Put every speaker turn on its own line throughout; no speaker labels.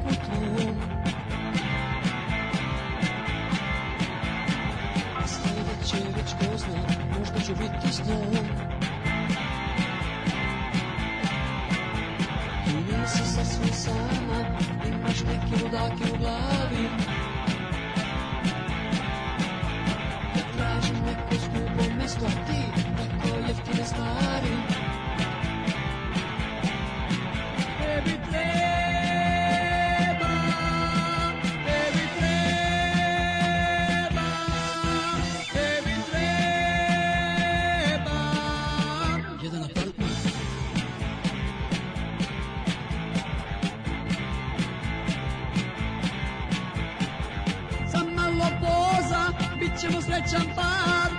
putujem. Sljedeće već ko zna, možda ću biti s njom. I nisi sasvim sama, imaš neke ludake u glavi. Ja tražim neko skupo mesto, a ti tako jeftine stvari. Tebi treba, tebi treba, tebi treba jedan apartman. Za malo poza bit ćemo srećan par.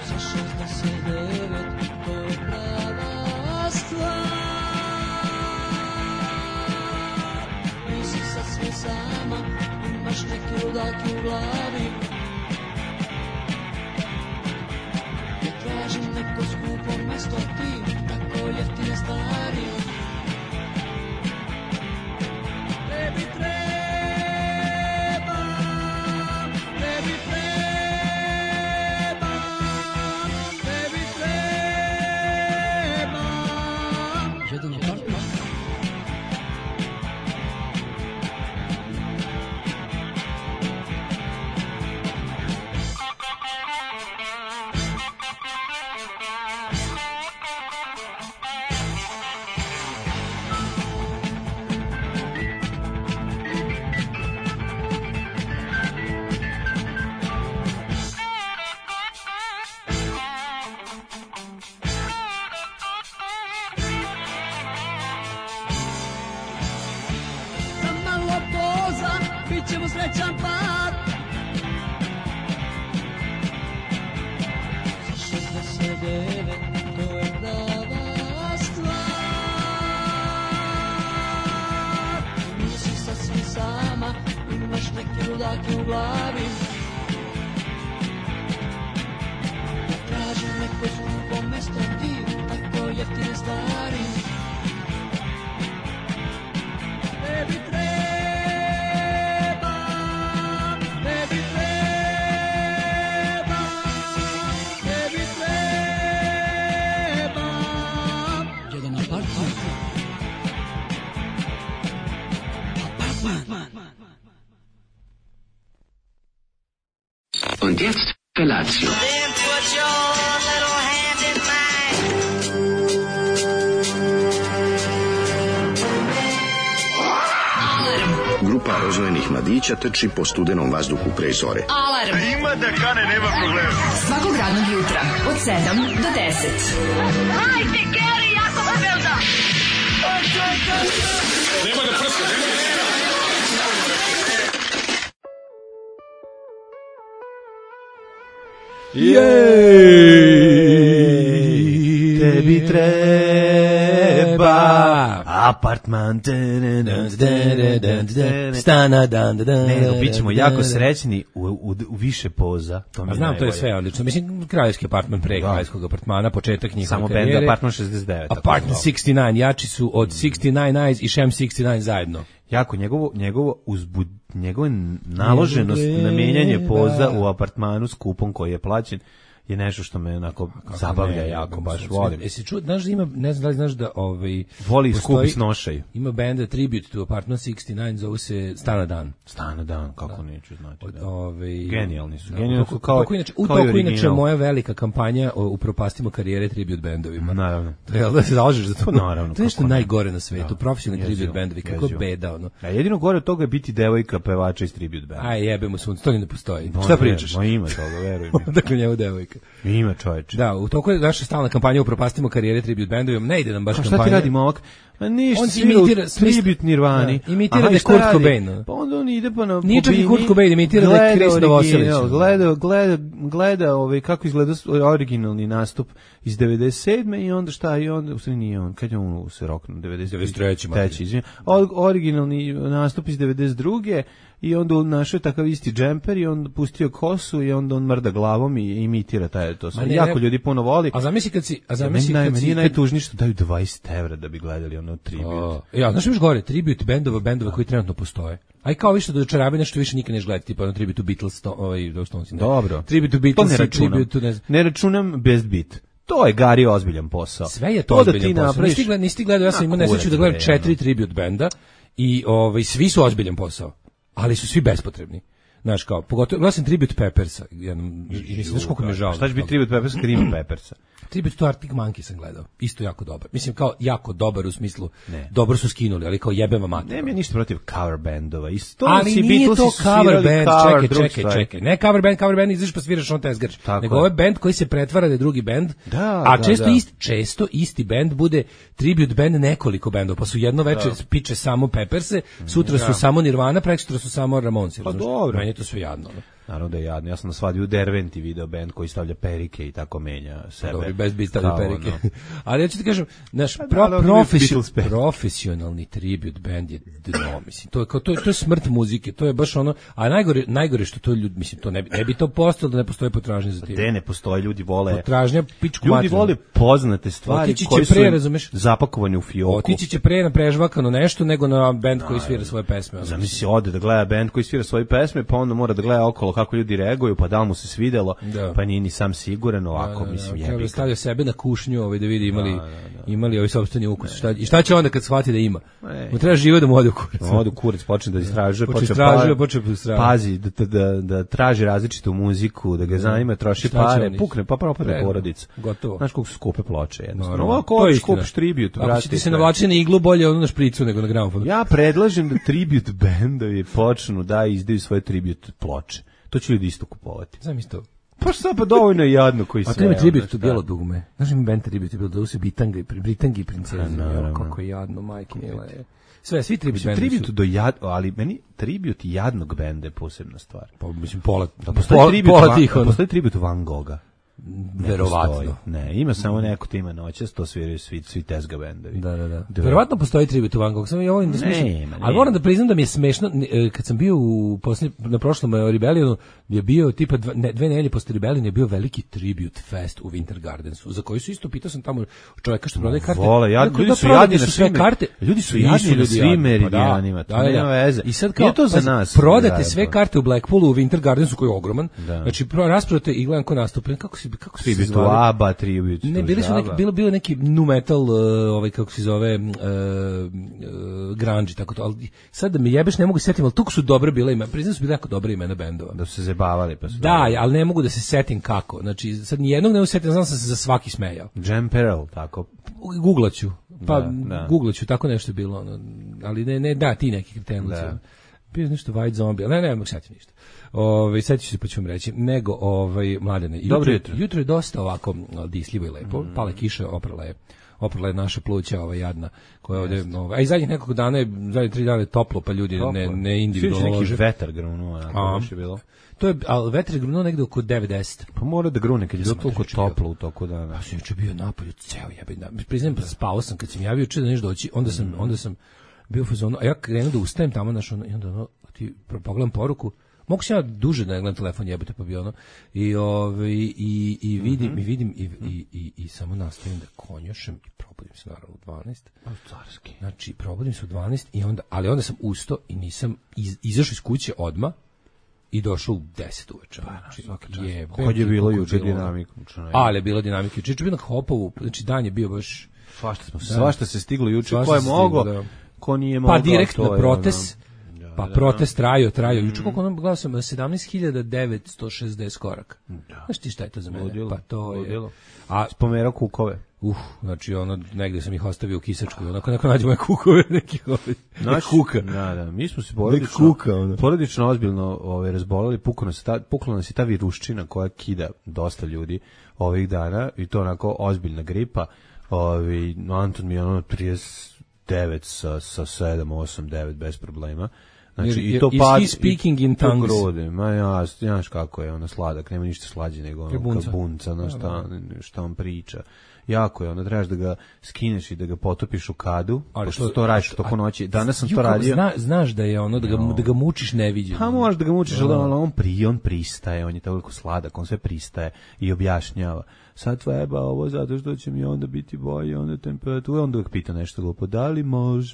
Za 69 to je prava stvar. Nisi sasvim sama, imaš neke ludake u glavi. Ja tražim neko skupo mesto, a ti tako jeftine stvari. Tebi treba, tebi treba, tebi treba jedan apartman. Za malo poza bit ćemo srećan par. Za 69 to je prava stvar. Nisi sasvim sama, imaš neke ludake u glavi. Ja tražim neko skupo mesto, a ti tako jeftine stvari. Tebi treba, tebi treba, tebi treba jedan apartman.
Und jetzt Felatio.
Then put your little hand in mine.
Grupa rozvojenih mladića trči po studenom vazduhu pre zore.
Alarm.
Ima da kane, nema problema.
Svakog radnog jutra od 7 do 10.
Hajde, Geri, jako se velda.
Nema da prska, nema da prska.
Jej, tebi treba apartman,
Stana dan dan.
ne, bit ćemo jako srećni u više poza. To mi
A
je
znam, to je
najbolje.
sve odlično. Mislim, kraljevski apartman pre kraljevskog apartmana, početak njihove
Samo
karijere.
bend Apartman 69. tako
Apartman
zvao.
69, jači su od 69 Eyes i Sham 69 zajedno.
Jako njegova naloženost na menjanje poza u apartmanu s kupom koji je plaćen je nešto što me onako zabavlja
Ne,
jako, baš
sve-
volim.
Jesi čuo, znaš da ima, ne znam da li znaš da
Voli skup
postoji-
i snošaju.
Ima benda Tribute to Apartment 69, zove se Stana dan.
Stana dan, kako neću znati. Da. Genijalni su.
Da,
Genijalni su kao
u
kao i
toku inače
original.
moja velika kampanja o upropastimo karijere tribute bendovima.
Naravno.
To je da se zalažeš za to.
Naravno,
To je nešto
kako ne.
najgore na svetu,
Da.
profesionalni
Jezivo,
tribute bendovi, kako
jezivo.
beda ono.
A jedino gore od toga je biti devojka pevača iz tribute benda.
Aj jebemo sunce, to ni ne postoji.
Ma
Šta
ne,
pričaš?
Ma ima toga, veruj mi.
Dakle, njemu devojka.
Ima čoveče.
Da, u toku je naša stalna kampanja upropastimo karijere tribute bendovima. Ne ide nam baš
A
kampanja.
šta ti radi momak? Ma ništa,
On
svira u
imitira-
tribute Nirvani.
Da, imitira
Aha,
da je
i šta
Kurt
radi?
Cobain.
Pa onda on ide pa na
Nije čak i
bini,
Kurt Cobain, imitira da je
gleda
Chris Novoselić.
original, gleda kako izgleda originalni nastup iz 97. i onda šta, i onda, u stvari nije on, kad je on se roknuo,
93.
Treći, izvinjam. Originalni nastup iz 92. I onda on našao takav isti džemper i on pustio kosu i onda on mrda glavom i imitira je to sve. Jako ljudi puno voli.
A zamisli kad si...
Meni je najtužnije što daju 20 evra da bi gledali ono tribute.
Ja, znaš još gore, tribute bendova koji trenutno postoje. Aj kao više do dočarave nešto više nikad neš gledati, tipa ono tribute to Beatles,
Dobro.
Tribute to Beatles, tribute to
ne računam Best Beat. To je Gari ozbiljan posao.
Sve je to ozbiljan posao. Nisi gledao, ja sam imao nesreću da gledam 4 tribute benda i svi su ozbiljan posao, ali su svi bespotrebni. Znaš kao, pogotovo, gledao sam Tribute Peppersa, mislim, znaš koliko mi je žao.
Šta će biti Tribute Peppersa kad ima Peppersa?
Tribute to Arctic Monkey sam gledao, isto jako dobar. Mislim, kao jako dobar u smislu, dobro su skinuli, ali kao jebema mater.
Nema ništa protiv cover bandova.
Ali nije to cover band, čekaj. Ne cover band izviš pa sviraš on tezgarč. Nego ovaj band koji se pretvara da je drugi band, često isti band bude tribute band nekoliko bendova, pa su jedno veče piče samo Pepperse, sutra su samo Nirvana, prekosutra su samo Ramonsi.
Pa dobro.
Meni je to sve jadno.
Naravno da je jadno. Ja sam na svadbi u Derventi video band koji stavlja perike i tako menja sebe.
Dobro, bez biti stavlja perike. Ali ja ću ti kažem, naš profesionalni tribute band je dno, mislim. To je smrt muzike, to je baš ono, a najgore što to ljudi, mislim, to ne bi to postalo da ne postoji potražnja za tim.
Gde ne postoji, ljudi vole.
Potražnja pičku materinu.
Ljudi vole poznate stvari koje su zapakovane u fioku.
Otići će pre na prežvakano nešto nego na band koji svira svoje pesme.
Zamisli ode da gleda band koji svira svoje pesme, pa onda mora da gleda okolo kako ljudi reaguju, pa da li mu se svidelo, pa nije ni sam siguran, ovako, mislim, jebi.
Treba stavlja sebe na kušnju, da vidi imali ovaj sopstveni ukus. I šta će onda kad shvati da ima? Mu treba živo da mu ode u kurac.
Ode u kurac, počne da istražuje, pazi, da traži različitu muziku, da ga zanima, troši pare, pukne, pa propade porodica.
Gotovo.
Znaš koliko su skupe ploče, jednostavno. Ovako skupiš tribute,
ako će ti se navlači na iglu, bolje ono na špricu nego na gramofonu.
Ja predlažem da tribute bendovi počnu da izdaju svoje tribute ploče. To će ljudi isto kupovati.
Znam isto.
Pa šta, pa dovoljno je jadno koji sve.
A to ima tribute to bijelo dugme. Znaš ima band tribute bilo da su Britangi i princezi. Kako je jadno, majke mila je. Svi tribute bendovi su.
Ali meni tribute jednog benda je posebna stvar.
Pa mislim pola
postoji tribute Van Gogha.
Verovatno.
Ne, ima samo neko tima noćas, to sviraju svi tezga bendovi.
Da. Verovatno postoji tribute Van Gogh, samo ja volim da smišljam. Ali moram da priznam da mi je smešno, kad sam bio na prošlom Rebellionu, je bio tipa 2 nedelje posle Rebelliona je bio veliki tribute fest u Winter Gardensu, za koji su isto pitao sam tamo čoveka što prodaje karte.
Ljudi su jadni na sve karte. Ljudi su jadni na svim meridijanima, to nema veze.
I sad kao to za nas. Prodate sve karte u Blackpoolu u Winter Gardensu koji je ogroman. Znači rasprodate i gledam ko nastupa. Kako se
tribute ABBA, tribute.
Ne, bilo neki nu metal, kako se zove, grunge, tako to, ali sad da me jebeš ne mogu se setim, ali toliko su dobre bile imena, priznam su bile jako dobre imena bendova.
Da su se zabavali, pa su
ali ne mogu da se setim kako, znači sad nijednog ne mogu setim, znam sam se za svaki smejao.
Jam Peril, tako.
Googlaću, googlaću, tako nešto je bilo, ali ne, ti neki kretenuci. Bio nešto White Zombie, ne mogu setim ništa. Sjeću se pa ću vam reći, nego Mladene. Jutro je dosta ovako disljivo i lepo, pale kiše, oprala je naša pluća jadna, koja ovde, a i zadnjih nekoliko dana je, zadnjih 3 dana je toplo, pa ljudi ne individualno lože.
Neki vetar grunuo, baš je bilo.
To je, ali vetar je grunuo negde oko 9-10.
Pa mora da grune, kad je bilo toliko toplo u toku dana.
Pa sam juče bio napolju, ceo jebim dan. Priznajem, spao sam kad sam javio juče da nešto doći, onda sam bio u fazonu, a ja krenuo da ustajem tamo, i onda ti pogledam poruku, mogu se ja duže da ne gledam telefon, jebate, pa bi i vidim i samo nastavim da konjošem i probudim se naravno u 12.
Carski.
Znači, probudim se u 12 i onda sam ustao i nisam izašao iz kuće odmah i došao u 10 uveče.
Kad je bilo juče dinamika.
Ali je bilo dinamika juče. Juče je bio na Hopovu, znači dan je bio baš...
Svašta se stiglo juče, ko je mogao, ko nije mogao.
Pa direktno protest. Pa protest trajao. Juče koliko gledao sam 17.960 koraka. Znaš ti šta je to za mene? Pa to je...
A spomerao kukove.
Znači negde sam ih ostavio u kisačkoj, onako nađu moje kukove, neki kuka.
Da, mi smo se porodično ozbiljno razboleli, pukla nas je ta viruščina koja kida dosta ljudi ovih dana i to onako ozbiljna gripa. Anton mi je 39 sa 7, 8, 9 bez problema. Znači, i to
he speaking in tongues?
Grode. Ma ja, znaš kako je ono sladak, nema ništa slađe nego ono bunca, no šta on priča. Jako je, ono, trebaš da ga skineš i da ga potopiš u kadu, pošto to radiš toko noći. Danas sam to radio.
Znaš da je ono, da ga mučiš neviđeno.
Pa možeš da ga mučiš, ali on pristaje, on je toliko sladak, on sve pristaje i objašnjava. Sad treba ovo zato što će mi onda biti bolje, onda temperatura, onda uvijek pita nešto glupo, da li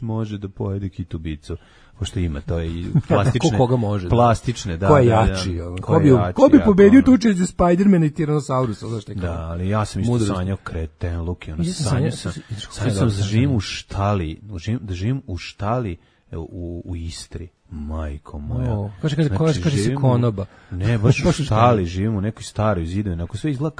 može da pojede kitubicu, pošto ima to i plastične.
Koga može?
Plastične, da.
Ko je jači? Ko bi pobedio tu uče za Spidermana i Tyrannosaurusa, znaš te kao.
Da, ali ja sam isto sanjao kreten, Luki, ono sanjao sam da živim u štali, u Istri. Majko moja.
Kaže se konoba.
Ne, baš u štali živim u nekoj staroj zidovini, onako sve izgleda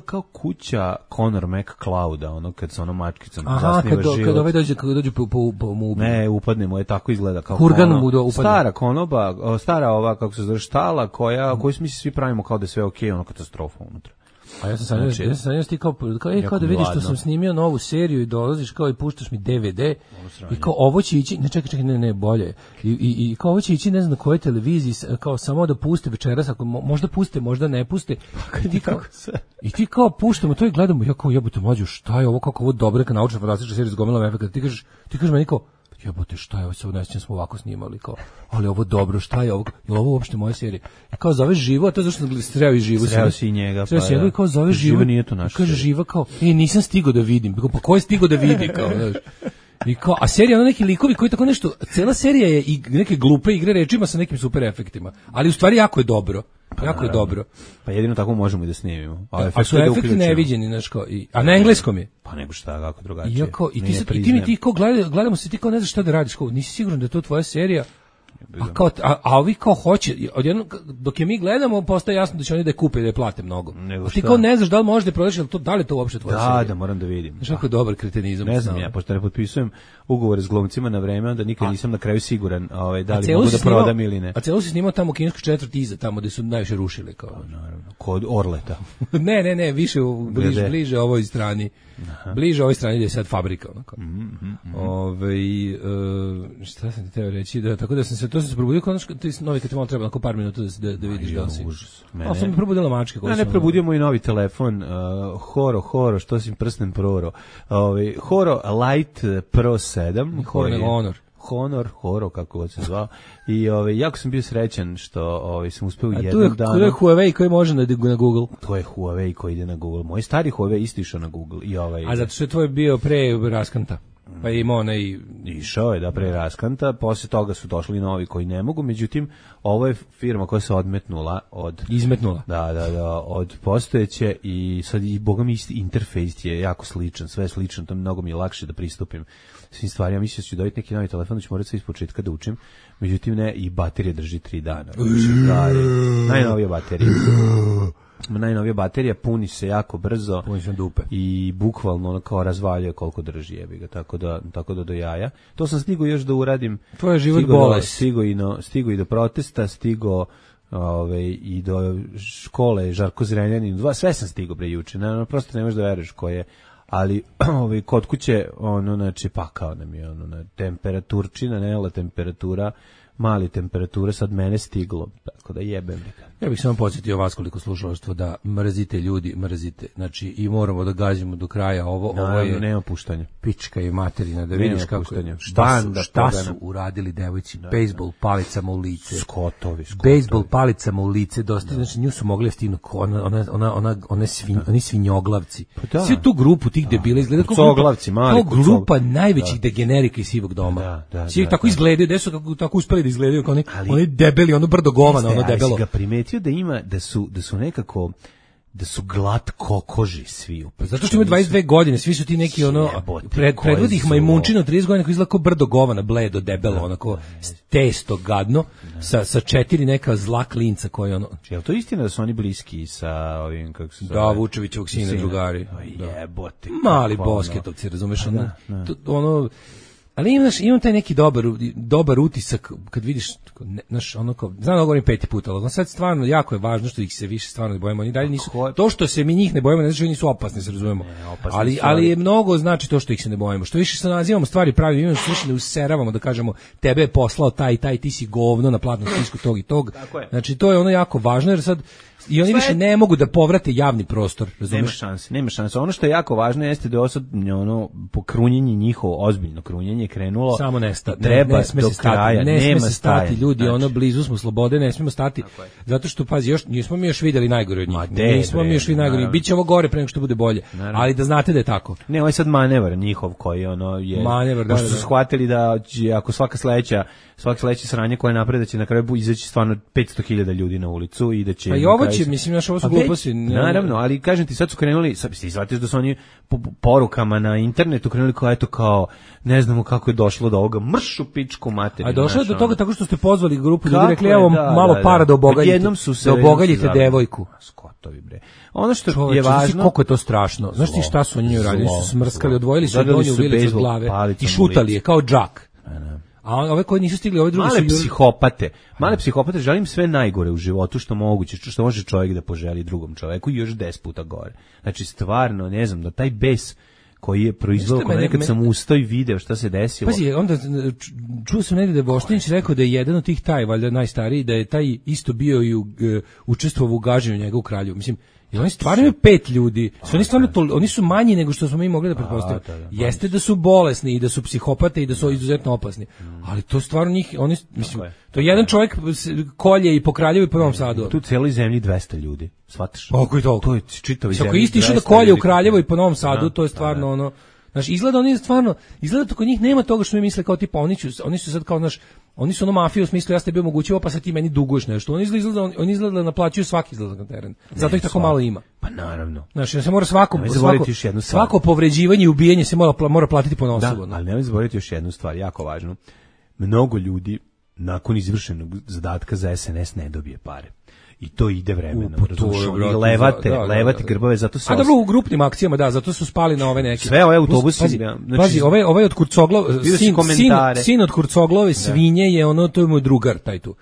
kao kuća Conor McClouda, ono kad sa onom mačkicom zasniva život. Kad ovaj dođe po mu ubije. Ne, upadne mu, je tako izgleda kao
Kurgan mu upadne.
Stara konoba, stara ova, kako se zove, štala, koju mi svi pravimo kao da je sve okej, ono katastrofa unutra.
A ja sam sanjao ti kao da vidiš što sam snimio novu seriju i dolaziš kao i puštaš mi DVD i kao ovo će ići, ne, bolje. I kao ovo će ići ne znam na kojoj televiziji, kao samo da puste večeras, ako možda puste, možda ne puste. I ti kao puštamo to i gledamo, ja kao jebote mlađu, šta je ovo, kako ovo dobra neka naučna fantastična serija s gomilom efekata. Ti kažeš meni kao jebote, šta je ovo, se unesćem smo ovako snimali, kao, ali ovo dobro, šta je ovo, je li ovo uopšte moja serija? I kao zove Živo, a to je zašto sam sreo i Živo.
Sreo si i njega,
pa da. I kao zove Živo,
nije to naša.
Kaže Živa kao, nisam stigao da vidim, pa ko je stigao da vidi, kao, znaš. I kao, a serija ono neki likovi koji tako nešto, cela serija je i neke glupe igre rečima sa nekim super efektima, ali u stvari jako je dobro. Jako je dobro.
Pa jedino tako možemo i da snimimo.
A su efekti neviđeni, znaš kao, a na engleskom je.
Pa nego šta, kako drugačije.
I ti kao gledamo se, ti kao ne znaš šta da radiš, kao, nisi siguran da je to tvoja serija. A ovi kao hoće, odjednom dok je mi gledamo postaje jasno da će oni da je kupe i da je plate mnogo. A ti kao ne znaš da li možeš da prodaš, da li je to uopšte tvoja serija.
Da, moram da vidim.
Znaš kako je dobar kretenizam.
Ne znam ja, pošto ne potpisujem ugovore s glumcima na vreme, onda nikad nisam na kraju siguran da li mogu da prodam ili ne.
A celo si snimao tamo kineskog četvrt iza, tamo gde su najviše rušili.
Naravno, kod Orleta.
Ne, više bliže ovoj strani. Bliže ovoj strani gde je sad fabrika. Šta sam ti teo reći? Tako da sam se probudio kao ti novi kad ti malo treba onako par minuta da vidiš da si. A sam mi probudila mačke.
Ne, probudio moj novi telefon, Horo, što si prsnem proro. Horo Light Pro 7. Horo, kako god se zvao. I jako sam bio srećan što sam uspeo jednog dana.
To je Huawei koji može na Google.
To je Huawei koji ide na Google. Moj stari Huawei isto išao na Google.
A zato što je tvoj bio pre raskanta. Pa ima onaj...
Išao je pre raskanta, posle toga su došli novi koji ne mogu, međutim, ovo je firma koja se odmetnula od...
Izmetnula.
Da, od postojeće i sad i boga mi isti interfejs je jako sličan, sve je slično, to mnogo mi je lakše da pristupim svim stvarima. Mislim da ću dobiti neki novi telefon, da ću morati sve iz početka da učim, međutim ne, i baterija drži 3 dana. Najnovija baterija. Najnovija baterija puni se jako brzo.
Puni se dupe.
I bukvalno ono kao razvaljuje koliko drži, jebi ga, tako da do jaja. To sam stigao još da uradim.
To je život bolest.
Stigo i do protesta, stigo i do škole Žarko Zrenjanin, sve sam stigao juče. Prosto ne možeš da veruješ ko je. Ali kod kuće znači pakao nam je temperaturčina, nela temperatura, mali temperature, sad mene stiglo, tako da jebem ga.
Ja bih samo podsjetio vas koliko slušalaštvo da mrzite ljudi, mrzite. Znači i moramo da gađamo do kraja ovo je
nema puštanja.
Pička i materina, da vidiš kako šta su uradili devojci, bejsbol palicama u lice.
Skotovi.
Bejsbol palicama u lice, dosta, znači nju su mogli stignu oni svinjoglavci. Svi tu grupu tih debila izgleda kao grupa najvećih degenerika iz sivog doma. Svi tako izgledaju, da su tako uspeli da izgledaju kao oni debeli, ono brdo govana, ono debelo.
Da su nekako da su glatko koži svi.
Zato što ima 22 godine, svi su ti neki predvodi ih majmunčina 30 godina koji izgleda kao brdo govana, bledo, debelo, onako testo gadno, sa 4 neka zla klinca koji ono...
Je to istina da su oni bliski sa ovim, kako se zove?
Da, Vučevićevog sina, drugari.
Jebote.
Mali bosketovci, razumeš? Ono Ali imam taj neki dobar utisak kad vidiš, znaš, ono kao, znam da govorim 5. put, ali sad stvarno jako je važno što ih se više stvarno ne bojimo. Oni dalje nisu, to što se mi njih ne bojimo, ne znači da nisu opasni, se razumemo. Ali je mnogo znači to što ih se ne bojimo. Što više se nazivamo stvari pravi, imamo što više ne useravamo da kažemo tebe je poslao taj, ti si govno na platnom spisku tog i tog. Znači to je ono jako važno jer sad i oni više ne mogu da povrate javni prostor, razumeš?
Nema šanse. Ono što je jako važno jeste da ono pokrunjenje njihovo, ozbiljno krunjenje krenulo.
Samo ne sme
do kraja, nema
se stati, ljudi, ono blizu smo slobode, ne smemo stati. Zato što pazi, nismo mi još videli najgore od njih. Nismo mi još videli najgore. Biće ovo gore pre nego što bude bolje. Ali da znate da je tako.
Ne, ovo je sad manevar njihov koji ono je.
Manevar, da.
Pošto su shvatili da ako svaka sledeće sranje koje naprede će na kraju izaći stvarno 500.000 ljudi na ulicu i da će.
Pa i ovo će, mislim, naš ovo su gluposti.
Naravno, ali kažem ti, sad su krenuli, ti shvatiš da su oni porukama na internetu krenuli kao, ne znamo kako je došlo do ovoga, mršu pičku materiju.
A došlo je do toga tako što ste pozvali grupu ljudi, rekli evo malo para da obogaljite devojku.
Skotovi bre. Ono što je važno,
koliko je to strašno. Znaš ti šta su oni uradili? Su smrskali, odvojili su donju vilicu od glave i šutali je kao džak. A ove koji nisu stigli, ove drugi
male psihopate, želim sve najgore u životu što moguće, što može čovjek da poželi drugom čovjeku i još 10 puta gore. Znači stvarno, ne znam, da taj bes koji je proizveo, nekad sam ustao i video šta se desilo.
Pazi, onda čuo sam negdje da je Boštinić rekao da je jedan od tih taj, valjda najstariji, da je taj isto bio i učestvovao u gaženju njega u Kraljevu. Mislim, i oni stvarno imaju 5 ljudi. Oni su manji nego što smo mi mogli da pretpostavimo. Jeste da su bolesni i da su psihopate i da su izuzetno opasni. Ali to stvarno njih, mislim, to je jedan čovjek kolje i po Kraljevu i po Novom Sadu.
Tu u cijeloj zemlji 200 ljudi. Shvataš?
Kako je to?
To je čitavi zemlji.
Ako isti išao da kolje u Kraljevu i po Novom Sadu, to je stvarno ono. Znaš, izgleda to kod njih nema toga što mi misle kao tipa, oni su sad kao, znaš, oni su ono mafija u smislu ja ste bio omogućivo pa sad ti meni duguješ nešto. Oni izgleda da naplaćuju svaki izlazak na teren. Zato ih tako malo ima.
Pa naravno.
Znaš, se mora svako povređivanje i ubijanje se mora platiti ponosobo.
Da, ali nemoj zaboraviti još jednu stvar, jako važnu. Mnogo ljudi nakon izvršenog zadatka za SNS ne dobije pare. I to ide vremenom, levate grbave, zato se...
A dobro, u grupnim akcijama, da, zato su spali na ove neke...
Sve ove autobusi...
Pazi, ovaj od Kurcoglove, sin od Kurcoglove svinje je ono, to je moj drugar, taj tu.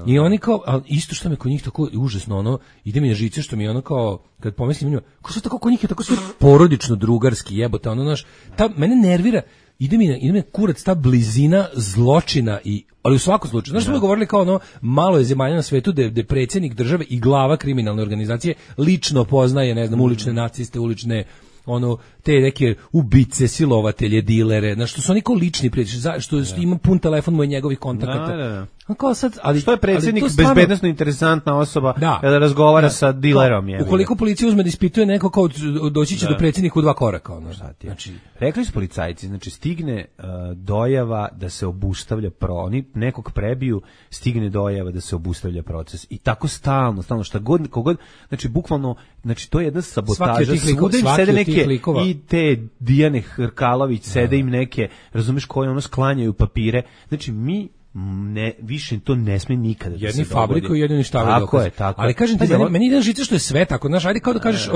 I oni kao, ali isto što me kod njih tako užasno, ono, ide mi na žice što mi ono kao, kad pomislim njima, ko što tako kod njih je tako sve porodično drugarski jebote, ono, znaš, mene nervira, ide mi kurac ta blizina zločina ali u svakom slučaju. Znaš što smo govorili kao ono, malo je zemalja na svetu gde predsjednik države i glava kriminalne organizacije lično poznaje, ne znam, ulične naciste, ulične te neke ubice, silovatelje, dilere, znaš, što su oni kao lični prijatelji, što ima pun telefon moj njegovih kontakata. Kao sad,
što je predsjednik bezbednosno interesantna osoba kada razgovara sa dilerom.
Ukoliko policija uzme da ispituje neko, kao doći će do predsjednika u 2 koraka.
Znači, rekli su policajci, znači stigne dojava da se obustavlja oni nekog prebiju, stigne dojava da se obustavlja proces. I tako stalno, šta god, kogod, znači bukvalno, znači to je jedna sabotaža. Svuda im sede neke i te Dijane Hrkalović, sede im neke, razumeš, koje sklanjaju papire. Znači više to ne sme nikada da se dogodi.
Jedni fabriku i jedni štavaju dokaz.
Tako.
Ali kažem ti, meni ide žice što je sve tako. Znaš, ajde kao da kažeš,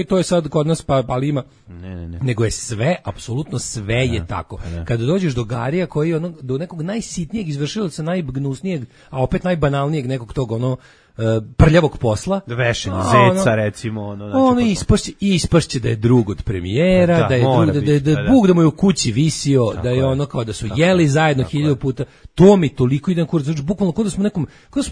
to je sad kod nas, ali ima.
Ne.
Nego je sve, apsolutno sve je tako. Kada dođeš do Garija koji je do nekog najsitnijeg izvršilaca, najgnusnijeg, a opet najbanalnijeg nekog tog prljavog posla.
Vešenje zeca, recimo.
Ispašće da je drug od premijera, da je Bog da mu je u kući visio, da je ono kao da su jeli zajedno 1000 puta. To mi toliko ide na kurac. Znači, bukvalno kao da smo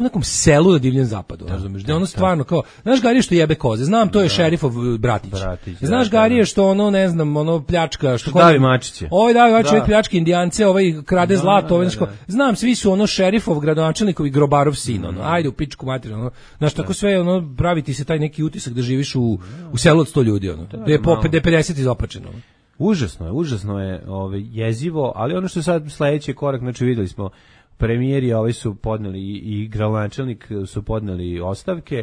u nekom selu na divljem zapadu, razumiješ? Da je ono stvarno kao, znaš Garije što jebe koze, znam, to je šerifov bratić. Znaš Garije što ne znam, pljačka, što
davi mačiće.
Davi mačiće, pljački Indijance, krade zlato, znam, svi su šerifov, gradonačelnikov i grobarov sin, ajde u pičku materiju. Znaš, tako sve, pravi ti se taj neki utisak da živiš u selu od 100 ljudi, da je 50 izopačeno.
Užasno je jezivo, ali ono što je sad sledeći korak, znači videli smo, premijeri su podneli i gradonačelnik su podneli ostavke,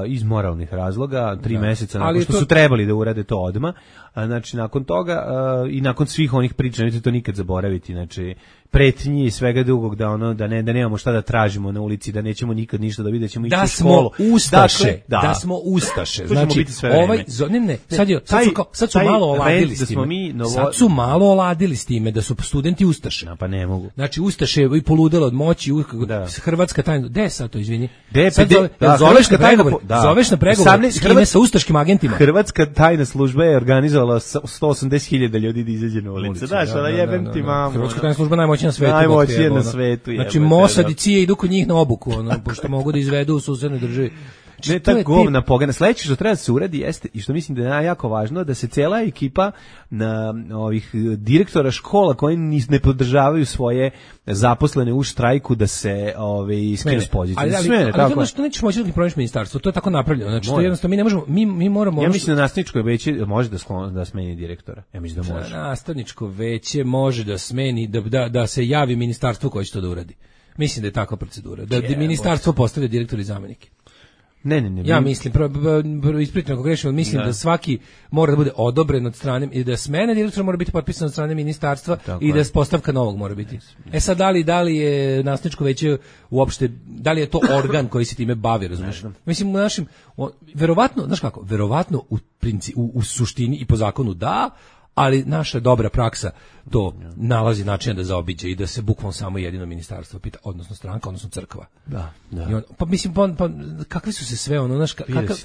iz moralnih razloga, 3 meseca nakon što su trebali da urade to odmah. Znači, nakon toga i nakon svih onih priča, nećete to nikad zaboraviti, znači, pretnji i svega drugog da nemamo šta da tražimo na ulici, da nećemo nikad ništa da vidimo, ćemo ići u školu.
Da smo ustaše. Znači, sad su malo oladili s time. Sad su malo oladili s time da su studenti ustaše.
Pa ne mogu.
Znači, ustaše i poludelo od moći, hrvatska tajna. Gde sad to, izvini? Zoveš na pregovor s kime, sa ustaškim agentima?
Hrvatska tajna služba je organizovala 180.000 ljudi da izađe na ulicu. Znaš, ona jebem ti mamu.
Hrvatska tajna služba najmoćnija na svetu.
Najmoćnija na svetu.
Znači, Mossad i CIA idu kod njih na obuku, pošto mogu da izvedu u susednoj državi.
Ne, ta govna pogana. Sledeće što treba da se uradi jeste, i što mislim da je jako važno, da se cela ekipa na ovih direktora škola koji ne podržavaju svoje zaposlene u štrajku da se skine s pozicije.
Ali što nećeš moći da promeniš ministarstvo, to je tako napravljeno. Znači, to jednostavno mi ne možemo, mi moramo...
Ja mislim da nastavničko veće može da smeni direktora. Ja mislim da može.
Nastavničko veće može da smeni, da se javi ministarstvo koje će to da uradi. Mislim da je takva procedura. Da ministarstvo postavlja direktora i zamenike.
Ne.
Ja mislim, ispričano ako grešim, mislim da svaki mora da bude odobren od strane i da smena direktora mora biti potpisana od strane ministarstva i da postavka novog mora biti. Sad da li je nastavničko veće uopšte, da li je to organ koji se time bavi, razumiješ? Mislim, u našim, verovatno, znaš kako, verovatno u suštini i po zakonu da, ali naša dobra praksa to nalazi način da zaobiđe i da se bukvalno samo jedino ministarstvo pita, odnosno stranka, odnosno crkva.
Da.
Pa mislim, kakvi su se sve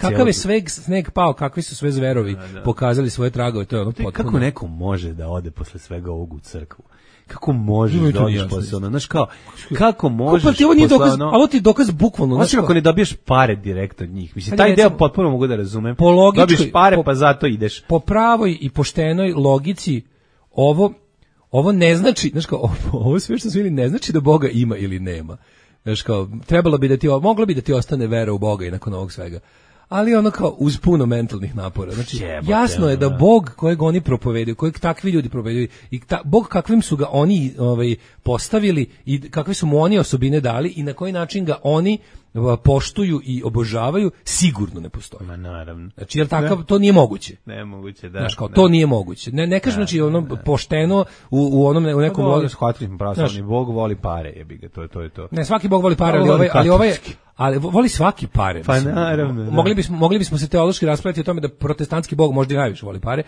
kakav je sneg pao, kakvi su sve zverovi pokazali svoje tragove, to je potpuno.
Kako neko može da ode posle svega ovog u crkvu? Kako možeš da odeš posle ono, znaš kao, kako možeš posle ono...
Ali ti dokaz bukvalno.
Znači, ako ne dobiješ pare direkt od njih, mislim, taj deo potpuno mogu da razumem. Dobiješ pare, pa zato ideš.
Po pravoj i poštenoj logici, ovo ne znači, znaš kao, ovo sve što su ili ne znači da Boga ima ili nema. Znaš kao, moglo bi da ti ostane vera u Boga i nakon ovog svega. Ali ono kao uz puno mentalnih napora. Znači, jasno je da Bog kojeg oni propovedaju, kojeg takvi ljudi propovedaju i Bog kakvim su ga oni postavili i kakve su mu oni osobine dali i na koji način ga oni poštuju i obožavaju, sigurno ne postoji.
Ma naravno.
Znači, jer takav, to nije moguće.
Nemoguće, da.
Znači, kao, to nije moguće. Ne kažem, znači, pošteno u nekom...
Bog voli pare, jebi ga, to je to.
Ne, svaki Bog voli pare, ali voli svaki pare.
Pa naravno.
Mogli bismo se teološki raspraviti o tome da protestantski Bog možda i najviše voli pare.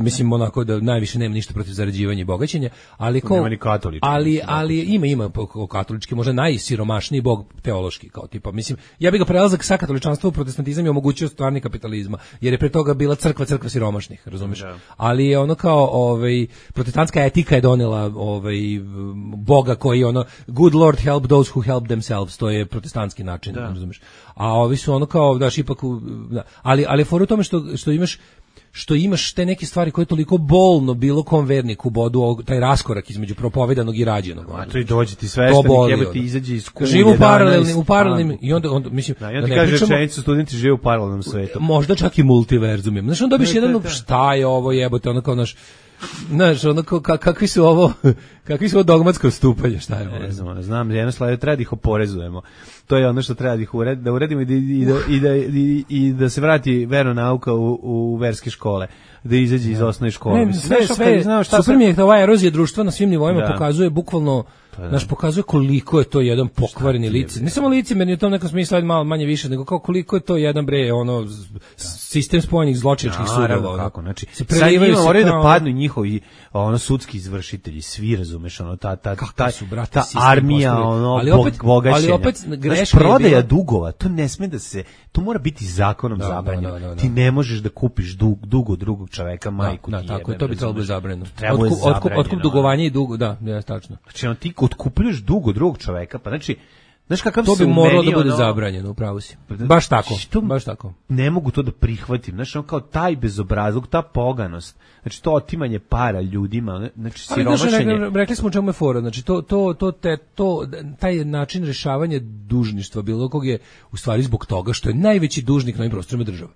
Mislim, onako da najviše nema ništa protiv zarađivanja i bogaćenja, ali
nema ni katolički.
Ali ima katolički, možda najsiromašniji Bog teološki, kao tipa, mislim, ja bih ga prelazak sa katoličanstva u protestantizam i omogućio stvarni kapitalizma, jer je pre toga bila crkva siromašnih, razumeš? Ali je ono kao, protestantska etika je donela Boga koji good Lord help those who help themselves, to je protestantski način, razumeš? A ovi su ono kao, daš ipak, ali for u tome što imaš te neke stvari koje je toliko bolno bilo kom verniku bodu, taj raskorak između propovedanog i rađenog.
A to i dođe ti sveštenik, jebe ti izađe iz kulje.
Živu u paralelnim, i onda mislim...
I onda kaže rečenicu, studenti žive u paralelnom svetu.
Možda čak i multiverzum. Znaš, onda dobiš jedan, šta je ovo jebote, ono kao znaš, ono kakvi su ovo dogmatsko stupanje, šta je ovo?
Ne znam, jedno slede treba da ih oporezujemo. To je ono što treba da uredimo i da se vrati veronauka u verske škole, da izađe iz osnovne škole.
Super mi je da ova erozija društva na svim nivoima pokazuje bukvalno, pokazuje koliko je to jedan pokvareni lice. Ne samo licemerni u tom nekom smislu, malo manje više, nego koliko je to jedan sistem spojenih zločinačkih sudova.
Kako, znači, sad njima moraju da padnu njihovi sudski izvršitelji, svi razumeš, ta armija, bogaćenja. Prodaja dugova, to ne sme da se, to mora biti zakonom zabranjeno. Ti ne možeš da kupiš dug od drugog čoveka, majku ti jebe.
Tako je, to bi trebalo biti zabranjeno. Otkup dugovanja i dugo, da, tačno.
Znači, ti otkupljuješ dug od drugog čoveka, pa znači, znaš kakav
to bi moralo da bude zabranjeno, upravo si. Baš tako.
Ne mogu to da prihvatim. Znači, kao taj bezobrazluk, ta poganost, znači to otimanje para ljudima, znači siromašenje.
Rekli smo u čemu je fora, znači taj način rešavanja dužništva bilo kog je u stvari zbog toga što je najveći dužnik na ovim prostorima država.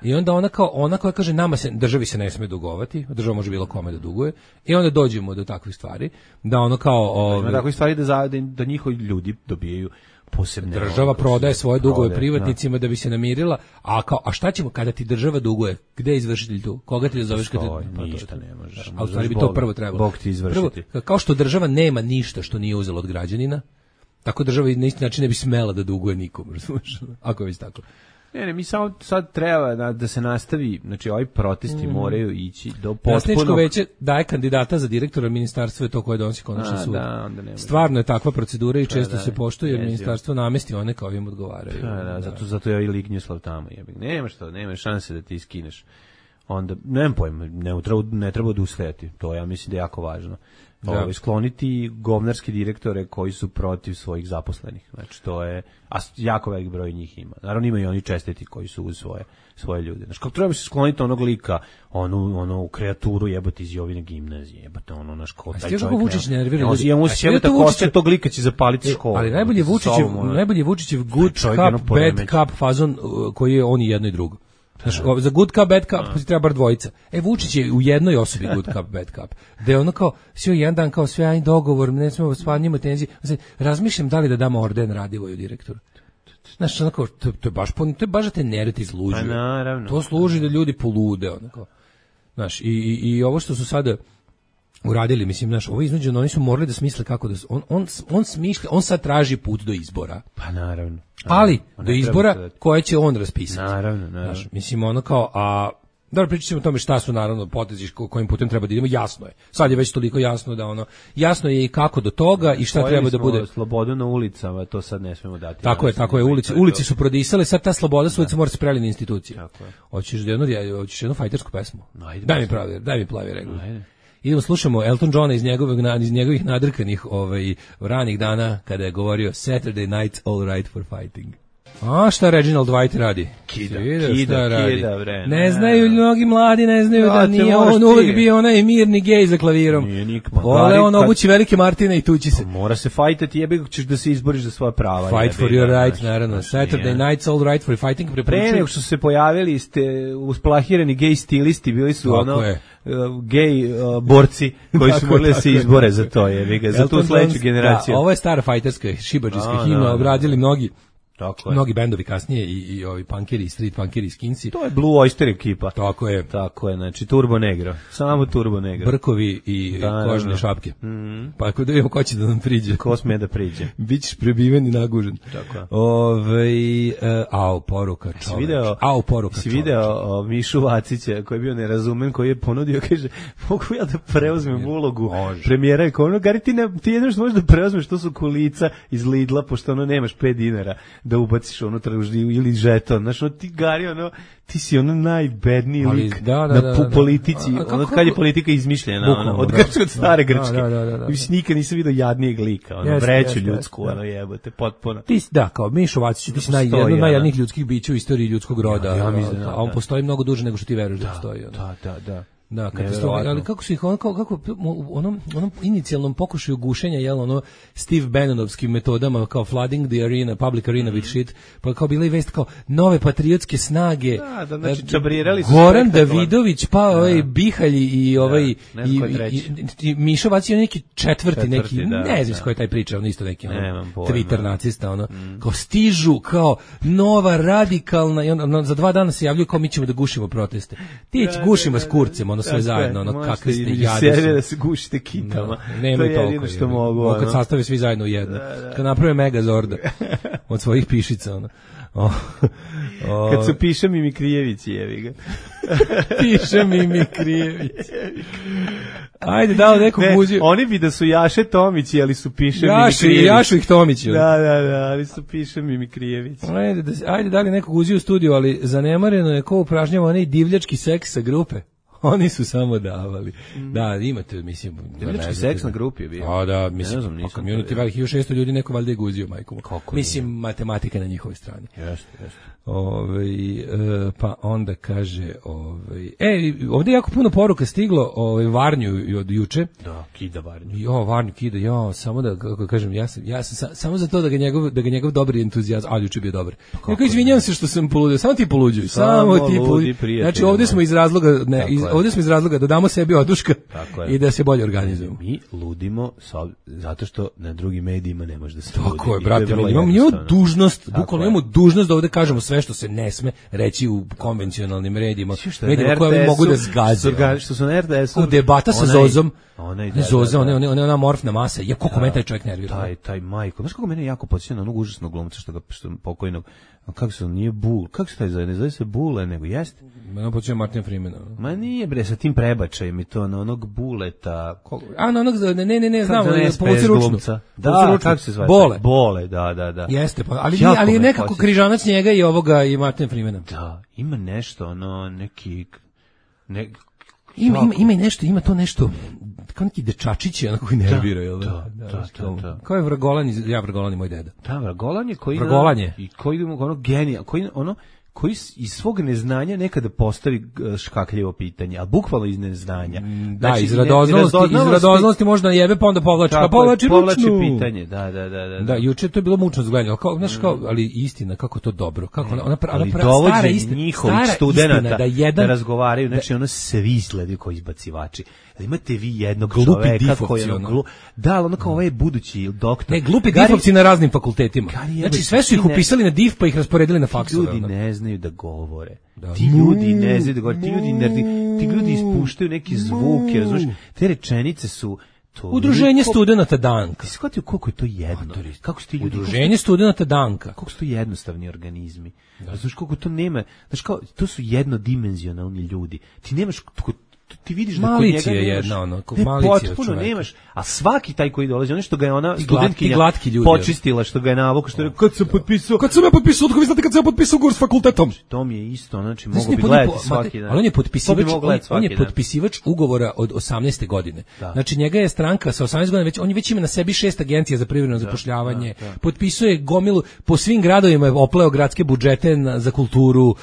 I onda ona koja kaže državi se ne sme dugovati, država može bilo kome da duguje, i onda dođemo do takvih stvari, da ono kao...
takvih stvari da njihovi ljudi dobijaju posebne.
Država prodaje svoje dugove privatnicima da bi se namirila, a šta ćemo kada ti država duguje? Gde je izvršitelj tu? Koga ti da zoveš kada
ništa ne možeš.
A u stvari bi to prvo trebalo.
Bog ti izvršiti.
Prvo, kao što država nema ništa što nije uzela od građanina, tako država na isti način ne bi smela da duguje nikom, razumiješ? Ako je već tako.
Ne, mi samo sad treba da se nastavi, znači ovi protesti moraju ići do potpunog...
Predstavničko veće daje kandidata za direktora, ministarstva je to koje donosi konačni sud. Stvarno je takva procedura i često se poštuje jer ministarstvo namesti one kao im odgovaraju.
Zato je ovaj Lignjuslav tamo. Nema šanse da ti iskineš. Onda, nemam pojma, ne treba odustajati. To ja mislim da je jako važno. Skloniti govnarske direktore koji su protiv svojih zaposlenih. Znači, to je, a jako velik broj njih ima. Naravno, ima i oni čestiti koji su uz svoje ljude. Znači, kako treba se skloniti onog lika, onu kreaturu jebote iz Jovine gimnazije, jebote naš ko, taj čovjek.
Vučić nervira ljudi.
Ja mu se jebote koste tog lika će zapaliti školu.
Ali najbolje Vučićev good cup, bad cup fazon koji je on i jedno i drugo. Znaš, za good cup, bad cup treba bar dvojica. Vučić je u jednoj osobi good cup, bad cup. Da je ono kao, sve jedan dan kao sve, ajde dogovor, ne smemo spanjimo tenzije. Razmišljam da li da damo orden Radivoju direktoru. Znaš, onako, to je baš da te nereti izluđuju.
Pa naravno.
To služi da ljudi polude, onako. Znaš, i ovo što su sada uradili, mislim, znaš, ovo iznuđeno, oni su morali da smisle kako da... On smišlja, on sad traži put do izbora.
Pa naravno.
Ali, do izbora koje će on raspisati.
Naravno.
Znaš, mislim, ono kao, dobro, pričat ćemo o tome šta su naravno potezi kojim putem treba da idemo, jasno je. Sad je već toliko jasno da jasno je i kako do toga i šta treba da bude.
Slobodu na ulicama, to sad ne smemo dati.
Tako je, ulici su prodisale, sad ta sloboda s ulica mora se preliti na institucije. Tako je. Hoćeš jednu fajtersku pesmu? Daj mi plavi regl. Idemo slušamo Elton Johna iz njegovih nadrkanih ranih dana kada je govorio Saturday night all right for fighting. A šta Reginald White radi?
Kida, bre.
Ne znaju mnogi mladi, ne znaju da nije on uvijek bio onaj mirni gej za klavirom.
Nije nikma.
Vole on obući velike Martine i tući se.
Mora se fajtati, jebi ćeš da se izboriš za svoja prava.
Fight for your right, naravno. Saturday night's all right for fighting.
Pre nego što se pojavili ste usplahirani gej stilisti, bili su gej borci koji su mogli da se izbore za to, za tu sledeću generaciju.
Ovo je stara fajterska, šibadžijska himna, obradili mnogi bendovi kasnije i ovi punkeri, street punkeri, skinsi.
To je Blue Oyster ekipa.
Tako je,
znači Turbo Negro, samo Turbo Negro.
Brkovi i kožne šapke. Pa ako da vidimo ko će da nam priđe.
Ko sme da priđe.
Bićeš prebiven i nagužen.
Tako.
Poruka čoveč.
Si video Mišu Vacića koji je bio nerazumen, koji je ponudio, kaže, mogu ja da preuzmem ulogu premijera i kao Gari, ti jedno što možeš da preuzmeš, to su kolica iz Lidla, pošto nemaš 5 dinara da ubaciš unutra ili žeton. Znaš, ti Gari, ti si najbedniji lik na politici, kad je politika izmišljena, od stare Grčke. Mislim, nikad nisam vidio jadnijeg lika, vreću ljudsku, jebote, potpuno.
Da, kao Mišo Vacić, ti si jedno od najjadnijih ljudskih bića u istoriji ljudskog roda, a on postoji mnogo duže nego što ti veruješ da postoji.
Da.
Da, ali kako su ih onom inicijalnom pokušaju gušenja, Steve Bannonovskim metodama, kao flooding the arena, public arena with shit, pa kao bila i vest kao nove patriotske snage.
Da, znači čabrirali su
Goran Davidović, pa Bihalj i i Mišo Vacić, neki četvrti, ne znam ko je taj priča, on isto neki Twitter nacista, kao stižu, kao nova radikalna, i za 2 dana se javljaju kao mi ćemo da gušimo proteste. Ti gušimo s kurcem, sve zajedno, kakvi ste jadi.
Da se gušite kitama.
To je jedino što mogu. Kad sastave svi zajedno u jedno. Kad naprave Megazorda od svojih pišica.
Kad su Piša Mimikrijević, jevi ga.
Piša Mimikrijević. Ajde, dao neku guziju.
Oni bi da su Jaše Tomići, ali su Piša Mimikrijević.
Jašu ih Tomići.
Da, ali su Piša Mimikrijević.
Ajde, dali neku guziju u studiju, ali zanemareno je ko upražnjava onaj divljački seks sa grupe. Oni su samo davali. Da, imate, mislim...
Divljački seks na grupi je bio.
Da, mislim, community velikih 1600 ljudi, neko valjda je guzio, majkom. Mislim, matematika na njihovoj strani.
Jeste.
Pa onda kaže... ovdje je jako puno poruka stiglo Varnju od juče.
Da, kida Varnju.
Varnju kida, samo da, kako kažem, ja sam samo za to da ga njegov dobri entuzijazam, ali juče bio dobar. Izvinjam se što sam poludio, samo ti poluđuj. Samo ti poluđuj. Znači, ovdje smo iz razloga ovdje smo iz razloga da damo sebi oduška i da se bolje organizujemo.
Mi ludimo zato što na drugim medijima ne može da se ludi.
Tako je, brate, imamo dužnost, bukvalno imamo dužnost da ovdje kažemo sve što se ne sme reći u konvencionalnim medijima koje mogu da zgaze.
Što su na RTS-u.
Debata sa Zozom. Zoza, ona amorfna masa. Ja, koliko mene taj čovjek nervira.
Taj majko. Znaš kako mene jako podsjeća na onog užasnog glumca što pokojnog, kako se on nije Bul, kako se taj zove, ne zove se Bule, nego jeste?
Mene podsjeća Martina Freemana.
Ma nije bre, sa tim prebačajem i to na onog Buleta.
Na onog, ne, znam, povuci ručnu.
Da, kako se zove? Bole, da.
Jeste, ali je nekako križanac njega i ovoga i Martina Freemana.
Da, ima nešto, neki...
Ima i nešto, ima to nešto, kao neki dečačići, onako koji nervira, jel da? Da. Kao je Vragolan, Vragolan je moj deda.
Da, Vragolan je koji...
Vragolan je.
I koji ono genija, koji iz svog neznanja nekada postavi škakljivo pitanje, ali bukvalno iz neznanja.
Da, iz radoznalosti možda jebe, pa onda povlači ručnu.
Pitanje, da.
Da, juče to je bilo mučno zgledanje, ali istina, kako to dobro.
Ali dovođe njihovih studenata da razgovaraju, znači ono svi izgledaju kao izbacivači. Da imate vi jednog čoveka koji je da, ali ono kao ovaj budući doktor.
Ne, glupi difovci na raznim fakultetima. Znači sve su ih upisali na div pa ih rasporedili na faksove.
Ljudi ne znaju da govore. Ti ljudi ne znaju da govore. Ti ljudi ispuštaju neke zvuke, razumiješ? Te rečenice su
Udruženje studenata Danka.
Ti shvatio koliko je to jedno? Kako su ti ljudi?
Udruženje studenata Danka.
Koliko su to jednostavni organizmi? Znaš koliko to nema? Znaš kao, to su jednodimenzionalni ljudi. Ti nemaš... Ti vidiš da kod njega nemaš, potpuno nemaš, a svaki taj koji dolazi, ono što ga je ona studentkinja počistila, što ga je navukla, što je kad sam ja potpisao, vi znate kad sam ja potpisao ugovor s fakultetom. To mi je isto, znači mogu bi gledati svaki dan.
Ali on je potpisivač ugovora od 18. godine. Znači njega je stranka sa 18 godina, on već ima na sebi 6 agencija za privremeno zapošljavanje, potpisuje gomilu, po svim gradovima je opleo gradske budžete za kulturu,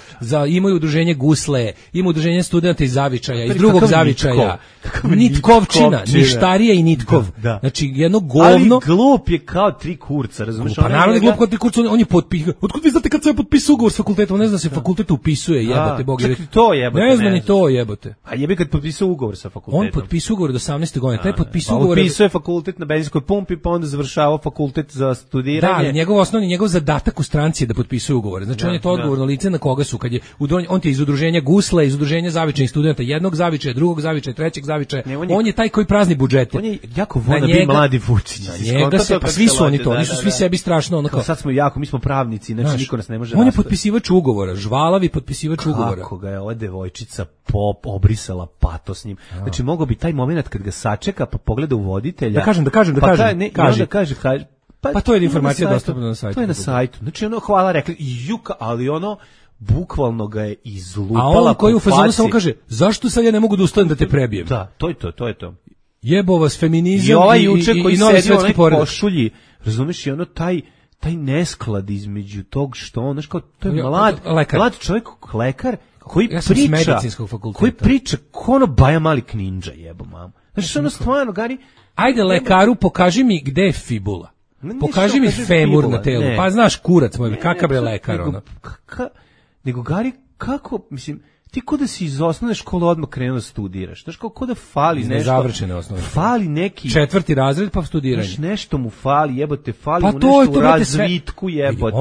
imaju udruženje Gusle, ima udruženje studenta iz Zavičaja, iz drugog Zavičaja, Nitkovčina, Ništarija i Nitkov. Znači jedno govno.
Ali glup je kao tri kurca, razumiješ?
Pa naravno je glup kao tri kurca, on je potpisao. Otkud vi znate kad se potpisao ugovor s fakultetom? Ne zna se fakultet upisuje, jebote, Bog je.
To jebote.
Ne zna ni to, jebote.
A jebi kad potpisao ugovor sa fakultetom.
On potpisao ugovor do 18. godine. Taj potpisao ugovor.
Upisuje fakultet na benzinskoj pumpi, pa onda završavao fakultet za studiranje.
Da, njegov zadatak u stranci je da potpisuje ugovore. Znači on je to odgovorno lice na koga su kad je on je iz udruženja Gusla, iz udruženja Zavičajnih studenata, jednog Zavičaja, drugog Zavičaja, trećeg Zavičaja. On je taj koji prazni budžete.
On je jako voda bi mladi Vučić.
Svi su oni to, oni su svi sebi strašno onako.
Sad smo jako, mi smo pravnici, znači niko nas ne može.
On je potpisivač ugovora, žvalavi potpisivač ugovora.
Kako ga je ova devojčica obrisala pato s njim. Znači mogao bi taj momenat kad ga sačeka pa pogleda u voditelja.
Da kaže. Pa to je informacija dostupna na sajtu.
To je na sajtu. Znači ono hvala rekli juka, ali ono bukvalno ga je izlupala.
A on koji u fazonu samo kaže, zašto sad ja ne mogu da ustanem da te prebijem?
Da, to je to.
Jebo vas feminizam
i juče koji sedi u onaj košulji, razumiješ, i ono taj nesklad između tog što on, znaš kao, to je mlad čovjek, lekar, koji priča ko ono Baja Mali Kninđa, jebo mamu. Znaš, ono stvarno, Gari...
Ajde lekaru, pokaži mi gde je fibula. Pokaži mi femur na telu. Pa znaš, kurac moj, kakav bre lekar, ono.
Nego, Gari, kako, mislim, ti ko da si iz osnovne škole odmah krenuo da studiraš. Znaš, ko da fali nešto.
Nezavršene osnovne škole.
Fali neki...
4. razred pa studiranje.
Znaš, nešto mu fali, jebote, fali mu nešto u razvitku, jebote.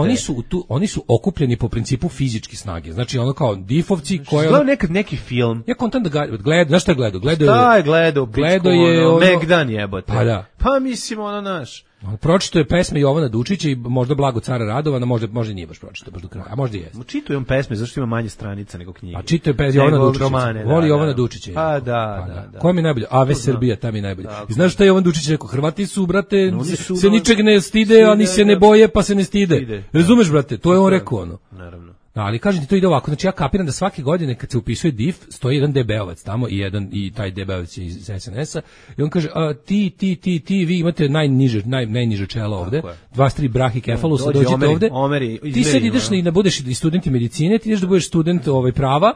Oni su okupljeni po principu fizičke snage. Znači, ono kao difovci koje...
Gledao nekad neki film.
Ja kontam da gledao, znaš šta je gledao?
Šta je gledao? Gledao je ono... Megdan, jebote.
Pa da.
Pa mislim, ono naš...
Pročito je pesme Jovana Dučića i možda Blago cara Radovana, možda nije baš pročito baš do kraja, a možda i jeste.
Čitao je on pesme, zašto ima manje stranica nego knjige.
A čitao je pesme Jovana Dučića, voli Jovana Dučića.
Pa da.
Koja mi je najbolja? Ave Srbija, ta mi je najbolja. I znaš šta je Jovan Dučić rekao? Hrvati su, brate, se ničeg ne stide, a ni se ne boje, pa se ne stide. Razumeš, brate? To je on rekao, ono.
Naravno.
Ali kažem ti, to ide ovako, znači ja kapiram da svake godine kad se upisuje DIF stoji jedan DB-ovac tamo i taj DB-ovac je iz SNS-a i on kaže, ti, vi imate najniže čelo ovde, 23 brahi kefalusa, dođite ovde, ti sad ideš da budeš i studenti medicine, ti ideš da budeš student prava,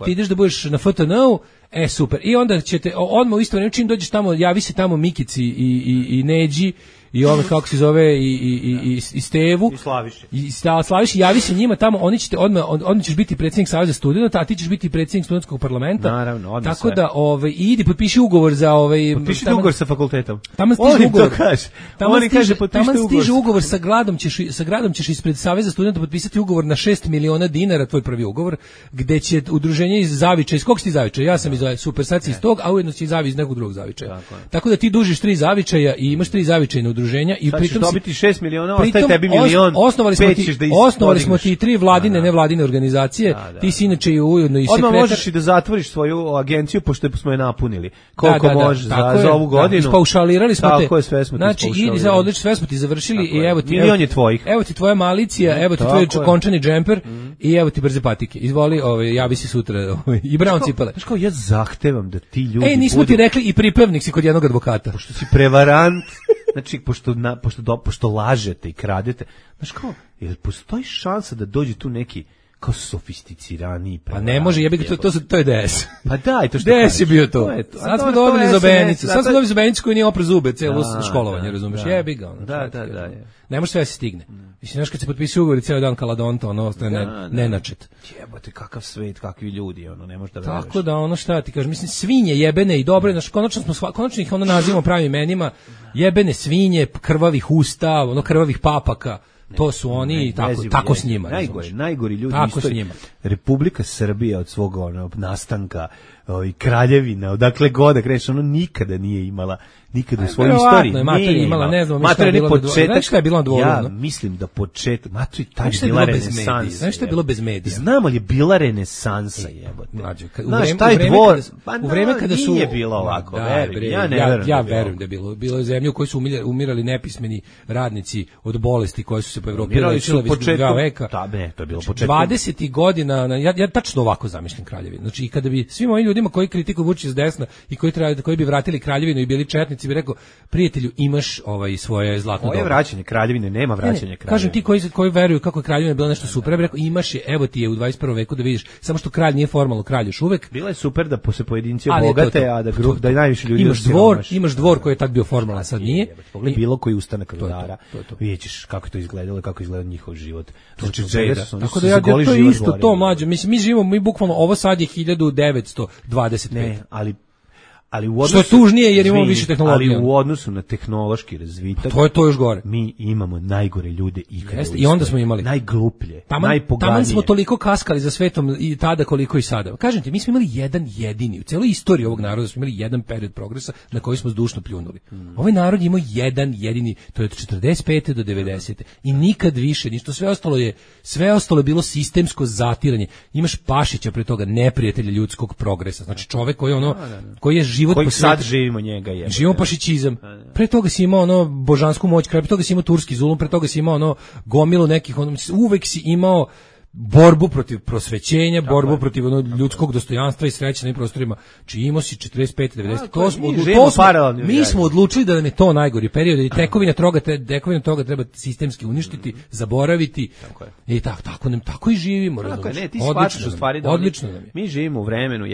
ti ideš da budeš na FTN-u, super, i onda ćete, odmah u isto vreme, čim dođeš tamo, javi se tamo Mikici i Neđi, i ove kako se zove i Stevu
i
Slaviš, javi se njima tamo, oni ćeš biti predsjednik Saveza studenata, a ti ćeš biti predsjednik studentskog parlamenta.
Naravno, odmah
tako
sve.
Da idi potpiši ugovor za
potpiši ugovor sa fakultetom.
Tamo stiže ugovor.
Oni kaže potpiši
ugovor sa gradom ćeš ispred Saveza studenta potpisati ugovor na 6 miliona dinara, tvoj prvi ugovor, gde će udruženje iz Zavičaja, iz kog si ti Zavičaja? Ja sam iz Super Saci iz tog, a ujedno si iz nekog drugog Zavičaja. Tako da ti dužiš 3 Zavičaja i imaš 3 zavičajna udruženja i pritom
dobiti 6 miliona, ostaje tebi milion.
Osnovali smo ti 3 vladine, nevladine organizacije. Ti si inače i ujedno i sekretar.
Odmah možeš i da zatvoriš svoju agenciju pošto smo je napunili. Koliko može za ovu godinu.
Ispaušalirali smo te.
Tako je, sve smo ti
znači, idi za odlično, sve smo ti završili i evo ti
milion je tvojih.
Evo ti tvoja malicija, evo ti tvoj končani džemper i evo ti brze patike. Izvoli, javi se sutra i brown cipele.
Znaš kao, ja zahtevam da ti ljudi
nismo ti rekli i pripravnik si kod jednog advokata.
Pošto si prevarant, znači, pošto lažete i kradete, znaš kao, jel postoji šansa da dođe tu neki kao sofisticiraniji prevarant? Pa
ne može, to je DS.
Pa daj, to što
DS je bio to. Sad smo dobili zobenicu. Sad smo dobili zobenicu koji nije opre zube, celo školovanje, razumeš? Jebi ga.
Da.
Ne može sve se stigne. Mislim, znaš, kad se potpisuje ugovor i ceo dan kaladonta, ostaje nenačet.
Jebote, kakav svet, kakvi ljudi, ne može da veruješ.
Tako da, šta ti kažeš, mislim, svinje jebene i dobre, znaš, konačno ih nazivamo pravim imenima, jebene svinje, krvavih usta, krvavih papaka. To su oni i tako s njima.
Najgori ljudi u istoriji. Republika Srbija od svog nastanka i kraljevina, odakle god da kreneš, nikada nije imala, nikada u svojoj istoriji
nije imala, ne znam, šta je bilo na dvoru.
Ja mislim da početak, taj je bila renesansa.
Znaš šta je bilo bez medija?
Znamo li je bila renesansa, jebote.
Znaš, taj dvor, u vreme kada su...
Nije bilo ovako,
ja verujem da je bilo. Bilo je zemlje u kojoj su umirali nepismeni radnici od bolesti koje su se po Evropi lečile već 2 veka.
To je bilo početak.
20. godina, ja tačno ovako zamišljam kraljevinu. Znači, i kada bi svim ovim ljudima koji kritikuju Vučića s desna i koji bi vratili kraljevinu i bili četnici bi rekao, prijatelju, imaš svoje zlatno dobro.
Ovo je vraćanje kraljevine, nema vraćanja kraljevine.
Kažem ti koji veruju kako je kraljevina bila nešto super, ja bih rekao, imaš je, evo ti je u 21. veku da vidiš, samo što kralj nije formalno kralj još uvek.
Bila je super da se pojedinci obogate, a da najviše ljudi
imaš dvor koji je tad bio formalan, sad nije.
Pogledaj bilo koji ustanak vladara, vidjet ćeš kako je to izgledalo, kako izgleda njihov život.
Znači, tako da to je isto to, mlađe. Mislim, mi bukvalno, ovo sad je 1925.
Ne, ali
što je tužnije jer imamo više tehnologije.
Ali u odnosu na tehnološki razvitak,
to je još gore.
Mi imamo najgore ljude ikada.
I onda smo imali
najgluplje, najpoganije.
Tamo smo toliko kaskali za svetom i tada koliko i sada. Kažem ti, mi smo imali jedan jedini u celoj istoriji ovog naroda, smo imali jedan period progresa na koji smo zdušno pljunuli. Ovaj narod imao jedan jedini, to je od 45. do 90. i nikad više, ništa, sve ostalo je bilo sistemsko zatiranje. Imaš Pašića pre toga, neprijatelja ljudskog progresa. Znači čovek koji je život
koji sad živimo njega je.
Živimo pašićizam. Pre toga si imao božansku moć, pre toga si imao turski zulum, pre toga si imao gomilu nekih, uvek si imao borbu protiv prosvećenja, borbu protiv ljudskog dostojanstva i sreće na prostorima. Či imao si 45-90. Mi smo odlučili da nam je to najgori period i tekovina toga treba sistemski uništiti, zaboraviti. I tako i živimo. Odlično nam je.
Mi živimo u vremenu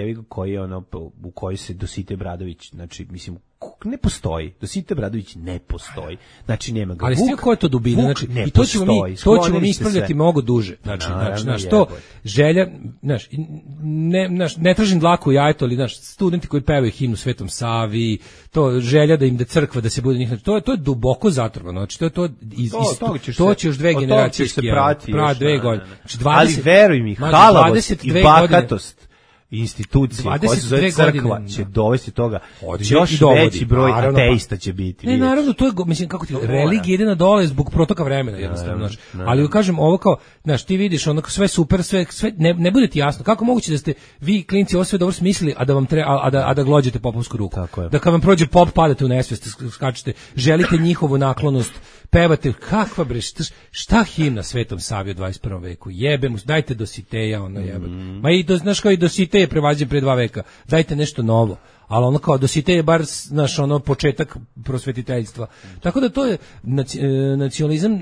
u kojoj se Dositej Bradović, znači, mislim, ne postoji. Dositej Bradović ne postoji. Znači, nema ga.
Ali svi koja je to dubina? Znači, i to ćemo mi ispravljati mnogo duže. Znači, to želja, ne tražim dlaku u jajetu, ali studenti koji pevaju himnu Svetom Savi, to želja da im da crkva, da se bude njih, to je duboko zatrovano. Znači, to će još 2 generacije
prati
2 godine.
Ali veruj mi, halavost i bahatost institucije koja se zove crkva će dovesti toga, još veći broj ateista će biti.
Ne, naravno, to je, mislim, kako ti, religija ide na dole zbog protoka vremena, jednostavno, ali kažem, ovo kao, ti vidiš, sve super, sve ne bude ti jasno, kako moguće da ste vi, klinci, ovo sve dobro smislili, a da vam a da glođete popovsku ruku, da kad vam prođe pop, padate u nesvest, skačete, želite njihovu naklonost, pevate, kakva bre, šta himna Svetom Savi u 21. veku, jebemo, dajte Dositeja, jebe. Ma i znaš kao i Dositej je prevađen pre 2 veka, dajte nešto novo. ali ono kao dosite je bar naš ono početak prosvetiteljstva. Tako da to je nacionalizam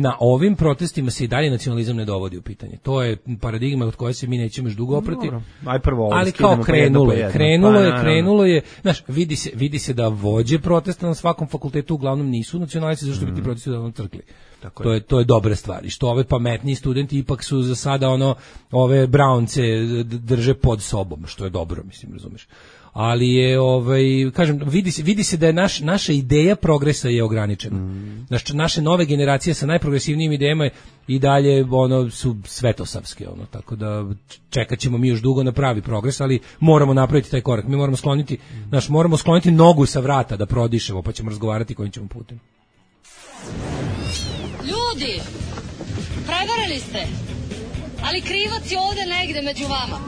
na ovim protestima se i dalje nacionalizam ne dovodi u pitanje. To je paradigma od koje se mi nećemo još dugo oprati. Ali kao krenulo je, znaš, vidi se da vođe protesta na svakom fakultetu uglavnom nisu nacionalisti, zašto bi ti protesti uglavnom crkli. To je dobra stvar. I što ove pametniji studenti ipak su za sada ove Brownce drže pod sobom, što je dobro, mislim, razumeš. Ali je kažem, vidi se da je naša ideja progresa je ograničena. Naše nove generacije sa najprogresivnijim idejama i dalje su svetosavske, tako da čekat ćemo mi još dugo na pravi progres, ali moramo napraviti taj korak. Mi moramo skloniti nogu sa vrata da prodišemo, pa ćemo razgovarati kojim ćemo putem.
Ljudi, prevarili ste, ali krivac je ovde negde među vama.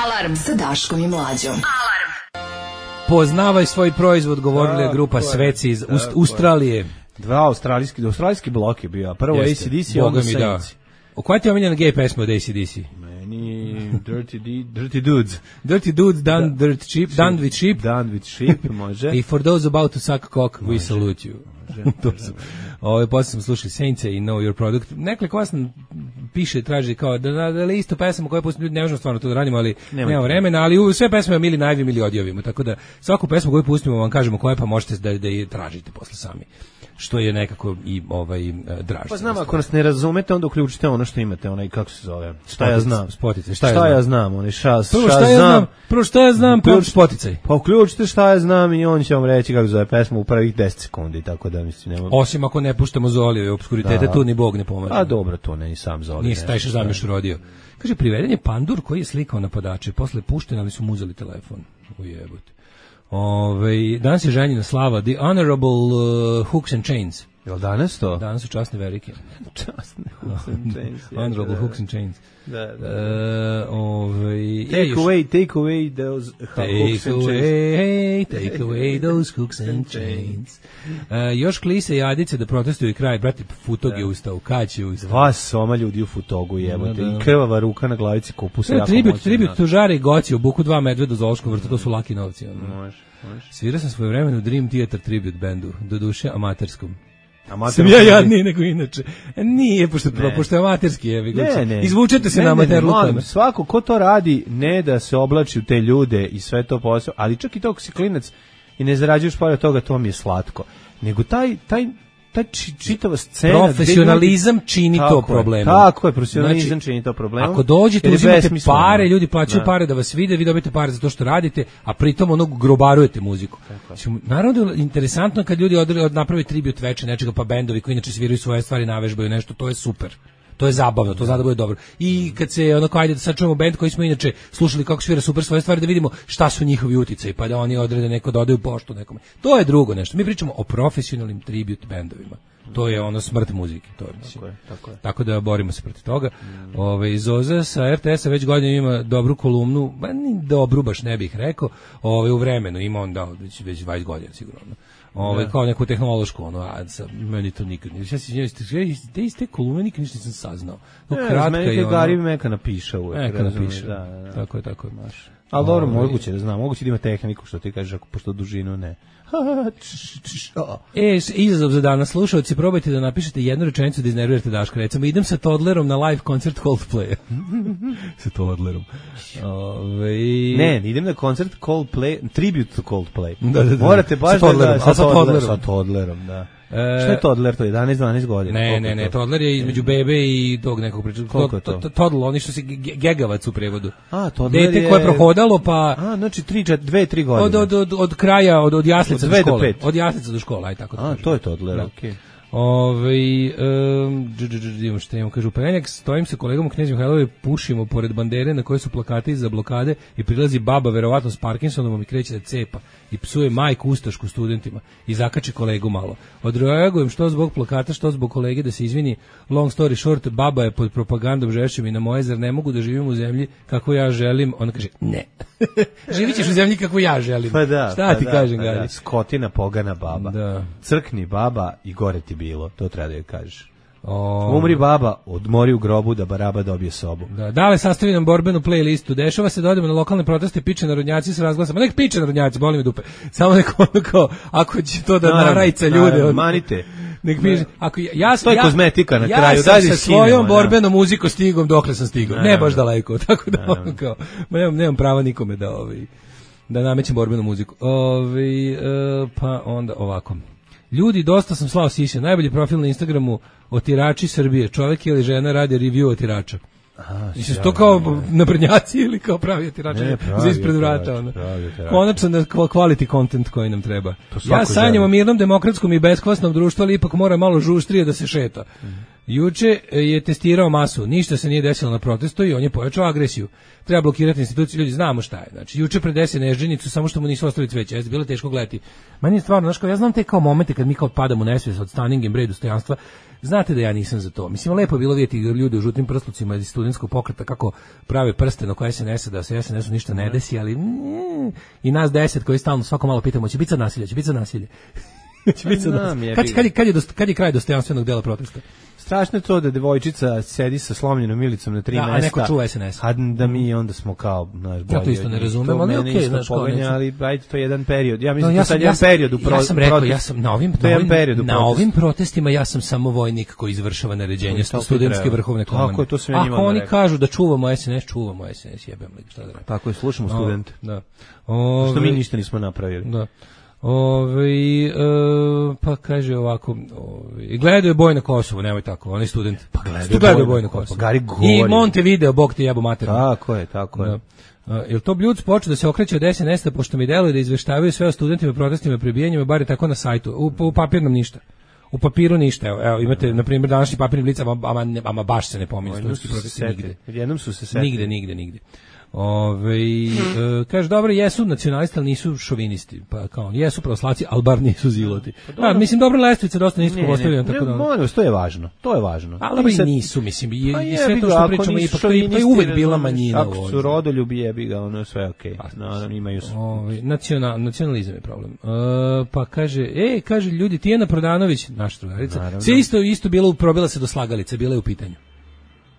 Alarm sa Daškom i Mlađom.
Alarm.
Poznavaj svoj proizvod, govorila je grupa Sveci iz Australije.
Dva australijski blok je bio. Prvo AC/DC, onda Saints.
Koja ti je omiljena gay pesma od AC/DC?
Meni Dirty Dudes.
Dirty Dudes done with sheep.
Done with sheep, može.
I for those about to suck cock, we salute you. Posle sam slušali Saintse i Know Your Product. Nekoliko vas piše, traži kao da li isto pesama koje pustimo, ne možemo stvarno to da radimo, ali nema vremena, ali sve pesme mi ili najavimo ili odjavimo, tako da svaku pesmu koju pustimo vam kažemo koje, pa možete da je tražite posle sami. Što je nekako i draž.
Pa znam, ako nas ne razumete, onda uključite ono što imate, onaj, kako se zove, šta ja znam.
Spoticaj,
šta ja znam, onaj
Prvo šta ja znam, pa spoticaj.
Pa uključite šta ja znam i on će vam reći kako zove pesmu u prvih 10 sekundi, tako da mislim nema.
Osim ako ne puštamo Zoliju i obskuritete, tu ni Bog ne pomaže.
A dobro, to ne i sam Zoliju.
Nije taj Šazam još rodio. Kaže, priveden je pandur koji je slikao napadače, posle pušten, ali su mu uzeli telefon. Ujebote. Danas je ženjina slava, The Honorable Hooks and Chains.
Jel danas to?
Danas su časne verike.
Časne Hooks and Chains.
Honorable Hooks and Chains.
Take away those hooks and chains.
Take away those hooks and chains. Još klise i Adice da protestuju i kraj, brate, Futog je ustao, Kać je ustao.
Dva soma ljudi u Futogu, jebote, i krvava ruka na glavici kupusa jako moćno.
Tribut Tužare i Goci, u buku 2 medveda u Zološkom vrtu, to su laki novci.
Može.
Svirao sam svoje vremenu u Dream Theater tribute bandu, do duše amaterskom. Sam ja jadniji nego inače. Nije, pošto je amaterski. Izvučete se na amaterlukama.
Svako ko to radi, ne da se oblači u te ljude i sve to posao, ali čak i to ako si klinac i ne zarađuješ pored toga, to mi je slatko. Nego taj čitava scena...
Profesionalizam čini to problemom.
Tako je, profesionalizam čini to problemom.
Ako dođete, uzimate pare, ljudi plaćaju pare da vas vide, vi dobijete pare za to što radite, a pritom grobarujete muziku. Naravno je interesantno kad ljudi naprave tribut veče nečega, pa bendovi koji inače sviraju svoje stvari, navežbaju nešto, to je super. To je zabavno, to zna da bude dobro. I kad se ajde da sad čujemo bend koji smo inače slušali kako svira super svoje stvari, da vidimo šta su njihovi uticaji, pa da oni odrede neko dodaju poštu nekome. To je drugo nešto. Mi pričamo o profesionalnim tribute bendovima. To je smrt muzike, to je mislim. Tako da borimo se protiv toga. Zoza sa RTS-a već godinama ima dobru kolumnu, ni dobru baš ne bih rekao, u vremenu ima on već 20 godina sigurno. Kao neku tehnološku, meni to nikad nije. Te iste kolumne nikad ništa nisam saznao.
Meni je Gari Meka napiša uvek.
Tako je.
Ali dobro, moguće da znam, moguće da ima tehniku, što ti kažeš, pošto dužinu ne.
Izazov za danas, slušalci, probajte da napišete jednu rečenicu da iznervirate Daška. Recimo, idem sa Toddlerom na live koncert Coldplaya. Sa Toddlerom.
Ne, idem na koncert Coldplay, tribute to Coldplay.
Da.
Morate baš
sa
Toddlerom, da. Šta je Toddler, to je 11-12 godina?
Ne, Toddler je između bebe i tog nekog priča.
Koliko je to?
Toddler, oni što se gegavac u prevodu.
Toddler je...
Dete koje je prohodalo, pa...
Znači 2-3 godine.
Od kraja, od jaslica do škole.
Od
jaslica do škole, aj tako da kažem.
To je Toddler, okej.
Što imam, kažu, Penjak, stojim sa kolegom u Knez Mihajlovoj, pušimo pored bandere na kojoj su plakati za blokade i prilazi baba, verovatno s Parkinsonom, i kreće da cepa i psuje majku ustašku studentima i zakači kolegu malo. Odreagujem što zbog plakata, što zbog kolege, da se izvini. Long story short, baba je pod propagandom žešćem i na moje, zar ne mogu da živim u zemlji kako ja želim? Ona kaže, ne. Živit ćeš u zemlji kako ja želim. Šta ti kažem, Gari?
Skotina, pogana baba.
Da.
Crkni baba i gore ti bilo. To treba da joj kažeš. Umri baba, odmori u grobu da baraba dobije sobu.
Da, dale sastavi nam borbenu playlistu. Dešava se da odemo na lokalne proteste, piče narodnjaci s razglasama. Nek piče narodnjaci, boli me dupe. Samo neko ono kao, ako će to da narajca ljude.
Manite.
Nek piše, ako
to je kozmetika na kraju.
Ja sam sa svojom borbenom muzikom stigom dokle sam stigao. Ne baš daleko, tako da ono kao, nemam prava nikome da namećem borbenu muziku. Pa onda ovako. Ljudi, dosta sam slao siše. Najbolji profil na Instagramu otirači Srbije. Čovjek ili žena radi review otirača. Mislim, to kao naprednjaci ili kao pravi otirači za ispred vrata. Konačno quality content koji nam treba. Ja sanjam o mirnom, demokratskom i beskvasnom društvu, ali ipak mora malo žuštrije da se šeta. Juče je testirao masu, ništa se nije desilo na protestu i on je pojačao agresiju. Treba blokirati institucije, ljudi znamo šta je. Znači, juče predese nežđenicu, samo što mu nisu ostali cveće, jeste bilo teško gledati. Meni je stvarno, znaš, kao, ja znam te kao momente kad mi kao padamo u nesvijest od standing and break dostojanstva, znate da ja nisam za to. Mislim, lepo je bilo vidjeti ljude u žutim prslucima iz studentskog pokreta kako prave prsten oko SNS-a, da se SNS-u ništa ne desi, ali i nas 10 koji stalno svako malo pitamo, će biti sad nasilje, će biti sad nasilje. Kad je kraj dostojanstvenog dela protesta?
Strašno je to da devojčica sedi sa slomljenom milicom na 3 mesta.
A neko čuva SNS.
A da mi onda smo kao, znaš, bolje.
Ja to isto ne razumem, ali okej, znaš, kao neću.
Ali ajde, to je jedan period. Ja mislim da sad jedan period u protestu.
Ja sam rekao, ja sam na ovim protestima ja sam samo vojnik koji izvršava naređenje studentske vrhovne komande.
Tako je, to sam ja njima
rekao. Ako oni kažu da čuvamo SNS, jebem li, šta da rekao.
Tako je, slušamo studente.
Da.
Što mi ništa nismo napravili.
Da. Pa kaže ovako, gledaju boj na Kosovu, nemoj tako, oni studenti.
Pa gledaju boj na Kosovu.
I Montevideo, bog ti jebo materiju.
Tako je.
Jel to Bljuc počeo da se okreće od SNS-a, pošto mi deluje da izveštavaju sve o studentima, protestima i prebijanjima, bar je tako na sajtu, u papirnom ništa. U papiru ništa, evo imate, na primjer, današnji papirni blic, ama baš se ne pominje studentski protesti nigde.
Jednom su se setili.
Nigde. Kaže, dobro, jesu nacionalisti, ali nisu šovinisti, pa kao, jesu pravoslavci, ali bar nisu ziloti. Mislim, dobro, lestvica dosta nisko postavljena, tako da...
Molim, to je važno.
Ali dobro i nisu, mislim, i sve to što pričamo, ipak to je uvek bila manjina.
Ako su rodoljubi, jebi ga, ono je sve okej. Imaju su...
Nacionalizam je problem. Pa kaže, kaže, ljudi, Tijana Prodanović, naša drugarica, sve isto probila se do slagalice, bila je u pitanju.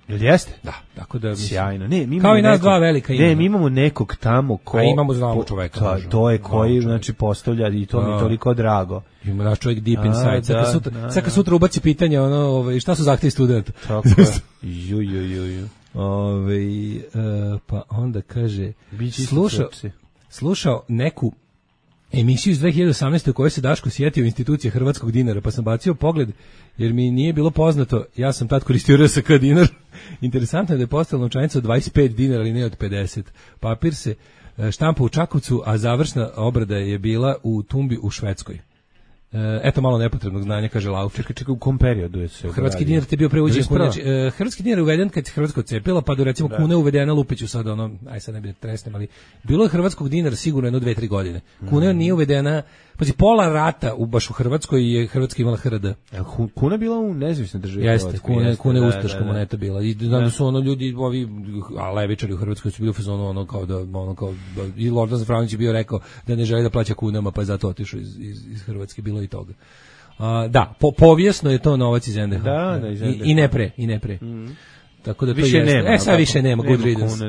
Jel jeste?
Da, tako da
sjajno. Ne, mi
kao i nas dva velika imena.
Ne, mi imamo nekog tamo ko
imamo znamo čoveka.
To je koji znači postavlja i to mi je toliko drago.
Ima naš čovjek deep inside. Sad sutra ubaci pitanje šta su zahtevi studenta.
Tako je.
Pa onda kaže slušao neku emisiju iz 2018. u kojoj se Daško sjetio institucije hrvatskog dinara, pa sam bacio pogled jer mi nije bilo poznato, ja sam tad koristio RSK dinar. Interesantno je da je postala novčanica od 25 dinara, ali ne od 50. Papir se štampa u Čakovcu, a završna obrada je bila u tumbi u Švedskoj. Eto malo nepotrebnog znanja, kaže Lauf.
Čekaj, u kom periodu je se
hrvatski dinar te bio preuđen hrvatski dinar je uveden kad se Hrvatska odcepila, pa do recimo kuna uvedena, lupiću sad sad ne bi tresnem, ali bilo je hrvatskog dinara sigurno jedno 2-3 godine. Kuna nije uvedena, pazi, pola rata baš u Hrvatskoj je Hrvatska imala HRD.
Kuna bila u nezavisnoj državi.
Jeste, kuna je ustaška moneta bila. I da su ljudi, ovi levičari u Hrvatskoj su bili u fazonu kao i Lordan Zafranović je bio rekao da ne želi da plaća kunama, pa je zato otišao iz Hrvatske, bilo i toga. Da, povijesno je to novac iz NDH. I ne pre. Tako da to
više nema.
Sad više nema good riddance.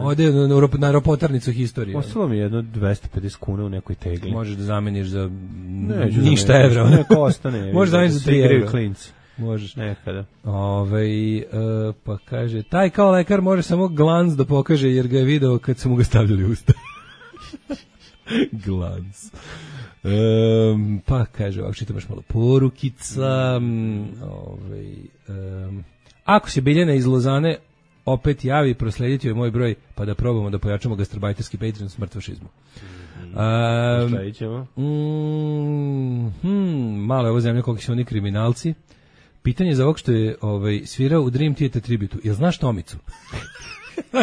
Ode na ropotarnicu historije.
Ostalo mi je jedno 250 kuna u nekoj tegli.
Možeš da zameniš za ništa evra.
Neko ostane.
Možeš da zameniš za 3 evra.
Klinci.
Možeš.
Nekada.
Pa kaže, taj kao lekar može samo glans da pokaže jer ga je video kad su mu ga stavljali u usta. Glans. Pa kaže, ovako čitam baš malo porukica. Ako se Biljana iz Lozane opet javi, proslediti joj moj broj, pa da probamo da pojačamo gastarbajterski Patreon smrt fašizmu.
Šta ćemo?
Malo je ovo zemlja koliko su oni kriminalci. Pitanje za ovog što je svirao u Dream Theater tributu. Jel znaš Tomicu?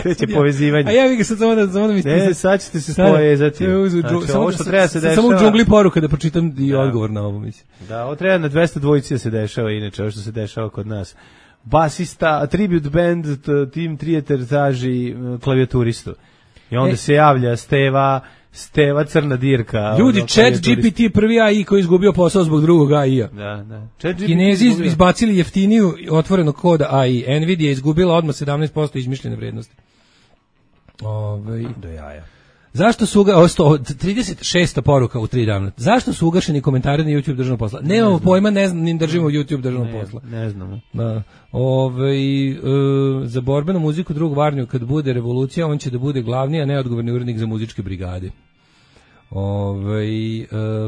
Kreće povezivanje.
A ja bih ga sad samo da mi
ne, sad ćete se povezati. Ovo što treba se dešava.
Samo u džungli poruka da pročitam i odgovor na ovo, mislim.
Da, ovo treba na 200 dvojici da se dešava, inače, ovo što se dešava kod nas. Basista, tribute band, Team Theater traži klavijaturistu. I onda se javlja Steva crna dirka.
Ljudi, Chat GPT prvi AI koji je izgubio posao zbog drugog AI-a.
Da.
Kinezi izbacili jeftiniju otvorenog koda AI. Nvidia je izgubila odmah 17% izmišljene vrednosti.
Do jaja.
Zašto su 36 poruka u 3 dana. Zašto su ugašeni komentari na YouTube državnog posla? Nemamo pojma, ne znam, ni držimo YouTube državnog posla.
Ne znamo.
Da. Za borbenu muziku drug Varnju, kad bude revolucija, on će da bude glavni, a neodgovorni urednik za muzičke brigade.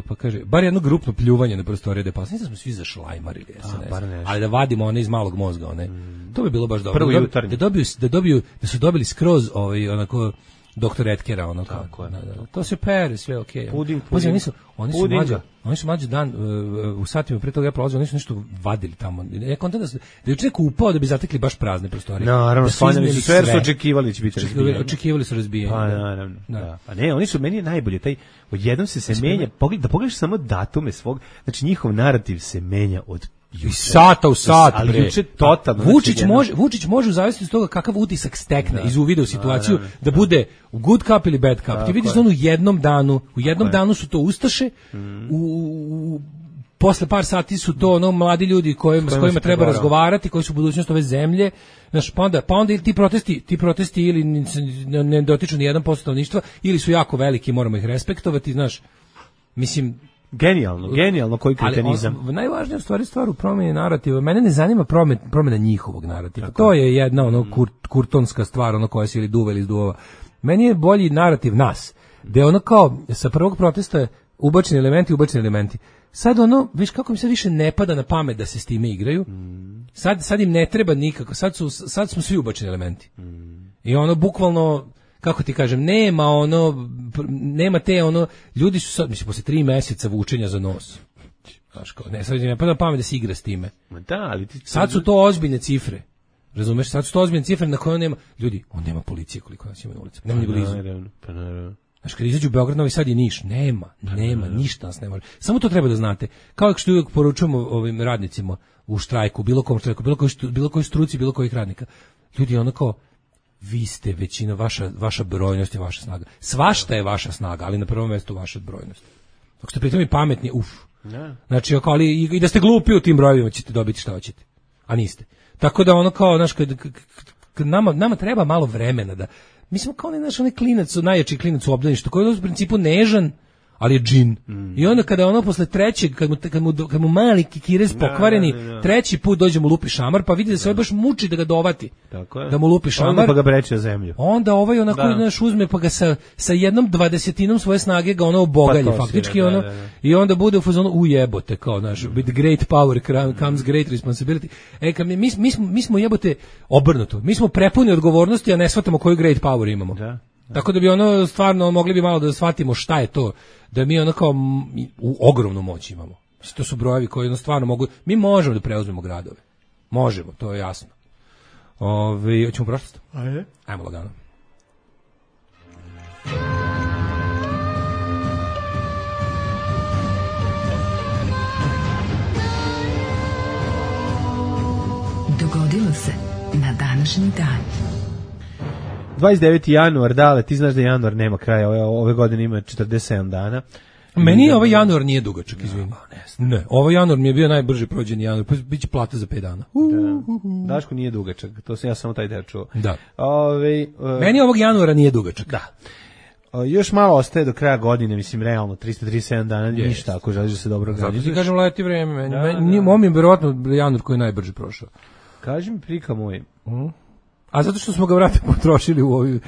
Pa kaže, bar jedno grupno pljuvanje na prostorije da pasnice, smo svi zašlajmarili SNS. Ali da vadimo one iz malog mozga, one. To bi bilo baš dobro.
Prvo jutarnji.
Da su dobili skroz onako doktor Etkera, ono kako. To se pere, sve okej.
Puding.
Oni su mlađi dan u satima pre toga ja prolazio, oni su nešto vadili tamo. Ja kontam da je čovjek upao da bi zatekli baš prazne prostorije.
Naravno, spanjali su sve, su očekivali će biti razbijeni.
Očekivali su razbijeni.
Pa naravno. Da. Pa ne, oni su, meni je najbolje, odjednom se menja, da pogledaš samo datume svog, znači njihov narativ se menja od
iz sata u sat,
ali juče totalno.
Vučić može u zavisnosti od toga kakav utisak stekne iz uvida u situaciju da bude u good cup ili bad cup. Ti vidiš da on u jednom danu su to ustaše, posle par sati su to mladi ljudi s kojima treba razgovarati, koji su budućnost ove zemlje. Znaš, pa onda ti protesti ili ne dotiču ni 1% stanovništva ili su jako veliki, moramo ih respektovati, znaš. Mislim,
Genijalno koji kretenizam.
Ali najvažnija stvar u promjeni narativa. Mene ne zanima promjena njihovog narativa. To je jedna kurtonska stvar, koja se ili duva ili izduvava. Meni je bolji narativ nas, gde kao sa prvog protesta je ubačeni elementi. Sad viš kako mi se više ne pada na pamet da se s time igraju. Sad im ne treba nikako. Sad smo svi ubačeni elementi. I bukvalno, kako ti kažem, nema te ljudi su sad, mislim, posle 3 meseca vučenja za nos. Znaš, sad ne pada na pamet da se igra s time. Sad su to ozbiljne cifre. Razumeš, sad su to ozbiljne cifre na koje on nema. Ljudi, on nema policije koliko nas ima na ulici. Nema ni blizu. Znaš, kad izađu u Beograd, Novi Sad i Niš, nema, ništa nas ne može. Samo to treba da znate. Kao što uvijek poručujemo ovim radnicima u štrajku, bilo kom štrajku, bilo kojoj struci, bilo kojih radnika. Ljudi, vi ste većina, vaša brojnost je vaša snaga. Svašta je vaša snaga, ali na prvom mjestu vaša brojnost. Ako ste pritom i pametni, Znači, ali i da ste glupi u tim brojevima ćete dobiti šta hoćete. A niste. Tako da znaš, kad nama treba malo vremena da... Mi smo kao onaj klinac, najjači klinac u obdaništu, koji je u principu nežan, ali je džin. I onda kada posle trećeg, kad mu mali kikirez pokvareni, treći put dođe mu lupi šamar, pa vidi da se baš muči da ga dovati.
Tako je.
Da mu lupi šamar.
Onda pa ga breće o zemlju.
Onda naš uzme pa ga sa 1/20 svoje snage ga obogalje faktički i onda bude u fazonu ujebote kao with great power comes great responsibility. Mi smo jebote obrnuto. Mi smo prepuni odgovornosti, a ne shvatamo koju great power imamo. Da. Tako da bi stvarno mogli bi malo da shvatimo šta je to, da mi kao u ogromnu moć imamo. To su brojevi koji stvarno mogu, mi možemo da preuzmemo gradove. Možemo, to je jasno. Hoćemo prošlost? Ajmo lagano.
Dogodilo se na današnji dan.
29. januar, dale, ti znaš da januar nema kraja, ove godine ima 47 dana.
Meni ovaj januar nije dugačak, izvini. Ne, ovaj januar mi je bio najbrže prođeni januar, pa biće plata za 5 dana.
Daško nije dugačak, to sam ja samo taj deo čuo.
Da. Meni ovog januara nije dugačak.
Da. Još malo ostaje do kraja godine, mislim, realno, 337 dana, ništa, ako želiš da se dobro organizuješ.
Zato ti kažem, leti vreme, meni je verovatno januar koji je najbrže prošao.
Kaži mi, prika moj.
A zato što smo ga vrati potrošili u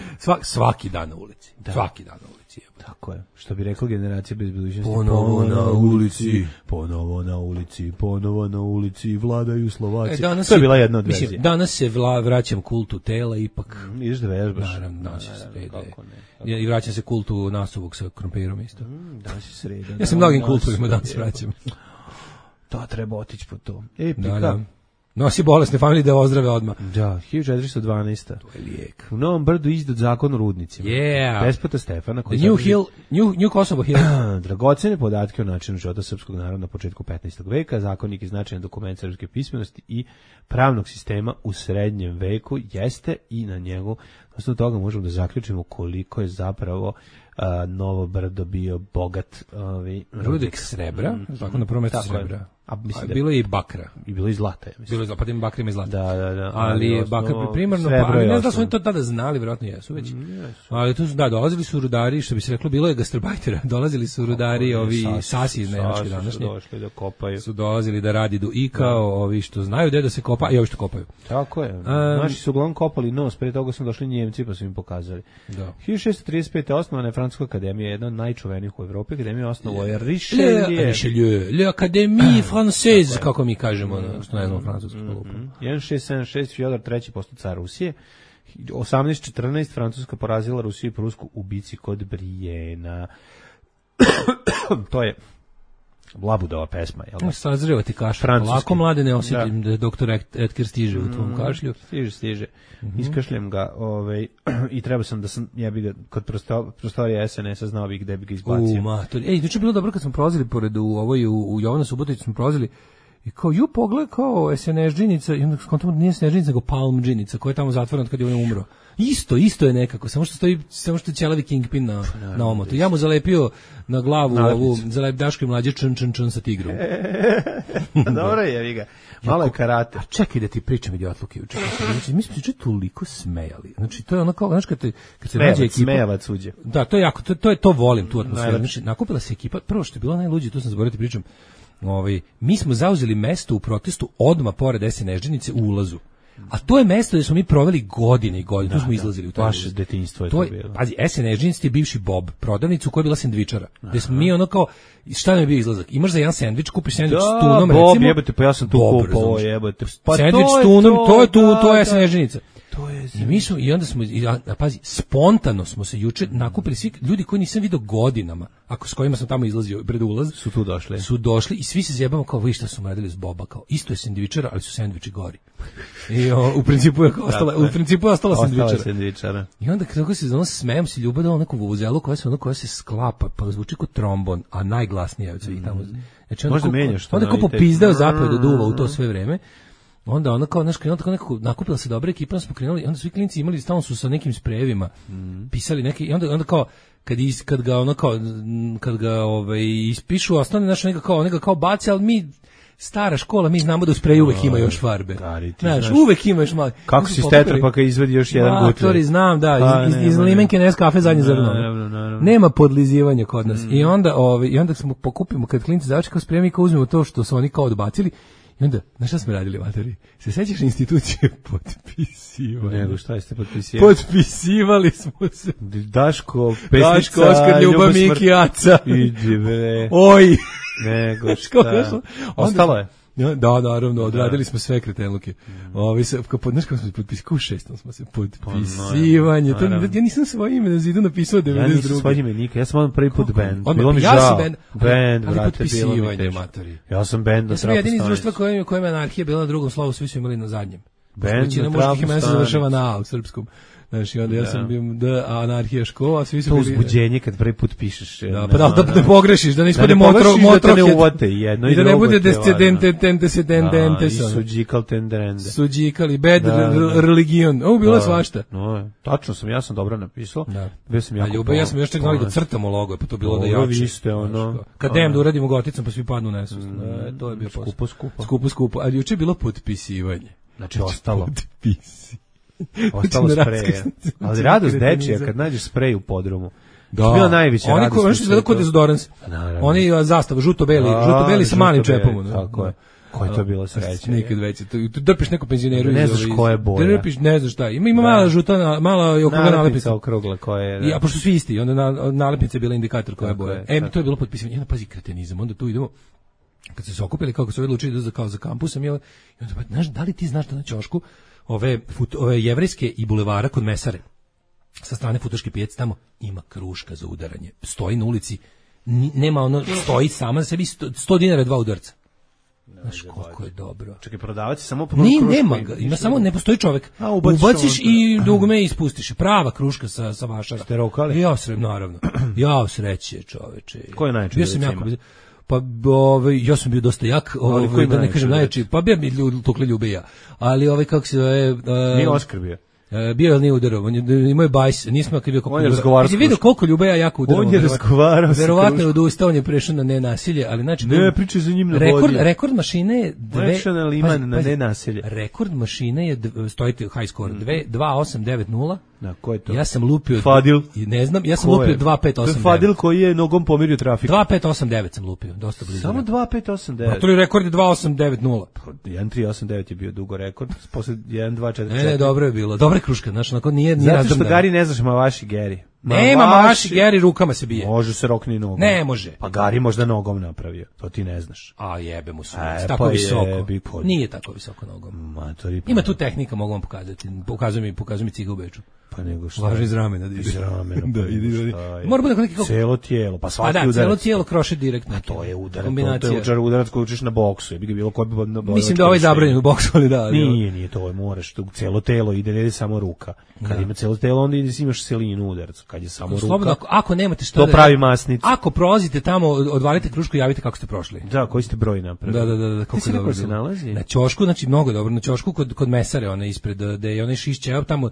svaki dan na ulici. Da. Svaki dan na ulici.
Tako je. Što bi rekla generacija bez budućnosti.
Ponovo na ulici.
Ponovo na ulici. Ponovo na ulici. Vladaju Slovaci. To je bila jedna od verzija.
Mislim, danas se vraćam kultu tela ipak.
Ideš da vežbaš.
Naravno, danas je sreda. I vraćam se kultu nasuvog sa krompirom isto.
Danas je sreda.
Ja se mnogim kultovima danas vraćam.
To treba otići po to.
Da. Nosi bolesne familije da ozdrave odmah.
Da, 1412.
To je lijek.
U Novom Brdu izdat zakon o rudnicima.
Yeah.
Despota Stefana koji
New Kosovo Hill.
Dragocene podatke o načinu života srpskog naroda na početku 15. veka, zakonik je značajan dokument srpske pismenosti i pravnog sistema u srednjem veku, jeste i na njegu, osnovu toga možemo da zaključimo koliko je zapravo Novo Brdo bio bogat
rudik srebra, tako na prvom mjestu srebra. A bilo je i bakra.
I bilo i zlata, mislim.
Bilo je zlata, pa tim bakrima i zlata.
Da.
Ali bakar primarno, ali ne znam da su oni to tada znali, vjerojatno jesu već. Ali tu su, dolazili su rudari, što bi se reklo, bilo je gastarbajtera, dolazili su rudari, ovi sasi iz Nemačke današnje.
Su došli da kopaju.
Su dolazili da radi do i kao ovi što znaju gde da se kopa, i ovi što kopaju.
Tako je. Naši su uglavnom kopali nos, prije toga su došli Njemci pa su im pokazali. 1635. osnovana je Francuska akademija, jedna od najčuvenijih u Evropi, akademija osnovao je
Richelieu, l'Académie Française, kako mi kažemo, što ne znamo francusku polupu.
1676, Fjodor III. Postao car Rusije. 1814. Francuska porazila Rusiju i Prusku u bici kod Brijena. To je Labudova pesma, jel da?
Sazreva ti kašalj. Lako mlade ne osjetim da doktor Etker stiže u tvom kašlju.
Stiže. Iskašljem ga, i treba sam da sam, ja bi ga kod prostorija SNS-a znao bi gde bi ga izbacio.
Znači je bilo dobro kad smo prolazili pored u Jovana Subotić smo prolazili i kao pogled kao SNS-džinica i onda skontamo da nije SNS-džinica nego Palm-džinica koja je tamo zatvorena kad je on umro. Isto je nekako, samo što je ćelavi Kingpin na omotu. Ja mu zalepio na glavu ovu Daško i mlađe čn sa tigrom.
Dobro je, vi ga. Malo je karate.
A čekaj da ti pričam idiotluke juče. Mi smo se toliko smejali. Znači to je ono kao, znaš kad se nađe ekipa.
Smejavac uđe.
Da, to je jako, to volim tu atmosferu. Znači nakupila se ekipa, prvo što je bilo najluđe, tu sam zaboravio ti pričam. Mi smo zauzeli mesto u protestu odmah pored SNS-džinice u ulazu. A to je mesto gdje smo mi proveli godine i godine, tu smo izlazili u taj ulaz.
Vaše detinjstvo je to bilo.
Pazi, SNS-džinici je bivši Bob, prodavnicu koja je bila sendvičara. Gde smo mi ono kao, šta nam je bio izlazak? Imaš za jedan sendvič, kupiš sendvič s tunom, recimo.
Bob, jebate, pa ja sam tu kupao, jebate.
Sendvič s tunom, to je SNS-džinica. I onda smo, pazi, spontano smo se juče nakupili svi ljudi koji nisam vidio godinama, s kojima sam tamo izlazio pred ulaz, su došli i svi se zjebamo kao, vi šta su radili s Boba, kao, isto je sendvičara, ali su sendviči gori. I u principu je ostala sendvičara. I onda kako se smejam se ljubav da neku vuvuzelu koja se sklapa, pa zvuči kao trombon, a najglasnija od svih tamo. Znači,
možda menjaš to.
Onda kao popizdeo zapravo da duva u to sve vreme. Onda ona kao nekako nakupila se dobra ekipa, onda smo krenuli, onda svi klinci imali, stalno su sa nekim sprejevima pisali neke, i onda kao kad ga ispišu, ostane neka kao baci, ali mi stara škola, mi znamo da u spreju uvek ima još farbe. Znaš, uvek ima još malo.
Kako si stetrapaka izvedi još jedan gutlje?
Matori, znam, da, iz limenke nes kafe zadnje zrno. Nema podlizivanja kod nas. I onda smo pokupimo, kad klinci završi kao spremi, kao uzmemo to što su oni kao odbacili. I onda, znaš šta smo radili, matori? Se sećaš institucije potpisivanja?
Nego, šta ste potpisivali?
Potpisivali smo se.
Daško, pesnica,
Oskar, Ljubav, Miki, Aca.
Idi bre.
Oj!
Nego, šta? Ostalo je?
Da, naravno, odradili smo sve kretenluke. Znaš kako smo se potpisivali? U 6. smo se potpisivanje. Ja nisam svoje ime na zidu napisao 92.
Ja nisam svoje ime nikad, ja sam on prvi put band.
Bilo mi žao. Band,
vrate,
potpisivanje, matori.
Ja sam band.
Ja sam jedini iz društva kojima je anarhija bila na drugom slovu, svi su imali na zadnjem.
Band,
većina muških imena se završava na A u srpskom. Znači, onda ja sam bio anarhija škola, a svi su
to
bili...
To uzbuđenje kad prvi put pišeš.
Da, pa da ne pogrešiš, da ne ispade motrohet.
Da ne uvate jedno i drugo.
I da ne bude descendente.
Suđikal tenderende.
Suđikal i bad religion. Ovo bilo je svašta.
Tačno ja sam dobro napisao. Bio sam jako...
Ljubav, ja sam još čak znali da crtamo logo, pa to bilo da jače.
Vi ste ono...
Kad dajem da uradimo goticom, pa svi padnu nesvest. To je bio skupo. Ali juče je bilo potpisivanje.
Znači, ostalo. Ostalo spreje. Ali radost dečija kad nađeš sprej u podrumu.
Da.
Bila najveća radost.
Oni koji izgleda kod dezodorans. Oni zastava žuto-beli sa malim čepom.
Tako je. Koja je to bila sreća?
Nikad veće. Tu drpiš neko penzioneru.
Ne znaš koja je boja.
Drpiš, ne znaš šta. Ima mala žuta, mala okrugla nalepnica.
Okrugla koja je...
A pošto svi isti, onda nalepnica je bila indikator koja je boja. To je bilo potpisivanje. Onda pazi kretenizam. Onda tu idemo. Kad se okupili, kako su odlučili da kao za kampusom, i onda, znaš, da li ti znaš da na ćošku ove jevrejske i bulevara kod Mesare, sa strane Futoške pijace, tamo ima kruška za udaranje. Stoji na ulici, nema ono, stoji sama za sebi, 100 dinara 2 udarca. Znaš koliko je dobro.
Čekaj, prodavac je samo
nema ga, ima samo, ne postoji čovek. Ubaciš i dugme ispustiš. Prava kruška sa vašara.
Ste rokali?
Ja srećem, naravno. Ja sreće, čoveče.
Ko je najjači?
Bio sam jako. Pa ja sam bio dosta jak, da ne kažem najjači. Pa bio mi tukli ljube ja. Ali kako se zove...
Nije Oskar bio.
Bio je nije udarao, imao je bajs, nismo kad bio koliko
udarao.
Ti vidio koliko ljube ja jako udarao.
On je razgovarao.
Verovatno je odustao, on je prešao na nenasilje, ali znači...
Ne, pričaj za njim na vodi.
Rekord mašine je...
Prešao na liman na nenasilje.
Rekord mašine je, stojite high score, 2890.
Da, ko je to?
Ja sam lupio...
Fadil?
Ne znam, ja sam lupio 2589.
To je Fadil koji je nogom pomirio trafik.
2589 sam lupio, dosta blizu.
Samo 2589?
To je rekord je 2890.
1389 je bio dugo rekord, posle 1244.
Ne, dobro je bilo, dobra kruška, znači, onako nije
razdrmljena. Zato što Gari ne znaš Mavaši Geri.
Nema Mavaši Geri, rukama se bije.
Može se rokni nogom.
Ne može.
Pa Gari možda nogom napravio, to ti ne znaš.
A jebe mu sunce, tako visoko. Nije tako visoko nogom. Ima tu tehnika, mogu vam pokazati. Pokazuj mi ciga u Beču.
Pa nego šta?
Važi iz ramena.
Iz ramena. Da,
ide. Mora bude neki
celo tijelo, pa svaki udarac.
Celo tijelo kroše direktno.
A to je udarac. To je udarac koji učiš na boksu. Je bilo koji bi
mislim da ovaj zabranjen u boksu, ali da.
Nije, to moraš, celo telo ide, ne ide samo ruka. Kad ima celo telo, onda imaš selinu udarac. Kad je samo ruka. Slobodno,
ako nemate šta
to pravi masnicu.
Ako prolazite tamo, odvalite krušku, javite kako ste prošli.
Da, koji ste broj napravili.
Da, kako dobro
se nalazi.
Na ćošku, znači mnogo dobro, na ćošku kod mesare, one ispred da je onaj šišće, tamo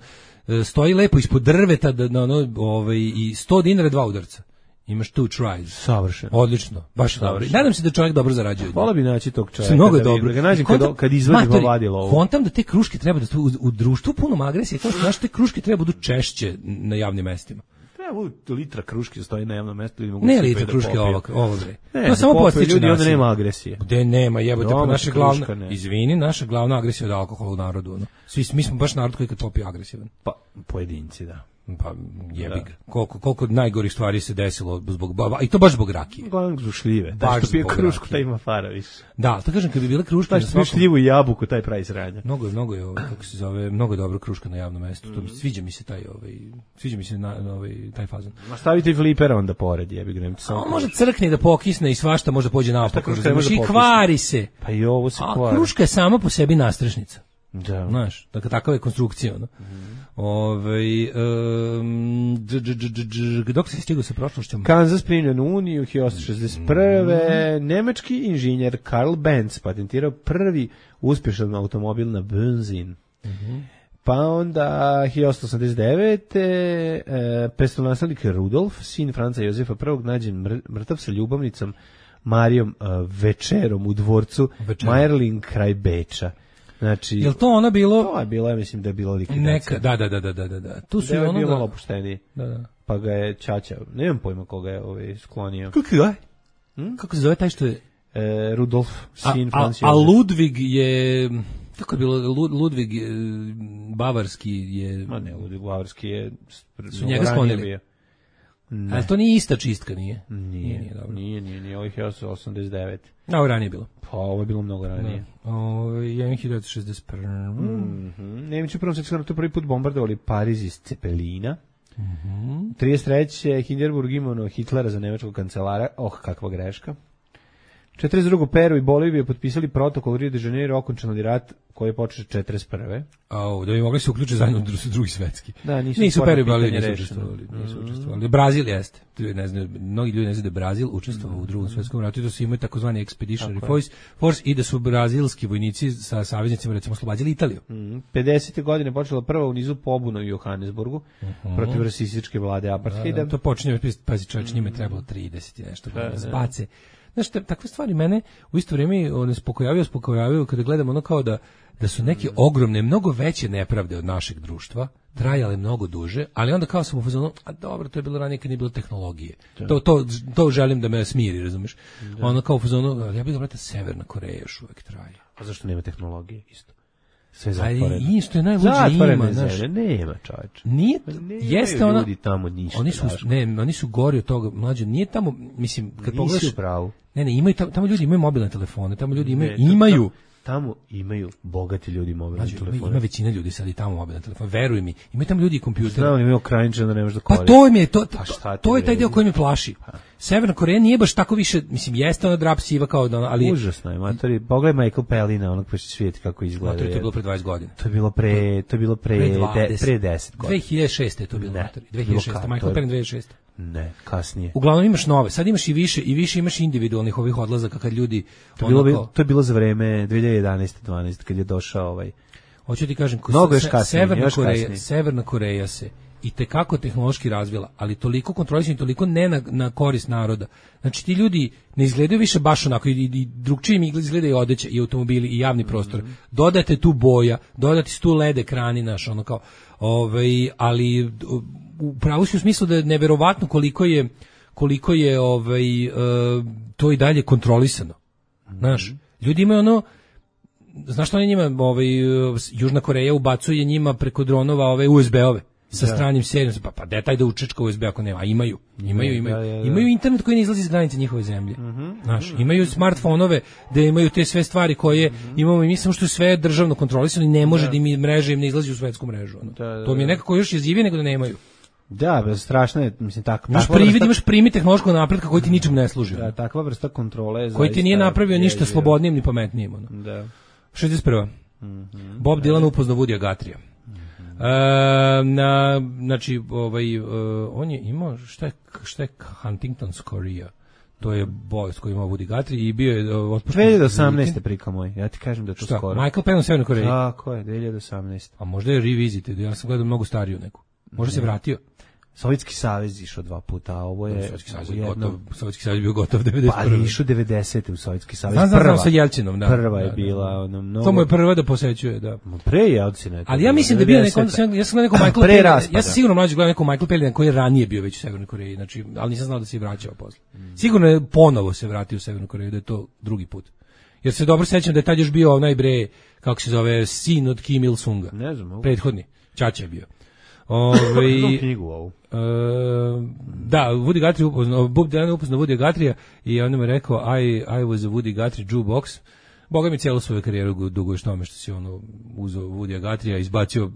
stoji lepo ispod drveta i 100 dinara 2 udarca. Imaš two tries.
Savršeno.
Odlično. Baš dobro. Nadam se da čovjek dobro zarađuje.
Hvala bi naći tog čovjeka.
Mnogo je dobro.
Da ga nađem kad izvadi povadilo ovo.
Kontam da te kruške treba da u društvu puno agresije. Kao što znaš, te kruške treba budu češće na javnim mestima.
Evo litra kruške stoji na javnom mestu i mogu
ne litra kruške ovo bre. To samo
podstiče ljudi, onda nema agresije.
Gde nema, jebote, pa naša glavna, izvini, naša glavna agresija od alkohola u narodu, ono. Mi smo baš narod koji kad popi agresivan.
Pa pojedinci, da.
Pa jebi ga. Koliko najgorih stvari se desilo zbog baba, i to baš zbog rakije.
Glavno zbog šljive. Da što pije krušku, taj ima fara više.
Da, to kažem, kad bi bile kruške na
svakom... šljivu i jabuku, taj pravi sranja.
Mnogo je, kako se zove, mnogo je dobra kruška na javnom mestu. To sviđa mi se taj fazon.
Ma stavite i flipera onda pored, jebi ga, nemojte samo.
Može crkne da pokisne i svašta može pođe naopako. I kvari se.
Pa i ovo se kvari.
A kruška je sama po sebi nastrešnica.
Da.
Znaš, dakle, takava je konstrukcija, ono. Dok se stigao sa prošlošćom?
Kansas primljen u Uniju 1861. Nemački inženjer Karl Benz patentirao prvi uspješan automobil na benzin. Pa onda 1889. prestolonaslednik Rudolf, sin Franca Jozefa I, nađen mrtav sa ljubavnicom Marijom Večerom u dvorcu Majerling kraj Beča. Znači,
jel to ono bilo?
To je bilo, ja mislim da je bilo likvidacija.
Da. Tu su
ono bilo malo opuštenije.
Da.
Pa ga je Čača, nemam pojma koga je sklonio.
Kako se zove taj što je?
Rudolf, sin Franca.
A Ludvig je... Kako je bilo? Ludvig Bavarski je...
Ma ne, Ludvig Bavarski je...
Su njega sklonili. Ali to nije ista čistka, nije?
Nije, ovih je 89.
A ovo ranije je bilo.
Pa ovo je bilo mnogo ranije.
Je 1961.
Nemići u Prvom svjetskom ratu prvi put bombardovali Pariz iz Cepelina. 33. Hindenburg imao Hitlera za nemačkog kancelara. Kakva greška. 42. Peru i Bolivija potpisali protokol u Rio de Janeiro, okončan rat koji je počeo 41.
Da bi mogli se uključiti zajedno u drugi svetski.
Da,
nisu Peru i Bolivija nisu učestvovali. Brazil jeste. Mnogi ljudi ne znaju da je Brazil učestvovao u drugom svetskom ratu i da su imali takozvani Expeditionary Force i da su brazilski vojnici sa saveznicima recimo oslobađali Italiju.
50. godine počela prva u nizu pobuna u Johannesburgu protiv rasističke vlade apartheida.
To počinje, pazi čovječ, njima je trebalo 30 i nešto godina zbace. Znaš, takve stvari mene u isto vrijeme uspokojavaju kada gledamo ono kao da su neke ogromne, mnogo veće nepravde od našeg društva trajale mnogo duže, ali onda kao sam u fazonu, a dobro, to je bilo ranije kad nije bilo tehnologije. To želim da me smiri, razumiješ? Ono kao u fazonu, ja bih da vrata Severna Koreja još uvijek traje.
A zašto nema tehnologije isto?
Sve zatvoreno. Ali isto je najluđe ima, znaš.
Nema, čovječ.
Nije, jeste ona...
Ljudi tamo ništa.
Oni su gori od toga, mlađe. Nije tamo, mislim, kad pogledaš...
Nisi u pravu.
Ne, imaju, tamo ljudi imaju mobilne telefone, tamo ljudi imaju...
Tamo imaju bogati ljudi mobilne telefone.
Ima većina ljudi sad i tamo mobilne telefone. Veruj mi, imaju tamo ljudi i kompjutere.
Znam, imaju okrajničan da ne možeš da koristiš.
Pa to je taj dio koji me plaši. Severna Koreja nije baš tako više, mislim, jeste ona drap siva kao da, ali...
Užasno je, matori. Pogledaj Michael Pellina, onog pa će svijeti kako izgleda.
Matori, to je bilo pre 20 godina.
To je bilo pre 10 godina.
2006. je to bilo, matori. 2006. Michael Pellin 2006.
Ne, kasnije.
Uglavnom imaš nove, sad imaš i više imaš individualnih ovih odlazaka kad ljudi...
To je bilo za vreme 2011-12 kad je došao ovaj...
Hoću ti kažem, Severna Koreja se i tekako tehnološki razvila, ali toliko kontrolisano, toliko ne na korist naroda. Znači ti ljudi ne izgledaju više baš onako i drugčije im izgledaju odeće i automobili i javni prostor. Dodate tu boja, dodate tu LED ekrani naš, ono kao, ali upravo si u smislu da je neverovatno koliko je to i dalje kontrolisano. Znaš, ljudi imaju ono, znaš što oni njima, Južna Koreja ubacuje njima preko dronova ove USB-ove sa stranim serijom, pa detaj da učečka USB ako nema, a imaju internet koji ne izlazi iz granice njihove zemlje. Znaš, imaju smartfonove da imaju te sve stvari koje imamo i mi, samo što je sve državno kontrolisano i ne može da im mreže im ne izlazi u svetsku mrežu. To mi je nekako još jezivije nego da nemaju.
Da, strašno je, mislim, tako.
Imaš primi tehnološkog napretka koji ti ničem ne služi.
Da, takva vrsta kontrole je
koji ti nije napravio ništa slobodnijim ni pametnijim.
Da.
61. Bob Dylan upoznao Woodya Guthrie. Znači, on je imao, šta je Huntington's chorea? To je bolest koju imao Woody Guthrie i bio je otpušten.
2018. prika moj, ja ti kažem da je to skoro.
Michael Penn u Severnoj Koreji?
Tako je, 2018.
A možda je revisited, ja sam gledao mnogo stariju neku. Možda se vratio.
Sovjetski savez išao 2 puta, a ovo je...
Sovjetski savez bio gotov 91.
Pa ali išao 90. u Sovjetski savez.
Znam sa Jelcinom, da.
Prva je bila...
To mu je prva da posećuje, da.
Pre Jelcina je to.
Ali ja mislim da bio neko... Ja sam gledao neko Michael Pellina. Ja sam sigurno mlađe gledao neko Michael Pellina koji je ranije bio već u Severnoj Koreji, znači, ali nisam znao da se i vraćao posle. Sigurno je ponovo se vratio u Severnu Koreju, da je to drugi put. Jer se dobro sećam da je tad još bio onaj bre, kako se zove, sin od Kim Il-sunga.
Ne znam.
Prethodni. Ćaća je bio.
Knjigu ovu.
Da, Woody Guthrie Bob Dylan upoznao Woodya Guthrie i on mu je rekao I was a Woody Guthrie jukebox. Boga mi cijelu svoju karijeru duguješ tome što si uzeo Woodya Guthrie, izbacio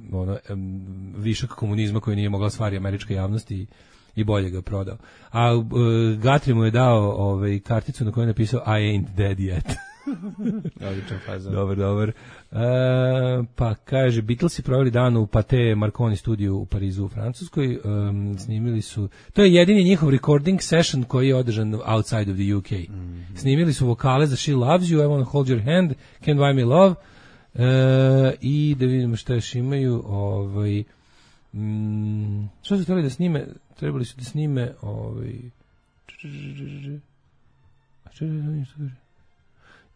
višak komunizma koji nije mogla stvari američka javnost i bolje ga prodao. A Guthrie mu je dao karticu na kojoj je napisao I ain't dead yet. Dobar. Pa kaže, Beatlesi proveli dan u Pathé Marconi studiju u Parizu u Francuskoj. Snimili su, to je jedini njihov recording session koji je održan outside of the UK. Snimili su vokale za She Loves You, I Wanna Hold Your Hand, Can't Buy Me Love, i da vidimo šta još imaju. Što su trebali da snime? Trebali su da snime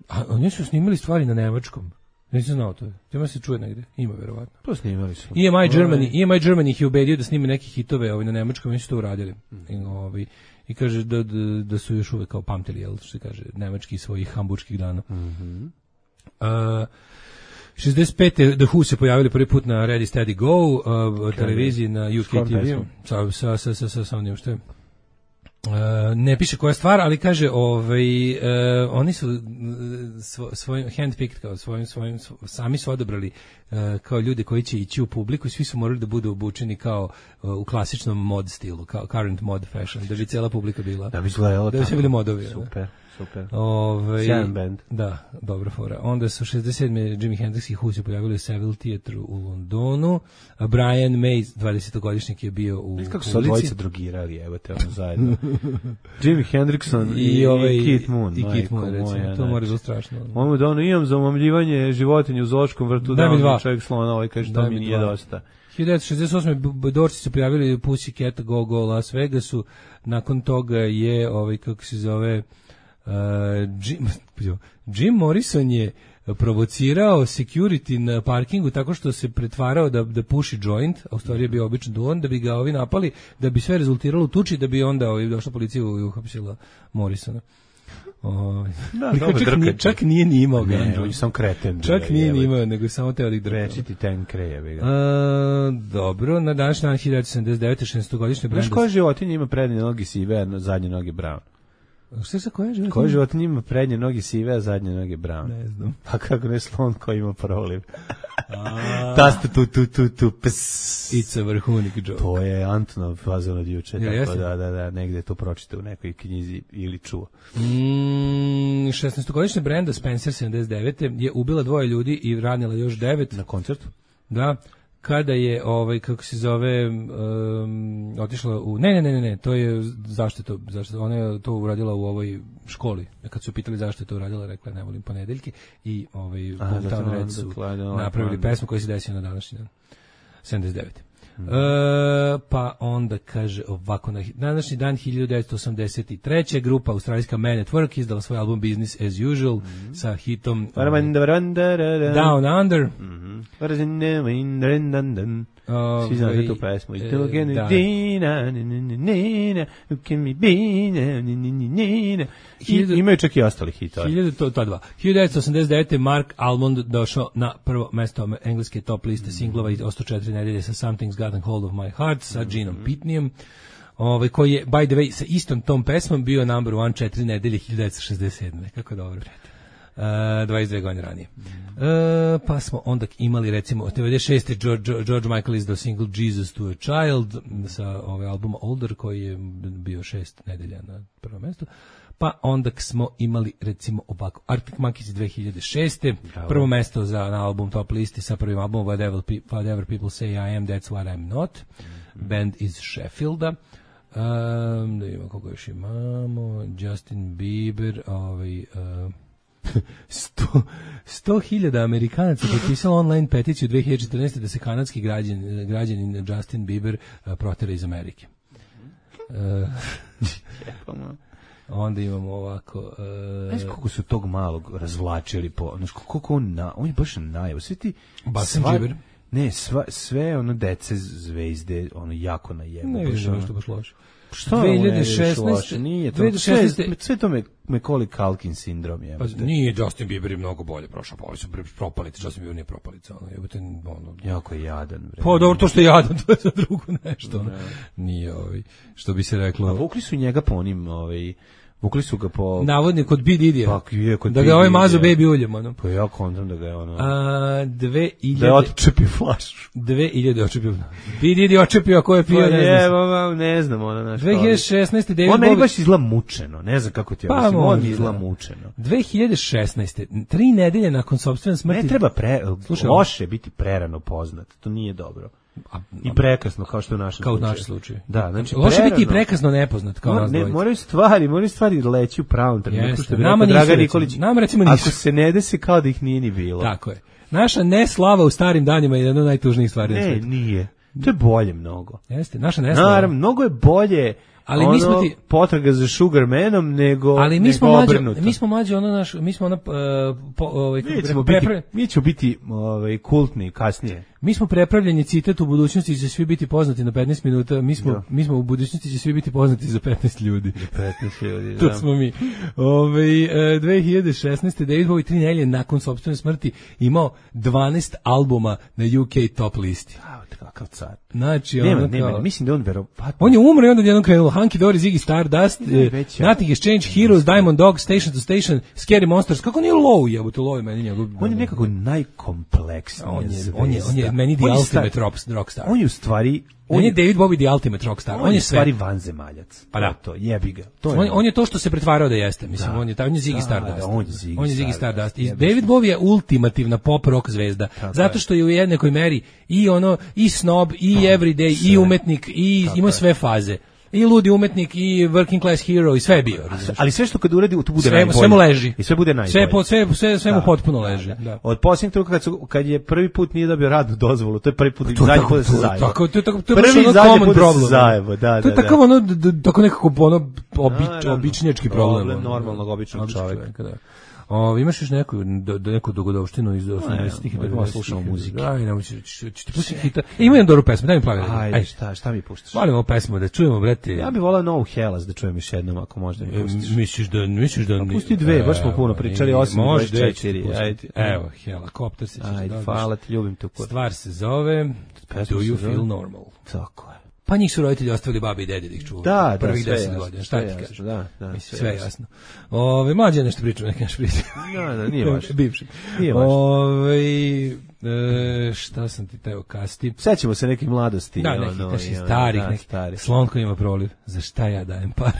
a oni su snimali stvari na nemačkom. Nisam znao to. Tema se čuje negde. Ima verovatno.
To snimali su.
EMI Germany ih je ubedio da snime neke hitove na nemačkom, oni su to uradili. I kaže da su još uvek kao pamtili, jel, što se kaže, nemački svojih hamburških dana. 65. The Who se pojavili prvi put na Ready Steady Go televiziji na UK TV. Sa onim što je. Ne piše koja stvar, ali kaže oni su svojim handpicked, kao svojim sami su odabrali kao ljude koji će ići u publiku i svi su morali da budu obučeni kao u klasičnom mod stilu, kao current mod fashion, da bi cijela publika bila. Da bi izgledalo tako. Da bi se bili modovi.
Super. Sjajan band.
Da, dobra fora. Onda su 67. Jimi Hendrix i Who se pojavili u Savile Theatre u Londonu. Brian May, 20-godišnjak je bio u
kako su dvojica drogirali, evo te ono zajedno. Jimi Hendrixon i Keith Moon.
I Keith Moon, recimo. To mora biti strašno.
On mu da imam za omamljivanje životinja u zoološkom vrtu, da on čovjek slona, kaže to mi nije dosta.
1968. Doorsi su prijavili Pussycat Go Go Las Vegasu. Nakon toga je, kako se zove, Jim Morrison je provocirao security na parkingu tako što se pretvarao da puši joint, a u stvari je bio običan duvan, da bi ga ovi napali, da bi sve rezultiralo u tuči, da bi onda došla policija i uhapsila Morrisona. Čak nije ni imao ga.
Sam kreten.
Čak nije ni imao, nego samo teo da ih drkao.
Rečiti ten kreje.
Dobro, na današnji dan 1979. 600-godišnje
Brandes. Znaš koja životinja ima prednje noge sive, a zadnje noge brown?
Šta sa koja životinja?
Koja životinja ima prednje noge sive, a zadnje noge brown?
Ne znam.
Pa kako ne slon koji ima proliv? Tastu tu ps.
It's a vrhunik joke.
To je Antonov fazon od juče,
Ja,
tako da, negde je to pročitao u nekoj knjizi ili čuo.
16-godišnja Brenda Spencer 79. je ubila 2 ljudi i ranila još 9.
Na koncertu?
Da. Kada je kako se zove otišla u ne, to je zašto ona je to uradila u ovoj školi. Kad su pitali zašto je to uradila, rekla ne volim ponedeljke i Boomtown Red su napravili pesmu koja se desila na današnji dan 79. Pa onda kaže ovako, na današnji dan 1983. grupa australijska Man at Work izdala svoj album Business as Usual sa hitom Down Under.
Svi znate tu pesmu. Imaju čak i ostali hitove.
1989. Mark Almond došao na prvo mesto engleske top liste singlova i ostao 4 nedelje sa Something's Gotten Hold of My Heart sa Genom Pitneym, koji je, by the way, sa istom tom pesmom bio number 1 4 nedelje 1967. Kako dobro. 22 godine ranije. Pa smo onda imali recimo 96. George Michael izdao single Jesus to a Child sa albuma Older koji je bio 6 nedelja na prvom mjestu. Pa onda smo imali recimo ovako Arctic Monkeys 2006. Bravo. Prvo mesto na album top listi sa prvim albumom Whatever People Say I Am That's What I'm Not. Band iz Sheffielda. Da imamo koga još imamo. Justin Bieber, 100.000 Amerikanaca potpisalo online peticiju 2014. da se kanadski građanin Justin Bieber protera iz Amerike. Onda imamo ovako...
Znaš koliko su tog malog razvlačili po... Znaš koliko on je baš najav. Sve ti...
Basen Bieber?
Ne, sve dece zvezde jako najevo.
Ne vidiš što baš loše.
Što 2016 nije to. 2016 sve to Macaulay Culkin sindrom je.
Pa nije, Justin Bieber je mnogo bolje prošao, pa su propalice, Justin Bieber nije propalica,
jako je jadan, bre.
Pa dobro, to što je jadan, to je za drugo nešto, nije što bi se reklo.
A vukli su njega po onim, vukli su ga po...
Navodni kod B. Didija.
Pa,
da ga mazo baby uljem, ono.
Pa ja kontam da ga je ono...
2000...
Da je očepio flašu.
2000 očepio. B. Didi očepio, a ko je pio,
pa
ne znam.
Ne znam, ono naš...
2016. David
on meni baš izgleda mučeno, ne znam kako ti ja mislim, on izgleda mučeno.
2016. 3 nedelje nakon sopstvene smrti...
Ne treba loše biti prerano poznat, to nije dobro. I prekasno, kao što je u našem slučaju.
Kao u našem slučaju.
Da, znači
loše biti i prekasno nepoznat, kao nas dvojica.
Moraju stvari leći u pravom trenutku, što bi
rekao
Dragan Nikolić.
Nama recimo nisu.
Ako se ne desi kao da ih nije ni bilo.
Tako je. Naša neslava u starim danima je jedna od najtužnijih stvari na svijetu.
Ne, nije. To je bolje mnogo.
Jeste, naša neslava.
Naravno, mnogo je bolje ali mi smo ti potraga za Sugarmanom nego
ali mi smo mlađi
mi ćemo biti kultni kasnije.
Mi smo prepravljeni citat u budućnosti će svi biti poznati na 15 minuta, mi smo u budućnosti će svi biti poznati za 15 ljudi.
Za 15 ljudi,
to smo mi. 2016. David Bowie 3 nedelje nakon sopstvene smrti imao 12 albuma na UK top listi.
Kakav car.
Znači,
nema, mislim da on verovatno.
On je umro i onda jednom krenulo Hunky Dory, Ziggy Stardust, Nothing Has Changed, Heroes, Diamond Dogs, Station to Station, Scary Monsters. Kako nije Low, jebote, Low je meni njegov.
On je nekako najkompleksniji.
On je meni the ultimate rockstar.
On je u stvari
on je David Bowie the ultimate rockstar. On je
stvari vanzemaljac.
Pa da,
to jebi ga.
On je to što se pretvarao da jeste. Mislim, on je Ziggy Stardust. On je Ziggy Stardust. I David Bowie je ultimativna pop rock zvezda. Zato što je u jednakoj meri i snob, i everyday, i umetnik, i ima sve faze. I ludi umetnik, i working class hero, i sve je bio.
Ali sve što kad uradi, to bude najbolje.
Sve mu leži.
I sve bude najbolje.
Sve mu potpuno leži.
Od posljednjeg truka, kad je prvi put nije dobio radnu dozvolu, to je prvi put, zadnji put da se zajebo.
Prvi i zadnji put da se
zajebo, da.
To je tako nekako običnjački problem.
Normalnog običnog čovjeka.
Imaš još neku dogodovštinu iz 80-ih i tako
slušamo muzike.
Aj, ću ti pustiti hita. Ima jednu dobru pesmu, daj mi plavi.
Ajde, šta mi puštaš?
Volim ovu pesmu, da čujemo, brate.
Ja bih volao novu Hellas da čujem još jednom, ako možda mi pustiš.
Misliš da...
Pusti dve, baš smo puno pričali, 8-24. Ajde.
Evo, Helikopter se ćeš
dođeš. Ajde, hvala ti, ljubim te.
Stvar se zove Do You Feel Normal.
Tako je.
Pa njih su roditelji ostavili babi i dedi da ih čuvaju.
Da,
prvih
sve
10 godina. Šta ti
jasno,
kažeš?
Da,
mislim, sve jasno. Mlađe nešto pričam, neke naš pričam.
Da, nije važno.
Bivši.
Nije važno.
Šta sam ti teo kasti?
Sećamo se nekih mladosti.
Da, nekih starih, neki slon koji ima proliv. Za šta ja dajem pare?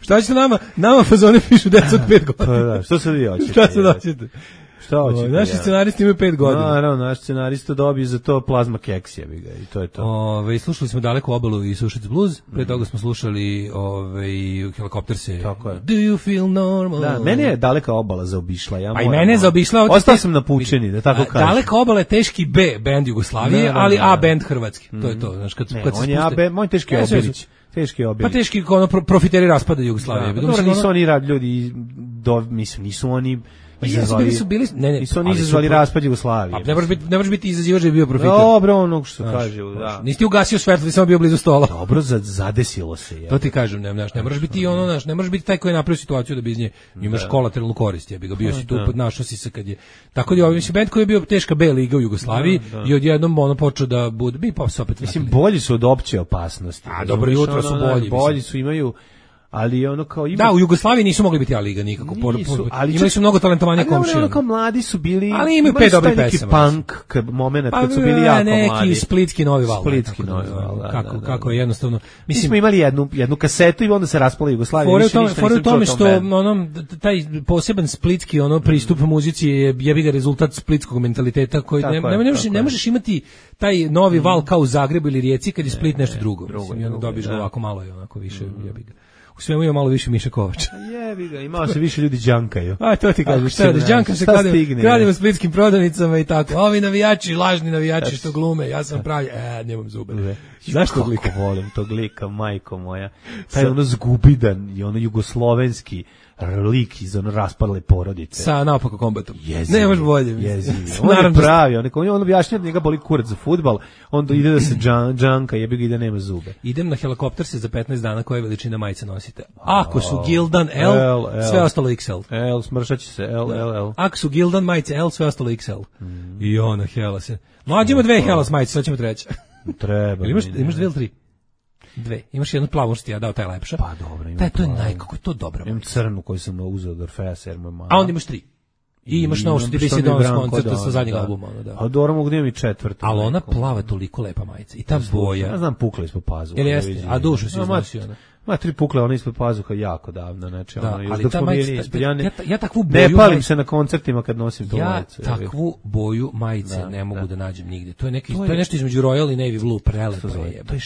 Šta ćete nama fazone pišu deca od 5 godina.
Pa da, što sad vi hoćete?
Šta sad hoćete?
Šta hoćete?
Naši scenaristi imaju 5 godina.
Naravno, naš scenarista dobije za to plazma keksija, i to je to.
Slušali smo Daleku obalu i Sušic blues, pre toga smo slušali Helikopterse.
Tako je.
Do you feel normal?
Da, mene je Daleka obala zaobišla.
Pa i mene je zaobišla.
Ostao sam na pučini, da tako kažem.
Daleka obala je teški B bend Jugoslavije, ali A bend Hrvatski. To je to. Znaš, kad
on je A bend, moj teški Obilić. Teški Obilić.
Pa teški profiteri raspada Jugoslavije.
Dobro, nisu oni ljudi, nisu oni nisu oni izazvali raspad Jugoslavije.
Ne možeš biti izazivač da je bio profiter.
Dobro, onog što kaže, da.
Nisi ti ugasio svetlo, ti samo bio blizu stola.
Dobro, zadesilo se.
To ti kažem, ne možeš biti ne možeš biti taj koji je napravio situaciju da bi iz nje imaš kolateralnu korist. Ja bi ga bio si tu, našao si se kad je. Tako da mislim bend koji je bio teška B liga u Jugoslaviji i odjednom ono počeo da bude mi pa se opet.
Mislim bolji su od opće opasnosti.
A dobro jutro su bolji.
Bolji su imaju. Ali ono kao ima...
Da, u Jugoslaviji nisu mogli biti A liga nikako. Imali su mnogo talentovanja komšija.
Ali ono kao mladi su bili...
Ali imaju 5 dobrih pesama.
Punk moment kad su bili jako mladi.
Neki splitski novi val.
Splitski novi val,
kako je jednostavno...
Mi smo imali jednu kasetu i onda se raspala Jugoslavija.
Fore u tome što taj poseban splitski pristup muzici je jebi ga rezultat splitskog mentaliteta koji ne možeš imati taj novi val kao u Zagrebu ili Rijeci kad je Split nešto drugo. Dobiješ ga ovako malo i onako više jebi ga. U svemu ima malo više Miša Kovača.
Jebi ga, imao se više ljudi džankaju.
A to ti kažeš, šta da džanka se kradimo splitskim prodavnicama i tako. Ovi navijači, lažni navijači što glume, ja sam pravi, nemam zube. Znaš tog lika?
Kako volim tog lika, majko moja. Taj ono zgubidan i ono jugoslovenski lik iz ono raspadle porodice.
Sa naopako kombatom. Nemaš bolje.
On je pravi, on objašnja da njega boli kurac za fudbal, onda ide da se džanka, jebi ga i da nema zube.
Idem na Helikopterse za 15 dana, koja veličina majice nosite. Ako su Gildan L, sve ostalo XL.
L, smršat će se, L.
Ako su Gildan majice L, sve ostalo XL. I ona Hela se. Mlađimo 2 Helas majice, sad ćemo treća.
Treba.
Imaš 2 ili 3? 2. Imaš jednu plavu što ti ja dao, taj lepša.
Pa dobro, imam.
To je najkako, to dobro.
Imam crnu koju sam uzeo od Orfeja Serma.
A onda imaš 3. I imaš novo što ti bi se donao s koncerta sa zadnjeg albuma.
A dobro mogu da imam i četvrtu.
Ali ona plava toliko lepa majica. I ta boja.
Ja znam pukla ispod pazuha.
Ili jeste? A dušu si iznosio.
Ma 3 pukle, ona ispod pazuha jako davno. Znači,
ali ta majica, ja takvu boju...
Ne palim se na koncertima kad nosim tu majicu.
Ja takvu boju majice ne mogu da nađem nigde. To je nešto između Royal i Navy Blue, prelepo je.
To je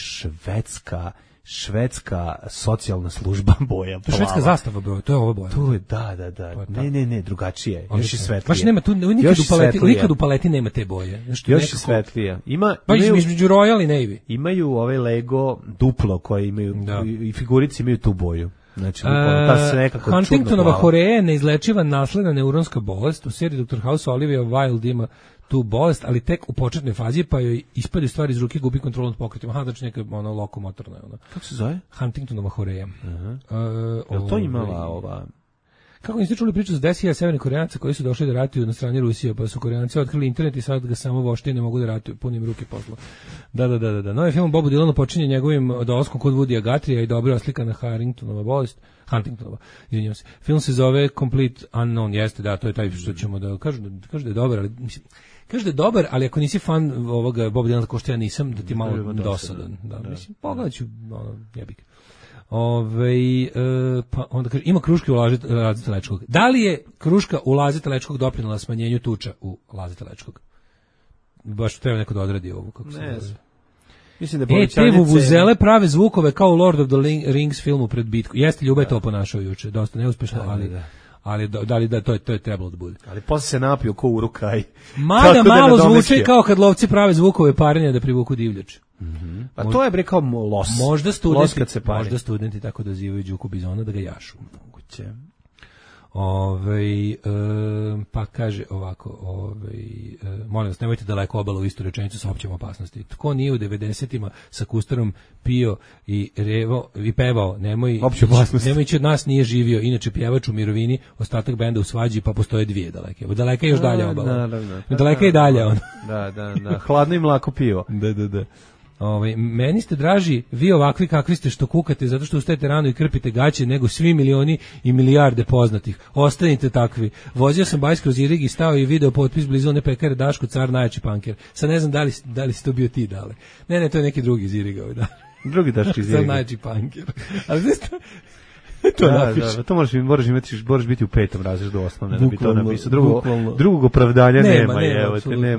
švedska socijalna služba boja.
To je švedska zastava boja, to je ova boja.
To je, da. Ne, drugačije. Još i svetlije.
Baš nema tu, nikad u paleti nema te boje.
Još i svetlije.
Između Royal i Navy.
Imaju ovaj Lego duplo koje imaju, i figurici imaju tu boju. Znači, ta se nekako
Huntingtonova horea je neizlečiva nasledna neuronska bolest. U seriji Dr. House Olivia Wilde ima tu bolest, ali tek u početnoj fazi, pa joj ispade stvari iz ruke, gubi kontrolu nad pokretima. Znači neka lokomotorna.
Kako se zove?
Huntingtonova horea.
Je to imala ova...
Kako niste čuli priču s 10.000 severnih Koreanaca koji su došli da ratuju na strani Rusije, pa su Koreanci otkrili internet i sad ga samo vošte i ne mogu da ratuju, punim ruke posla. Da. Novi film Bobu Dylanu počinje njegovim dolaskom kod Woodya Guthrieja i dobro oslika na Huntingtonova, izvinjavam se. Film se zove Complete Unknown, jeste, da, to je taj što ćemo da kažu da je dobar, ali mislim, kaže da je dobar, ali ako nisi fan ovoga Boba Dylana ko što ja nisam, da ti malo dosadan. Da, mislim, pogledat ću, jebik. Pa onda kaže, ima kruške u Lazete Lečkog. Da li je kruška u Lazete Lečkog doprinela smanjenju tuča u Lazete Lečkog? Baš treba neko da odradi ovo. Kako se zove.
Mislim da
te vuvuzele prave zvukove kao u Lord of the Rings filmu pred bitku. Jeste, Ljuba je to ponašao juče. Dosta neuspešno, ali to je trebalo da bude.
Ali posle se napio ko urukaj.
Mada malo zvuči kao kad lovci prave zvukove parenja da privuku divljač.
A to je bre kao los.
Možda studenti tako dozivaju Đuku Bizona da ga jašu.
Moguće.
Pa kaže ovako, molim vas, nemojte daleko obalu u istu rečenicu sa općom opasnosti. Tko nije u 90-ima sa Kustarom pio i pevao, nemoj ići od nas, nije živio, inače pjevač u mirovini, ostatak benda u svađi, pa postoje 2 daleke. Daleka je još dalje obala. Daleka je dalje on.
Da. Hladno i mlako pivo.
Da. Meni ste draži vi ovakvi kakvi ste što kukate zato što ustajete rano i krpite gaće nego svi milioni i milijarde poznatih. Ostanite takvi. Vozio sam bajs kroz Irig i stao i video potpis blizu one pekare Daško car najjači panker. Sad ne znam da li si to bio ti dale. Ne, to je neki drugi iz Iriga. Da.
Drugi Daško iz Iriga.
Car najjači panker. Ali to napiš.
To moraš biti u 5. razredu osnovne da bi to napisao. Drugog opravdanja nema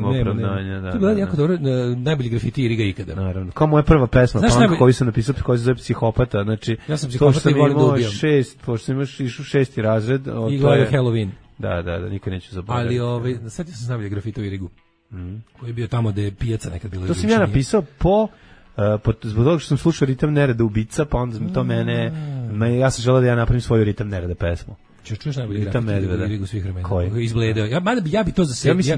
opravdanja.
To je bilo jako dobro, najbolji grafiti Iriga ikada.
Naravno. Kao moja prva pesma, punk koju sam napisao, koja se zove Psihopata. Znači,
ja sam psihopata i volim da ubijam.
Pošto sam išao 6. razred.
I gledao Halloween.
Da, nikad neću zaboraviti.
Ali sad sam najbolji grafiti u Irigu, koji je bio tamo gde je pijaca nekad bila.
To sam ja napisao zbog toga što sam slušao Ritam nereda ubica, pa onda to ja sam želeo da ja napravim svoju Ritam nereda pesmu.
Čuješ najbolji grafiti u Irigu svih vremena.
Koji?
Izbledeo. Ja bi to za sebe.
Mislim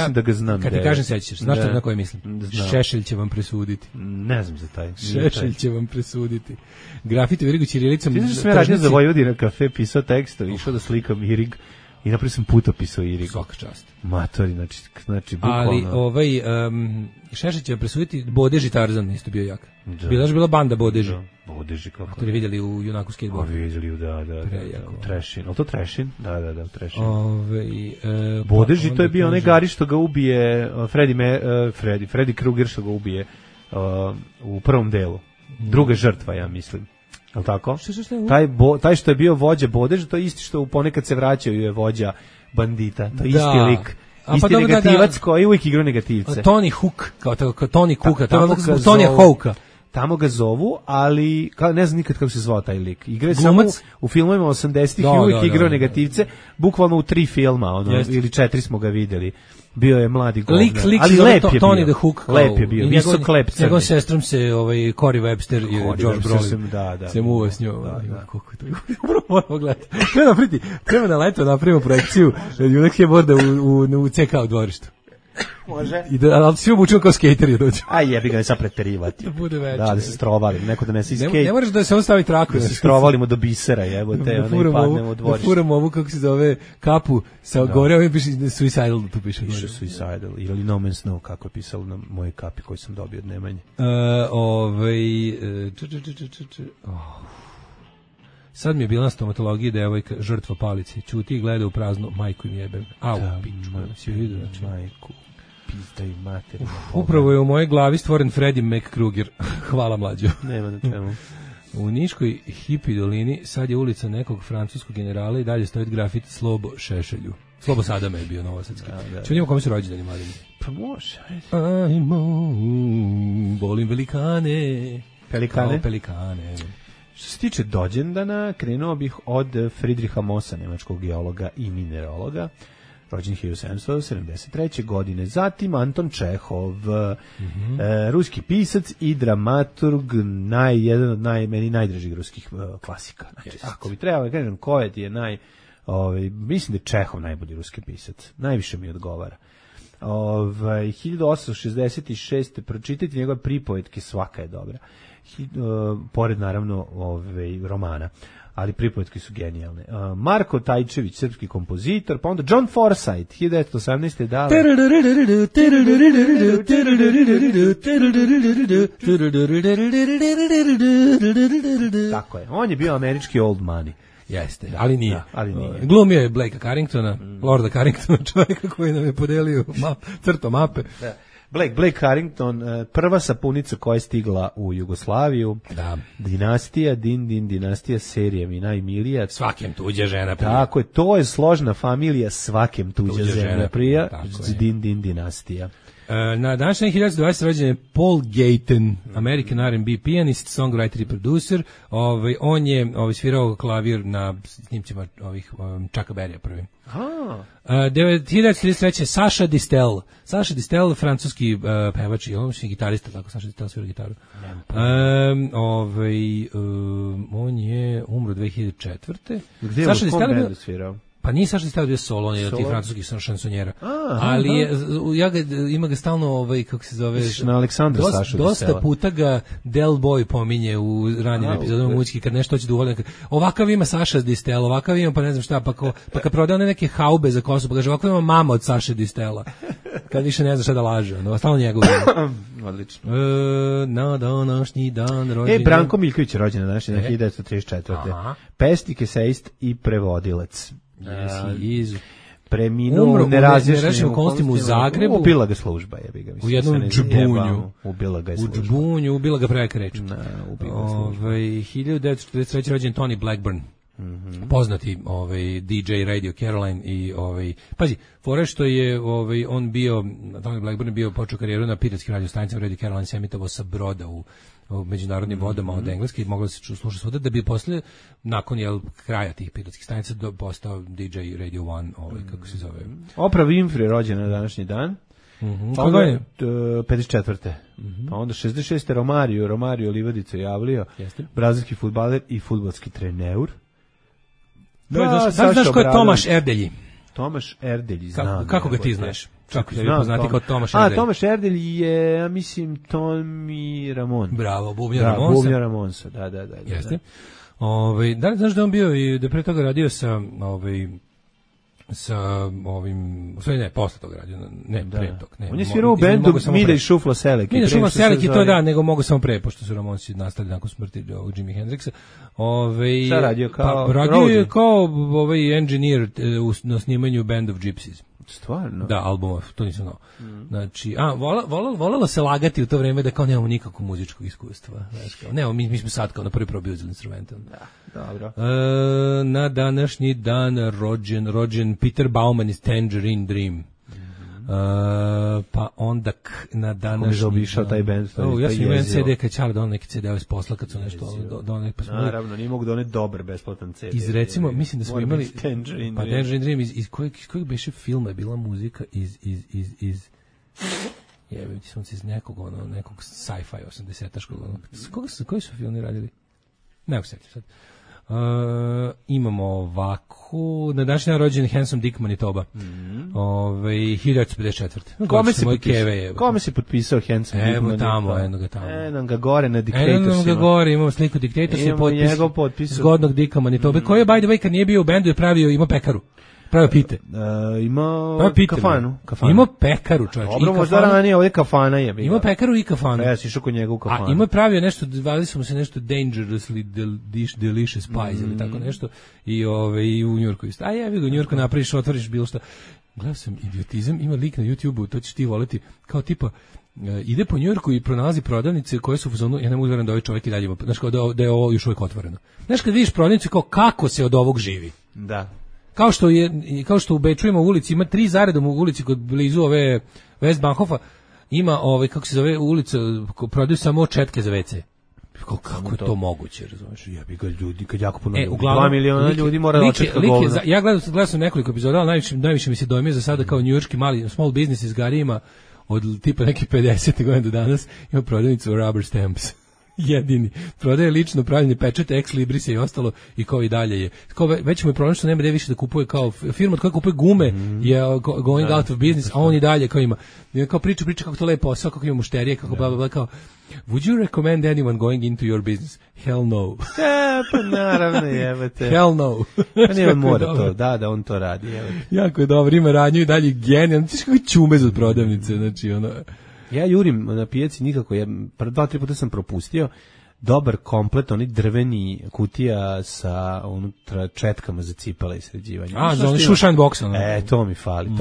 da ga znam.
Kad ti kažem sećaš, znaš na koji mislim? Šešelj će vam presuditi.
Ne znam za taj.
Šešelj će vam presuditi. Grafiti u Irigu ćirilicom.
Ti znaš da sam ja radio za Vojvodina kafe, pisao tekst, išao da slikam Irig. I napravio sam putopis o Irigu.
Svaka čast.
Matori, znači bukvalno.
Ali Šešelj će presuditi Bodeži Tarzan, isto bio jak. Bila banda Bodeži.
Bodeži, kako.
To li vidjeli u Junaku skateboardu?
Vidjeli, da. Trešin. Ali to Trešin? Da, Trešin.
Bodeži,
to je bio onaj Gari što ga ubije, Freddy Krueger što ga ubije u prvom delu. Druga žrtva, ja mislim. Al tako? Taj što je bio vođa Bodeža, to je isti što ponekad se vraćaju je vođa bandita. To je isti lik. Isti negativac koji uvijek igra negativce.
Tony Hook, kao Tony Hooka, Tony Hawka.
Tamo ga zovu, ali ne znam nikad kako se zvao taj lik. Igra je samo u filmovima 80-ih i uvijek igrao negativce, bukvalno u 3 filma, ili 4 smo ga videli. Bio je mladi govnar, ali lep je bio.
Tony the Hook.
Lep je bio, visok lep crni.
Njegov sestrom se Corey Webster i George Brolin. Se muva s njom. Kako je to? Upravo moramo gledati. Treba na leto napravimo projekciju Junak je borda u CK u dvorištu.
Može.
Ali svi obučemo kao skejteri dođu.
Aj jebi ga, ne sad preterivati.
Da bude veće.
Da se strovalim, neko da nesi skejt.
Ne moraš da se on stavi traku.
Da se strovalimo do bisera, jebote, ono i padnemo u dvorište.
Da furamo ovu, kako se zove, kapu sa gore, ovim piše Suicidal, tu piše.
Piše Suicidal, ili No Man's Snow, kako je pisalo na moje kapi koji sam dobio od Nemanje.
Sad mi je bila na stomatologiji devojka, žrtva palice. Čuti i gleda u prazno, majku im jebem. Au, piču, si vidio, znači.
Majku, pizdaj materina.
Upravo je u mojoj glavi stvoren Freddy McKrueger. Hvala, mlađo.
Nema na čemu.
U Niškoj hipi dolini sad je ulica nekog francuskog generala i dalje stoji grafit Slobo Šešelju. Slobo Sadama je bio novosadski. Ču vidimo kome su rođendani, mladini?
Pa može.
Ajmo, volim velikane.
Pelikane?
Pelikane.
Što se tiče dođendana, krenuo bih od Friedricha Mossa, nemačkog geologa i mineraloga, rođen 1773. godine. Zatim Anton Čehov, ruski pisac i dramaturg, jedan od meni najdražih ruskih klasika. Znači, ako bi trebalo da kažem ko je ti je mislim da je Čehov najbolji ruski pisac. Najviše mi odgovara. 1866. pročitati njegove pripovetke, svaka je dobra. Pored naravno romana, ali pripovetke su genijalne. Marko Tajčević, srpski kompozitor, pa onda John Forsythe, 1918. dale. Tako je, on je bio američki old money.
Jeste, ali nije. Glumio je Blakea Carringtona, Lorda Carringtona, čovjeka koji nam je podelio crto mape.
Da. Blake Carrington, prva sapunica koja je stigla u Jugoslaviju.
Da.
Dinastija, dinastija, serija mi najmilija.
Svakem tuđa žena prija.
Tako je, to je složna familija, svakem tuđa žena prija. Dinastija.
Na današnji 1920 rođen je Paul Gayten, American R&B pijanist, songwriter i producer. On je svirao klavir na snimcima Chucka Berrya prvim. 1933. Saša Distel. Saša Distel, francuski pevač i gitarista, tako Saša Distel svira gitaru. On je umro 2004.
Gdje je u kom bendu svirao?
Pa nije Saša Distel bio solo, on je od tih francuskih šansonjera. Ali ima ga stalno, kako se zove...
Na Aleksandra Saša Distela.
Dosta puta ga Del Boy pominje u ranijim epizodama muzički, kad nešto hoće da uvoli. Ovakav ima Saša Distel, ovakav ima, pa ne znam šta, pa kad prodaje neke haube za kosu, pa kaže, ovakav ima mama od Saše Distela. Kad više ne zna šta da laže, stalno njegov.
Odlično.
Na današnji dan rođenja.
Branko Miljković je rođen na današnji dan 1934. Pesnik, esejist i prevodilac. Preminuo u nerazjašnjenim
okolnostima u Zagrebu.
Ubila ga služba, jebi ga.
U jednom džbunju.
Ubila ga je služba.
U džbunju, ubila ga preka reč. 1943. rođen Tony Blackburn. Poznati DJ Radio Caroline i pazi, fore što je on bio, Tony Blackburn bio počeo karijeru na piretskim radiostanicama, Radio Caroline se emitovao sa broda u međunarodnim vodama od engleske i moglo se slušati svuda, da bi posle nakon kraja tih piratskih stanica postao DJ Radio 1, kako se zove.
Oprah Winfrey rođena na današnji dan.
Koga je?
54. Pa onda 66. Romario Livadica javlio, brazilski fudbaler i fudbalski trener.
Znaš ko je Tomaš Erdelji?
Tomaš Erdelji, znam.
Kako ga ti znaš? Kako se poznati kao Tomaš Erdelji?
Tomaš Erdelji je, ja mislim, Tomi Ramon.
Bravo, Bubnja Ramonsa.
Bubnja Ramonsa, da.
Jeste. Da li znaš da on bio i da pre toga radio sa posle toga radio, pre toga.
On je svirao u bendu Mida i Šufla Selek.
Mida i Šufla Selek i to nego mogu samo pre, pošto su Ramonsi nastali nakon smrti Jimi Hendrixa.
Šta radio kao?
Radio je kao engineer na snimanju Band of Gypsies.
Stvarno?
Da, albuma, to nisam znao. Znači, volela se lagati u to vreme da kao nemamo nikakvog muzičkog iskustva. Nemo, mi smo sad kao na prvi probio za instrumentom.
Da, dobro.
Na današnji dan rođen Peter Bauman iz Tangerine Dream. Pa onda na današnji...
Kako mi zaobišao taj band?
Ja sam imao CD kad Čale donao neki CD-ove iz posla kad su nešto donali.
Naravno, nije mogu doneti dobar besplatan CD.
Iz recimo, mislim da smo imali... Tangerine Dream, iz kojeg beše filma je bila muzika iz jebiti smo se iz nekog sci-fi 80-aškog. Koji su filmi radili? Ne mogu setiti sad. Imamo ovako na današnji rođen Handsome Dick Manitoba. 1954.
Kome se potpisao Handsome Dick Manitoba?
Tamo, eno
ga gore na Dictatorsima.
Eno ga gore, imamo sliku Dictatorsima.
Imamo njegov potpis.
Zgodnog Dicka Manitobe, koji je, by the way, kad nije bio u bendu, je ima pekaru. Pravio pite.
Ima kafanu.
Ima pekaru, čovječ.
Dobro, možda ranije, ovdje kafana je.
Ima pekaru i kafanu.
Ja si išao kod njega u kafanu.
A ima pravio nešto, zvali smo se nešto Dangerously Delicious Pies ili tako nešto. I u Njurku isto. A jevi ga u Njurku napraviš, otvoriš bilo šta. Gledao sam idiotizam, ima lik na YouTube-u, to ćeš ti voliti, kao tipa, ide po Njujorku i pronalazi prodavnice koje su u fazonu, ja ne mogu da ovaj čovjek i dalje ima, znaš kao da je ovo još uvijek otvoreno. Znaš kad vidiš prodavnicu kao kako se od ovog živi.
Da.
Kao što u Beču ima ulici, ima 3 zaredom u ulici kod blizu ove Westbahnhofa, ima kako se zove ulica, prodaju samo četke za WC. Kako je to moguće, razumiješ?
Ja bi ga ljudi, kad jako puno ljudi, 2 miliona ljudi mora da očetka govna.
Ja gledao sam nekoliko epizoda, ali najviše mi se dojmio za sada kao njujorški mali small business iz Garijima od tipa nekih 50. godina do danas, ima prodavnicu rubber stamps. Jedini. Prodaje lično pravljene pečete, ex libris i ostalo i kao i dalje je. Kao već mu je problem što nema gde više da kupuje kao firma od koje kupuje gume je going out of business, a on i dalje kao ima. Kao priča kako to lepo posao, kako ima mušterije, kako bla bla bla kao would you recommend anyone going into your business? Hell no.
Pa naravno jebate.
Hell no.
Pa nije on mora to, da on to radi. Jebate.
Jako je dobro, ima radnju i dalje genijalno. Ti kako čumez od prodavnice, znači ono...
Ja jurim na pijaci nikako, 2-3 puta sam propustio dobar komplet, oni drveni kutija sa unutra četkama za cipele i sređivanje.
Za oni šušan box.
To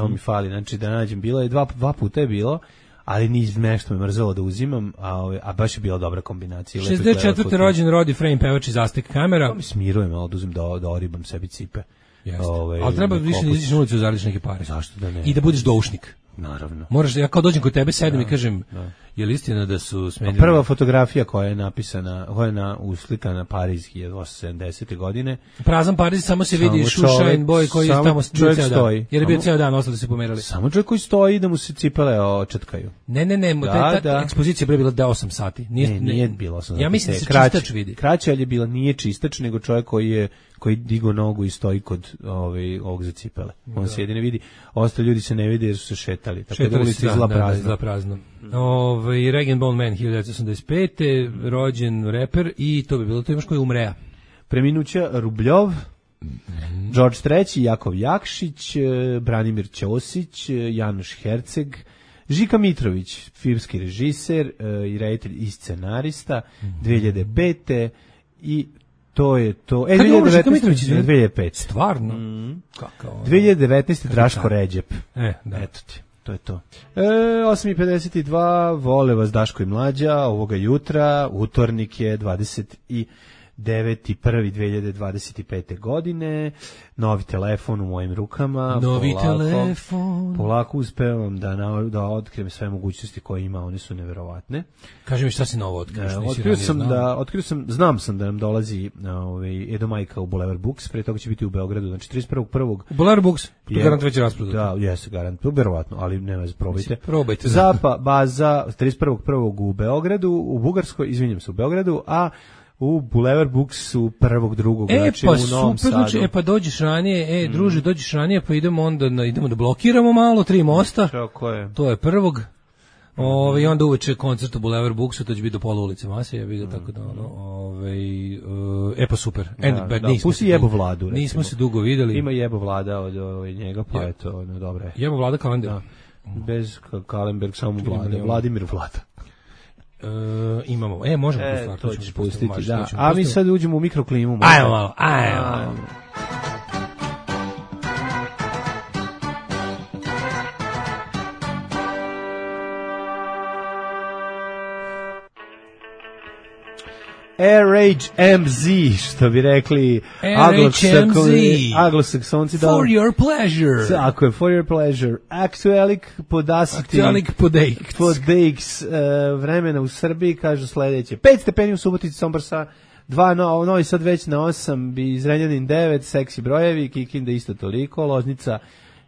mi fali, znači da nađem, bilo je 2 puta je bilo, ali nešto me mrzelo da uzimam, a baš je bila dobra kombinacija.
64. rođen Roddy Frame, pevač iz Aztek Kamera.
To mi smiruje malo da uzim da oribam sebi cipe.
Ali treba više da iziš na ulicu, zaradiš neke pare.
Zašto da ne?
I da budeš doušnik.
Naravno.
Moraš, ja kao dođem kod tebe, sedem i kažem, Je li istina da su smenili...
Prva fotografija koja je napisana, uslikana Pariz 1870. godine.
Prazan Pariz, samo se vidi Shushain Boy koji je tamo
čovjek
ceo
stoji.
Dan. Jer je bio ceo dan, ostali se pomerali.
Samo čovjek koji stoji da mu se cipele očetkaju.
Ne, ta ekspozicija je bila 8 sati.
Nije bilo 8 sati.
Ja mislim da se čistač vidi.
Kraće, ali je bila, nije čistač, nego čovjek koji digo nogu i stoji kod ovog za cipele. On se jedine vidi, ostali ljudi se ne vide jer su se šetali. Tako da ulica izla prazno.
Rag & Bone Man 1985. Rođen reper i to bi bilo to, imaš koji umreja.
Preminuća Rubljov, George III, Jakov Jakšić, Branimir Ćosić, Januš Herceg, Žika Mitrović, filmski režiser i reditelj i scenarista, 2005. I to je to. 2005.
Stvarno?
Kakav? 2019. Draško Ređep.
Da.
Eto ti. To je to. 8:52, vole vas Daško i Mlađa, ovoga jutra, utornik je 29.1.2025. godine, novi telefon u mojim rukama. Polako uspevam da otkrijem sve mogućnosti koje ima, one su neverovatne.
Kaži mi šta si novo otkriš?
Znam sam da nam dolazi Edo Majka u Boulevard Books, pre toga će biti u Beogradu, znači 31.1.
Boulevard Books, to garant već rasprodato.
Da, jeste garant, verovatno, ali nema, probajte.
Probajte.
Zapa baza 31.1. u Beogradu, u Bugarskoj, izvinjam se, u Beogradu, a u Boulevard Booksu 1.2. znači u Novom Sadu.
Znači, pa dođeš ranije, druže, dođeš ranije, pa idemo da blokiramo malo 3 mosta. To je 1. I onda uveče koncert u Boulevard Booksu, to će biti do pola ulice Mase, ja vidio tako da pa super.
Pusti Jebo Vladu.
Nismo se dugo videli.
Ima Jebo Vlada od njega, pa eto, dobro je.
Jebo Vlada kalendar.
Bez Kalenberg, samo Vlada. Vladimir Vlada.
Imamo. Možemo tu stvar.
To ćeš pustiti, da. A mi sad uđemo u mikroklimu.
Ajmo malo, ajmo.
Air Rage MZ, što bi rekli anglosaksonci.
For your pleasure.
Tako je, for your pleasure. Aktuelik podejks vremena u Srbiji, kažu sledeće. 5 stepeni u Subotici, Sombor sa 2, Novi Sad već na 8, Zrenjanin 9, seksi brojevi, Kikinda isto toliko, Loznica,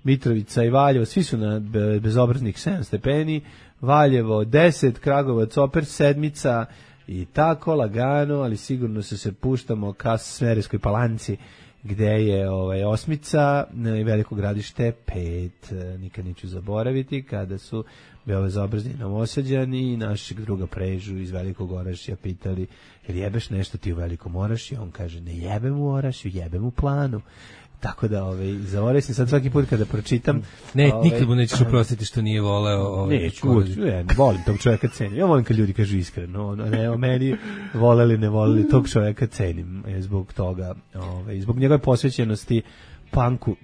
Mitrovica i Valjevo, svi su na bezobraznih 7 stepeni, Valjevo 10, Kragovac opet 7, i tako lagano, ali sigurno se puštamo ka Smederevskoj Palanci, gde je 8 i Veliko Gradište 5. Nikad neću zaboraviti kada su beobezobrazni Novosađani i našeg druga Prežu iz Velikog Orašja pitali, jel jebeš nešto ti u Velikom Orašju? On kaže, ne jebem u Orašju, jebem u Planu. Tako da, zaboravim se sad svaki put kada pročitam.
Nikad mu nećeš oprostiti što nije voleo.
Neću, volim tog čovjeka, cenim. Ja volim kad ljudi kažu iskreno. Ne o meni, voleli, ne voleli, tog čovjeka cenim. Zbog toga, zbog njegove posvećenosti punku,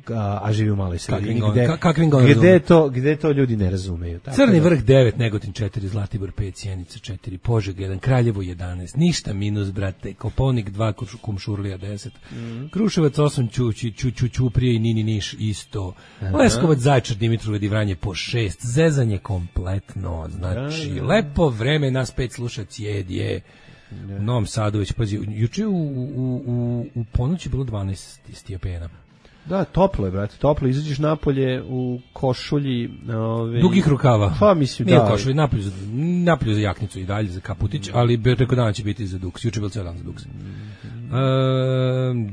a živi u maloj sredini. Gde to ljudi ne razumeju.
Crni vrh 9, Negotin 4, Zlatibor 5, Sjenica 4, Požega 1, Kraljevo 11, ništa minus, brate, Koponik 2, Kumšurlija 10, Kruševac 8, Ćuprije i Nini Niš isto, Leskovac, Zaječar, Dimitrov i Vranje po 6, zezanje kompletno, znači, lepo vreme, nas 5 sluša Cijedje, u Novom Sadu već, pazi, juče u ponoći bilo 12 stepena.
Da, toplo je, brate, toplo. Izađeš napolje u košulji...
dugih rukava.
Pa, mislim,
nije košulji, napolju za jaknicu i dalje, za kaputić, ali preko dana će biti za duks. Juče je bilo cijel dan za duks.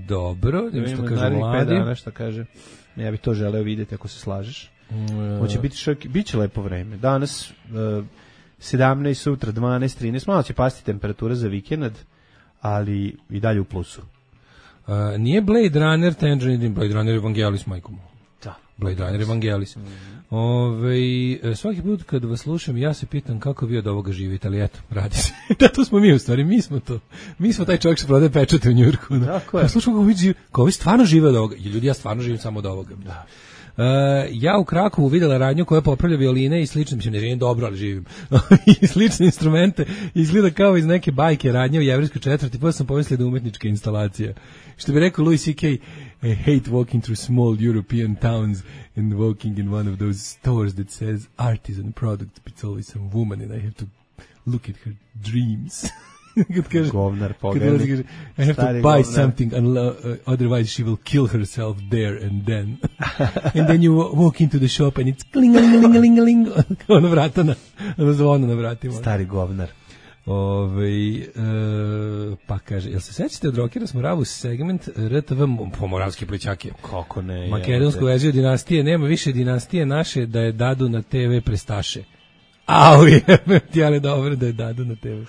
Dobro, što kaže mladi.
5 dana, šta kaže. Ja bih to želeo vidjeti ako se slažeš. Hoće biti biće lepo vreme. Danas 17, sutra 12, 13, malo će pasti temperatura za vikend, ali i dalje u plusu.
Nije Blade Runner Tangerine, Blade Runner Evangelis, majko mu.
Da.
Blade Runner Evangelis. Svaki put kad vas slušam, ja se pitam kako vi od ovoga živite, ali eto, radi se. Da, to smo mi u stvari, mi smo to. Mi smo taj čovjek što prodaje pečate u Njujorku.
Tako je.
Slušam kako vi stvarno žive od ovoga. Ljudi, ja stvarno živim samo od ovoga. Da. Ja u Krakovu videla radnju koja popravlja violine i slično, mislim, ne živim dobro, ali živim. I slične instrumente, izgleda kao iz neke bajke radnje u jevrejskoj četvrti, pa sam pomislio da umetnička instalacija. Što bi rekao Louis C.K., I hate walking through small European towns and walking in one of those stores that says artisan product, but it's always some woman and I have to look at her dreams. Kad kaže,
govnar pogledaj.
I have to buy something, otherwise she will kill herself there and then. And then you walk into the shop and it's kling-a-ling-a-ling-a-ling. Ono vrata ono zvono na vratima.
Stari govnar.
Pa kaže, jel se sećate od Rokera smo Ravu segment RTV Pomoravski plićake?
Kako ne?
Makedonsku verziju dinastije, nema više dinastije naše da je dadu na TV prestaše. Au, jebe ti, ali dobro da je dadu na TV.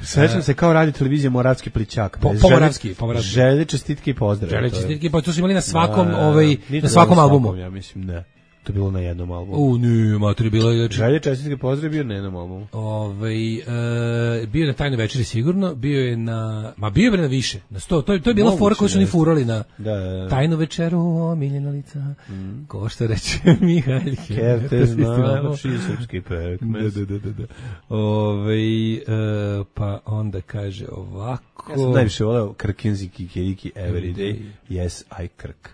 Sećam se kao radio televizija Moravski plićak.
Pomoravski.
Želje, čestitke i pozdrav.
Želje, čestitke i pozdrav. To su imali na svakom, na svakom albumu.
Ja mislim, ne. To je bilo na jednom albumu.
Ne, mater je bilo...
Želje, čestitke, pozdrav bio na jednom albumu.
Bio je na Tajnoj večeri sigurno, bio je na... Ma bio je na više, na 100. To je bila fora koju su oni furali na Tajnu večeru, omiljena lica. Ko što reče Mihaljke.
Kerte znači srpski pekmez.
Da. Pa onda kaže ovako...
Ja sam najviše voleo Krkinzi Kikiriki Every Day. Yes, I Krk.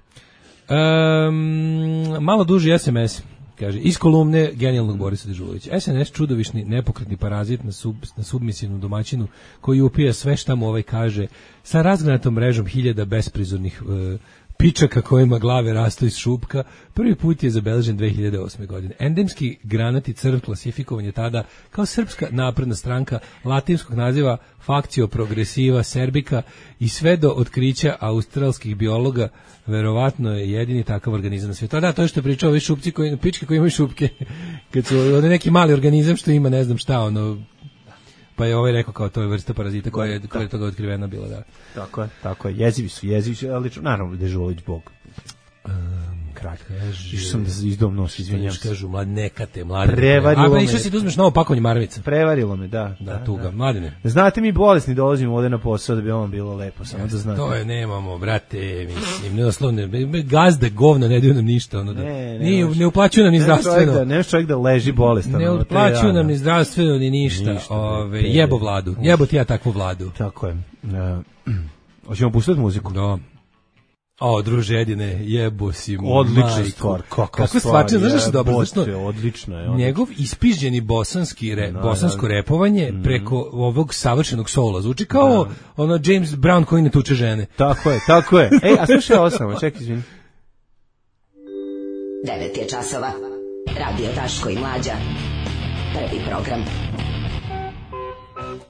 Malo duži SMS, kaže, iz kolumne genijalnog Borisa Dežulovića. SNS čudovišni, nepokretni parazit na submisivnom domaćinu koji upija sve šta mu kaže sa razgranatom mrežom hiljada besprizornih pičaka kojima glave rastu iz šupka. Prvi put je zabeležen 2008. godine. Endemski granati crv klasifikovan je tada kao Srpska napredna stranka latinskog naziva Factio Progressiva Serbika i sve do otkrića australskih biologa verovatno je jedini takav organizam na svijetu. Da, to je što je pričao ovi šupci pičke koji imaju šupke. Kad su neki mali organizam što ima ne znam šta, pa je rekao kao to je vrsta parazita koja je toga otkrivena bila, da.
Tako je. Jezivi su, ali naravno Dežulović Bog. Kralj. Išao sam da izdom nos, izvinjam se.
Kažu, nekate, mladine.
Prevarilo me.
Išao si da uzmeš novo pakovanje maramica.
Prevarilo me, da.
Da, tuga, mladine.
Znate, mi bolesni dolazimo ovde na posao da bi vam bilo lepo, samo da znate.
To je, nemamo, brate, mislim, neoslovne, gazde, govna, ne daju nam ništa, ne uplaćuju nam ni zdravstveno.
Nemaš čovjek da leži bolestan.
Ne uplaćuju nam ni zdravstveno, ni ništa. Jebo vladu, jebo ti ja takvu vladu.
Tako je. Hoćemo pustiti muziku?
Da. Druže Edine, jebo si mu.
Odlična stvar. Kakva
stvar, znaš što je dobro?
Odlična je.
Njegov ispižđeni bosansko repovanje preko ovog savršenog soula zvuči kao James Brown koji ne tuče žene.
Tako je. Ej, a slušaj ovo samo, čekaj, izvini.
9 je časova. Radio Daško i Mlađa. Prvi program.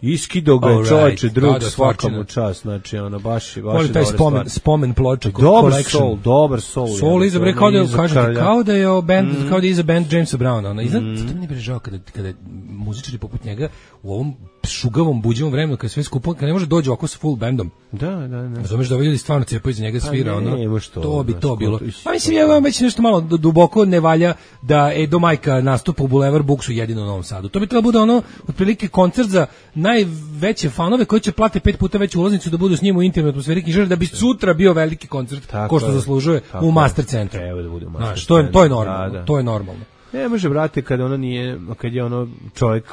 Iskido ga je čovječe, drug svakamu čas, znači baš je
taj spomen ploča.
Dobar soul.
Soul izabre kao da je iza band Jamesa Browna. To mi ne brežao kada muzičari poput njega u ovom šugavom, buđevom vremenu, kada sve skupo, kada ne može dođe ovako sa full bandom.
Da.
Razumeš da ljudi stvarno cepaju iza njega svira, to bi to bilo.
A
mislim, ja vam već nešto malo duboko ne valja da do majka nastupa u Bulevar Buksu jedino u Novom Sadu. To bi trebalo bude otprilike koncert za najveće fanove koji će plate 5 puta veću ulaznicu da budu s njim u intimnoj atmosferi knjižare, da bi sutra bio veliki koncert ko što zaslužuje u Master centru. To je normalno. To je normalno.
Ne može, brate, kad je čovjek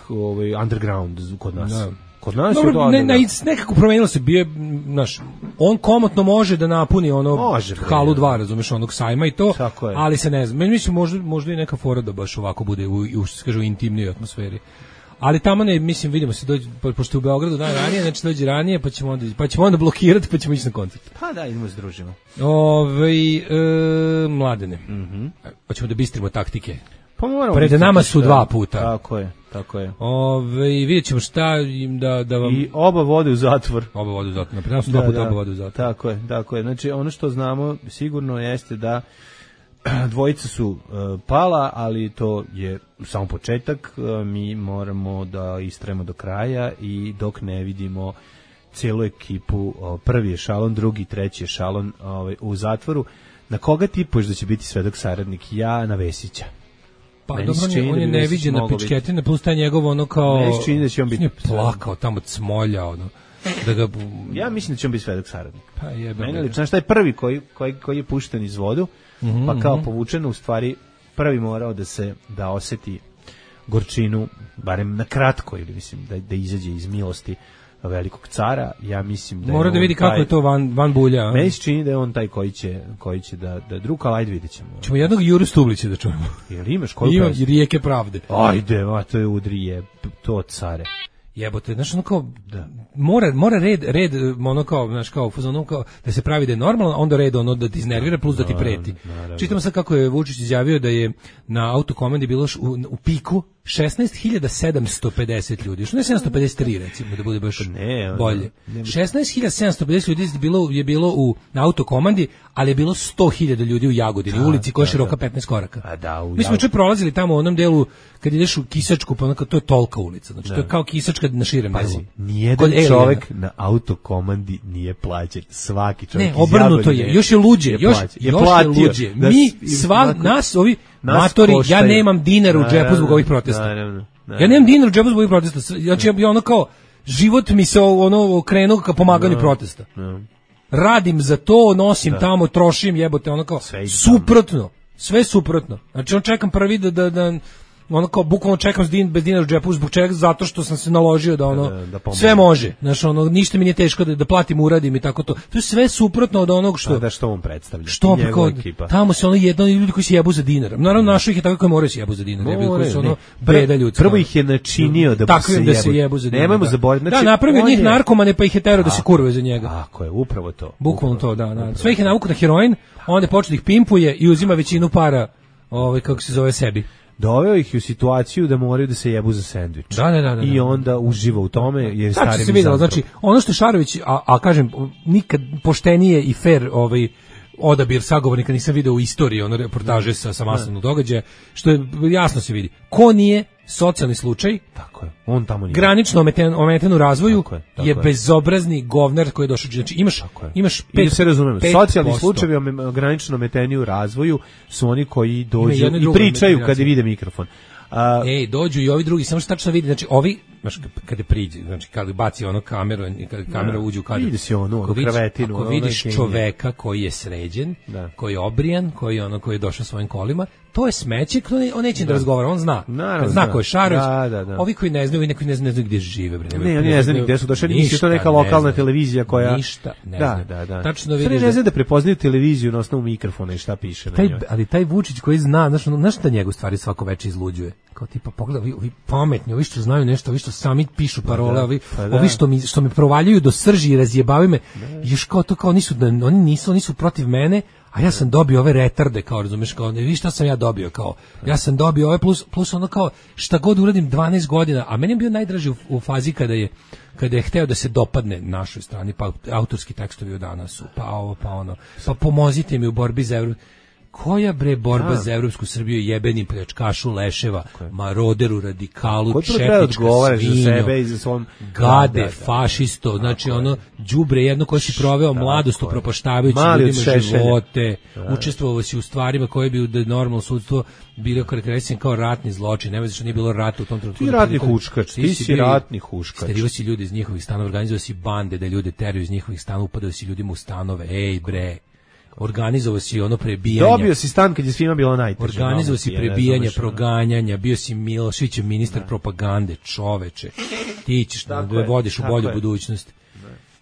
underground kod nas. Da. Kod nas je to
nekako promenilo se, on komotno može da napuni halu 2, razumeš, onog sajma i to, ali se ne znam. Meni mislim, možda i neka fora da baš ovako bude u intimnijoj atmosferi. Ali tamo mislim, vidimo se, pošto u Beogradu dan ranije, znači dođe ranije, pa ćemo onda blokirati, pa ćemo ići na koncert.
Pa da, idemo se družimo.
Mladene, hoćemo da bistrimo taktike.
Pa moramo.
Pred nama su 2 puta.
Tako je.
Vidjet ćemo šta im da vam...
I oba vode u zatvor.
Pred nama su 2 puta oba vode u zatvor.
Tako je. Znači, ono što znamo sigurno jeste da dvojica su pala, ali to je samo početak. Mi moramo da istrajemo do kraja i dok ne vidimo cijelu ekipu, prvi je Šalon, drugi, treći je Šalon u zatvoru. Na koga tipuješ da će biti svedok saradnik? Ja na Vesića.
Pa dobro, on je neviđena pičketina, plus taj njegov kao...
Meni se čini da će on biti...
plakao tamo cmolja, da ga...
Ja mislim da će on biti svedok saradnik.
Pa jebe.
Meni lično, znaš, taj prvi koji je pušten iz vodu, pa kao povučeno, u stvari prvi morao da oseti gorčinu, barem na kratko, ili mislim da izađe iz milosti velikog cara, ja mislim da
mora da vidi kako je to van bulja.
Meni se čini da je on taj koji će da druga, ajde vidjet ćemo.
Ćemo jednog Juru Stublića da čujemo.
Jel imaš koju
Imam
pesmu?
Rijeke pravde.
Ajde, to je udri je, to care.
Jebote, znaš, ono kao, mora red, ono kao, znaš, kao, ono kao, da se pravi da je normalno, onda red ono da ti iznervira plus da ti preti. Čitamo sad kako je Vučić izjavio da je na autokomandi bilo u piku 16.750 ljudi, što ne 753 recimo, da bude baš bolje. 16.750 ljudi je bilo na autokomandi, ali je bilo 100.000 ljudi u Jagodini, u ulici koja je široka 15 koraka. Mi smo čak prolazili tamo u onom delu, kad ideš u Kisačku, pa to je tolika ulica, znači to je kao Kisačka na širem delu.
Pazi, nijedan čovek na autokomandi nije plaćen, svaki čovek.
Ne, obrnuto je, još je luđe, još je luđe. Mi, nas, ovi matori, ja nemam dinar u džepu zbog ovih protesta. Ja nemam dinar u džepu zbog ovih protesta. Znači, ja ono kao, život mi se okrenuo ka pomaganju protesta. Radim za to, nosim tamo, trošim, jebote, ono kao, suprotno. Sve suprotno. Znači, on čekam prvi da ono kao bukvalno čekam bez dinara u džepu, zbog čega? Zato što sam se naložio da sve može. Znači, ništa mi nije teško da platim, uradim i tako to. To je sve suprotno od onog što...
Da, što on predstavlja.
Što tamo se jedno ljudi koji se jebu za dinar. Naravno, našo ih je tako koji moraju se jebu za dinar. Koji su breda ljudska.
Prvo ih je načinio da se jebu za dinar. Nemojmo zaboraviti.
Da, napravio njih narkomane pa ih je terao da se kurve za njega.
Tako je, upravo to.
Bukvalno to, da. Sve ih je navukao na heroin, onda počne da ih pimpuje i uzima većinu para, kako se zove, sebi.
Doveo ih u situaciju da moraju da se jebu za sendvič.
Da.
I onda uživa u tome jer stari
se videlo, znači ono što Šarović, a kažem nikad poštenije i fair odabir sagovornika nisam video u istoriji reportaže sa masovnog događaja, što je jasno se vidi. Ko nije socijalni slučaj,
tako je. On tamo nije.
Granično ometen u razvoju je bezobrazni govnar koji je došao. Znači imaš
i da se razumemo, socijalni slučajevi granično ometeni u razvoju su oni koji dođu i pričaju kad vide mikrofon.
Dođu i ovi drugi, samo što tačno vidi, znači ovi, kada priđe, znači kada baci kameru, kada kamera uđe u kadar,
vidi se kravetinu,
ako vidiš čoveka koji je sređen, koji je obrijan, koji je došao svojim kolima, to je smeće, on neće da razgovara, on zna. Zna ko je Šarović. Ovi koji ne znaju, neki ne znaju gdje žive.
Ne, oni ne znaju gdje su došli, nisu to neka lokalna televizija koja...
Ništa ne znaju.
Tačno vidiš. Ne znaju da prepoznaju televiziju na osnovu mikrofona i šta piše na njoj.
Ali taj Vučić koji zna, znaš šta njegov stvari svako veče izluđuje? Kao tipa, pogledaj, ovi pametni, ovi što znaju nešto, ovi što sami pišu parole, ovi što me provaljuju do srži i razjebavaju me, još kao to, kao oni su protiv mene, a ja sam dobio ove retarde, kao razumeš, kao ne vidiš šta sam ja dobio, kao ja sam dobio ove plus ono kao šta god uradim 12 godina, a meni je bio najdraži u fazi kada je hteo da se dopadne našoj strani, pa autorski tekstovi od danas su, pa ovo, pa ono, pa pomozite mi u borbi za Evropu. Koja bre borba za evropsku Srbiju, jebeni pljačkašu leševa, maroderu, radikalu, četnička svinjo, gade, fašisto, znači đubre jedno koje si proveo mladost upropaštavajući ljudima živote, učestvovao si u stvarima koje bi da normalno sudstvo bilo karakterisan kao ratni zločin, nema što nije bilo rata u tom trenutku.
Ti ratni huškač, ti si ratni huškač.
Sterivao si ljudi iz njihovih stanova, organizovao si bande da ljude teraju iz njihovih stanova, upadao si ljudima u stanove, ej bre. Organizovao si prebijanje.
Dobio si stan kad je svima bilo najteže.
Organizovao si prebijanje, proganjanja, bio si Miloševićev ministar propagande, čoveče. Ti ćeš da vodiš u bolju budućnost.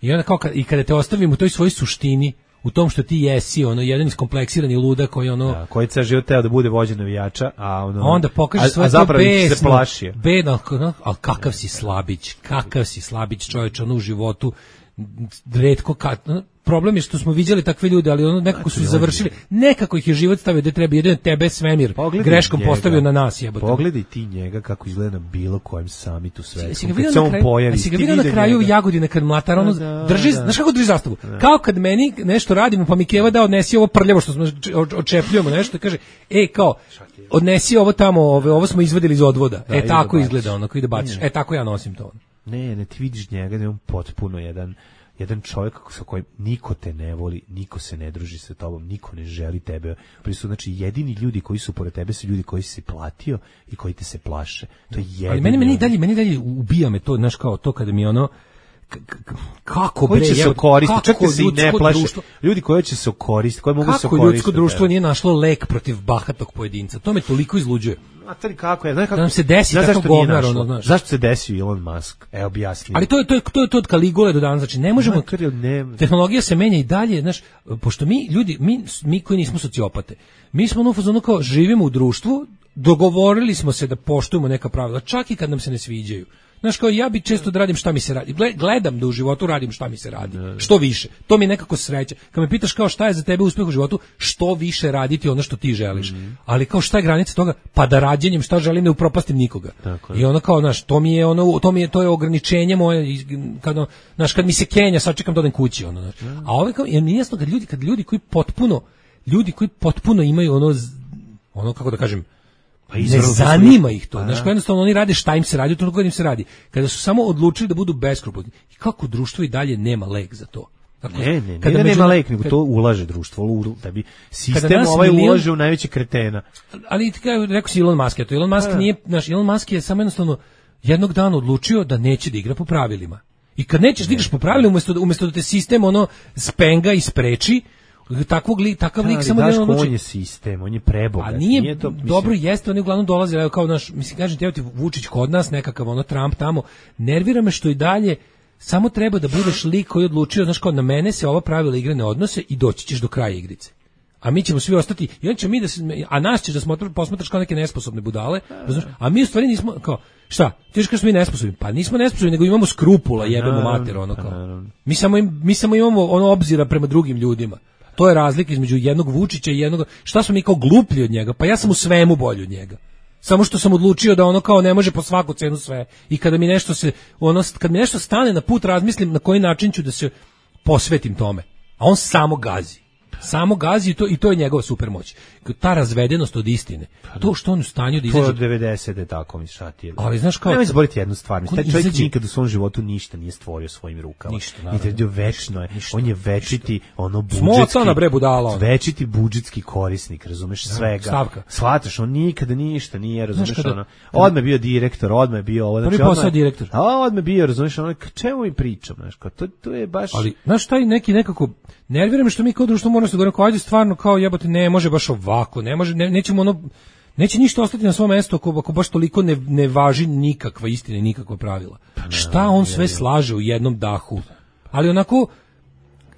I onda kao kada te ostavim u toj svojoj suštini, u tom što ti jesi, jedan iskompleksirani luda koji
koji je ceo život teo da bude vođa navijača, a
onda pokaže svoje to bedno, ali kakav si slabić, čoveče, u životu retko problem je što smo viđali takve ljude, ali nekako su završili, nekako ih je život stavio da treba jedino tebe svemir greškom postavio na nas, jebote.
Pogledaj ti njega kako izgleda na bilo kojem samitu svetskom. Kad se on pojavi,
si ga vidio na kraju Jagodine kad mlatar drži, znaš kako drži zastavu? Kao kad meni nešto radimo, pa mi Keva da odnesi ovo prljavo što smo odčepljujemo nešto, kaže, kao odnesi ovo tamo, ovo smo izvadili iz odvoda. Tako izgleda onako, ide baciš. Tako ja nosim to.
Ne, ti vidiš njega da je on potpuno jedan čovjek sa kojim niko te ne voli, niko se ne druži sa tobom, niko ne želi tebe. Znači, jedini ljudi koji su pored tebe su ljudi koji si platio i koji te se plaše. To je jedini.
Ali meni dalje ubija me to, znaš, kao to kada mi kako
koji
bre,
će se okoristiti, čak se i ne plaše.
Društvo,
ljudi koji će se okoristiti, koji mogu se okoristiti.
Kako ljudsko društvo nije našlo lek protiv bahatog pojedinca? To me toliko izluđuje.
A tri kako je, znaš kako?
Da nam se desi tako govnar, ono, znaš.
Zašto se desio Elon Musk? Evo objasni.
Ali to je od Kaligule do danas, znači ne možemo. Tehnologija se menja i dalje, znaš, pošto mi koji nismo sociopate, mi smo u fazonu kao živimo u društvu, dogovorili smo se da poštujemo neka pravila, čak i kad nam se ne sviđaju. Znaš, kao ja bi često da radim šta mi se radi. Gledam da u životu radim šta mi se radi. Što više. To mi je nekako sreća. Kad me pitaš kao šta je za tebe uspeh u životu, što više raditi ono što ti želiš. Ali kao šta je granica toga? Pa da rađenjem šta želim ne upropastim nikoga. I ono kao, znaš, to je ograničenje moje, kad mi se kenja, sad čekam da odem kući. Ono, znaš. A ovo kao, je jasno kad ljudi koji potpuno imaju ono kako da kažem, pa ne zanima ih to. Znaš, jednostavno oni rade šta im se radi, to kad im se radi. Kada su samo odlučili da budu beskrupulozni. I kako društvo i dalje nema lek za to. Dakle,
ne nema lek, nego to ulaže društvo, da bi sistem ulaže u najveće kretena.
Ali rekao si Elon Musk, Elon Musk nije, Elon Musk je samo jednostavno jednog dana odlučio da neće da igra po pravilima. I kad nećeš da igraš po pravilima, umjesto da te sistem spenga i spreči, takav lik samo da
odluči. On je sistem, on je prebogat.
A nije to dobro, jeste, oni uglavnom dolaze kao kažem ti Vučić kod nas, nekakav Trump tamo. Nervira me što i dalje samo treba da budeš lik koji je odlučio, znaš, kao na mene se ova pravila igre ne odnose i doći ćeš do kraja igrice. A mi ćemo svi ostati, i on će a nas ćeš da posmatraš kao neke nesposobne budale, a mi u stvari nismo, kao, šta, ti kažeš smo mi nesposobni, pa nismo nesposobni, nego imamo skrupula, jebemo mater, kao. Mi samo imamo obzira prema drugim ljudima. To je razlika između jednog Vučića i jednog, šta smo mi kao gluplji od njega, pa ja sam u svemu bolji od njega. Samo što sam odlučio da kao ne može po svaku cenu sve. I kada mi nešto kad mi nešto stane na put, razmislim na koji način ću da se posvetim tome. A on samo gazi. Samo gazi i to je njegova supermoć. Ta razvedenost od istine. To što on u stanju da izađe.
To od 90 tako mi šati.
Ali znaš kao,
nemoj zaboraviti jednu stvar, taj čovjek nikad u svom životu ništa nije stvorio svojim rukama. Ništa, večno je. On je večiti večiti budžetski korisnik, razumeš, svega.
Stavka.
Shvataš, on nikada ništa nije, razumeš, odmah bio direktor, odmah bio ovo,
znači prvi posao direktor.
A odmah bio, razumeš, čemu mi pričam, znači, to je baš.
Ali znaš, taj neki nekako nervira me što mi kao društvo moramo se govoriti kao ajde stvarno kao jebote ne može baš ovako, ne može, nećemo neće ništa ostati na svom mjestu ako baš toliko ne važi nikakva istina i nikakva pravila. Šta on sve slaže u jednom dahu? Ali onako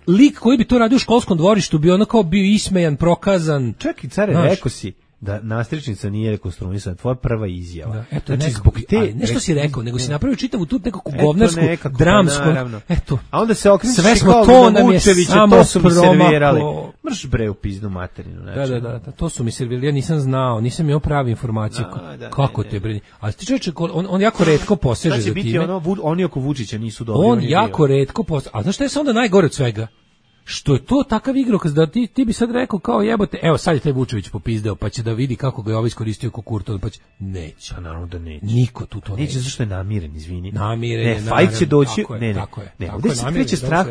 lik koji bi to radio u školskom dvorištu bi onako bio ismejan, prokazan.
Čekaj, care, rekao si da nastričnica nije rekonstruisana, tvoja prva izjava.
Da, eto, znači, zbog te nešto si rekao, nego si napravio čitavu tu nekakvu govnarsku, dramsku. Eto.
A onda se okrenuš
sve smo to nam je samo
to su mi servirali. Mrš bre u piznu materinu.
Znači. Da, to su mi servirali. Ja nisam znao, nisam imao pravu informaciju. Kako te bre? Ali ti čovječe, on jako retko poseže za time.
Znači biti oni oko Vučića nisu dobri.
On jako retko poseže. A znaš šta je onda najgore od svega? Što je to takav igrokaz da ti bi sad rekao kao jebote, evo sad je taj Vučević popizdeo, pa će da vidi kako ga je ovaj iskoristio ko Kurtov, pa će, neće.
Pa naravno da neće.
Niko tu to neće.
Zašto je namiren, izvini.
Namiren je,
fajt će doći,
tako je.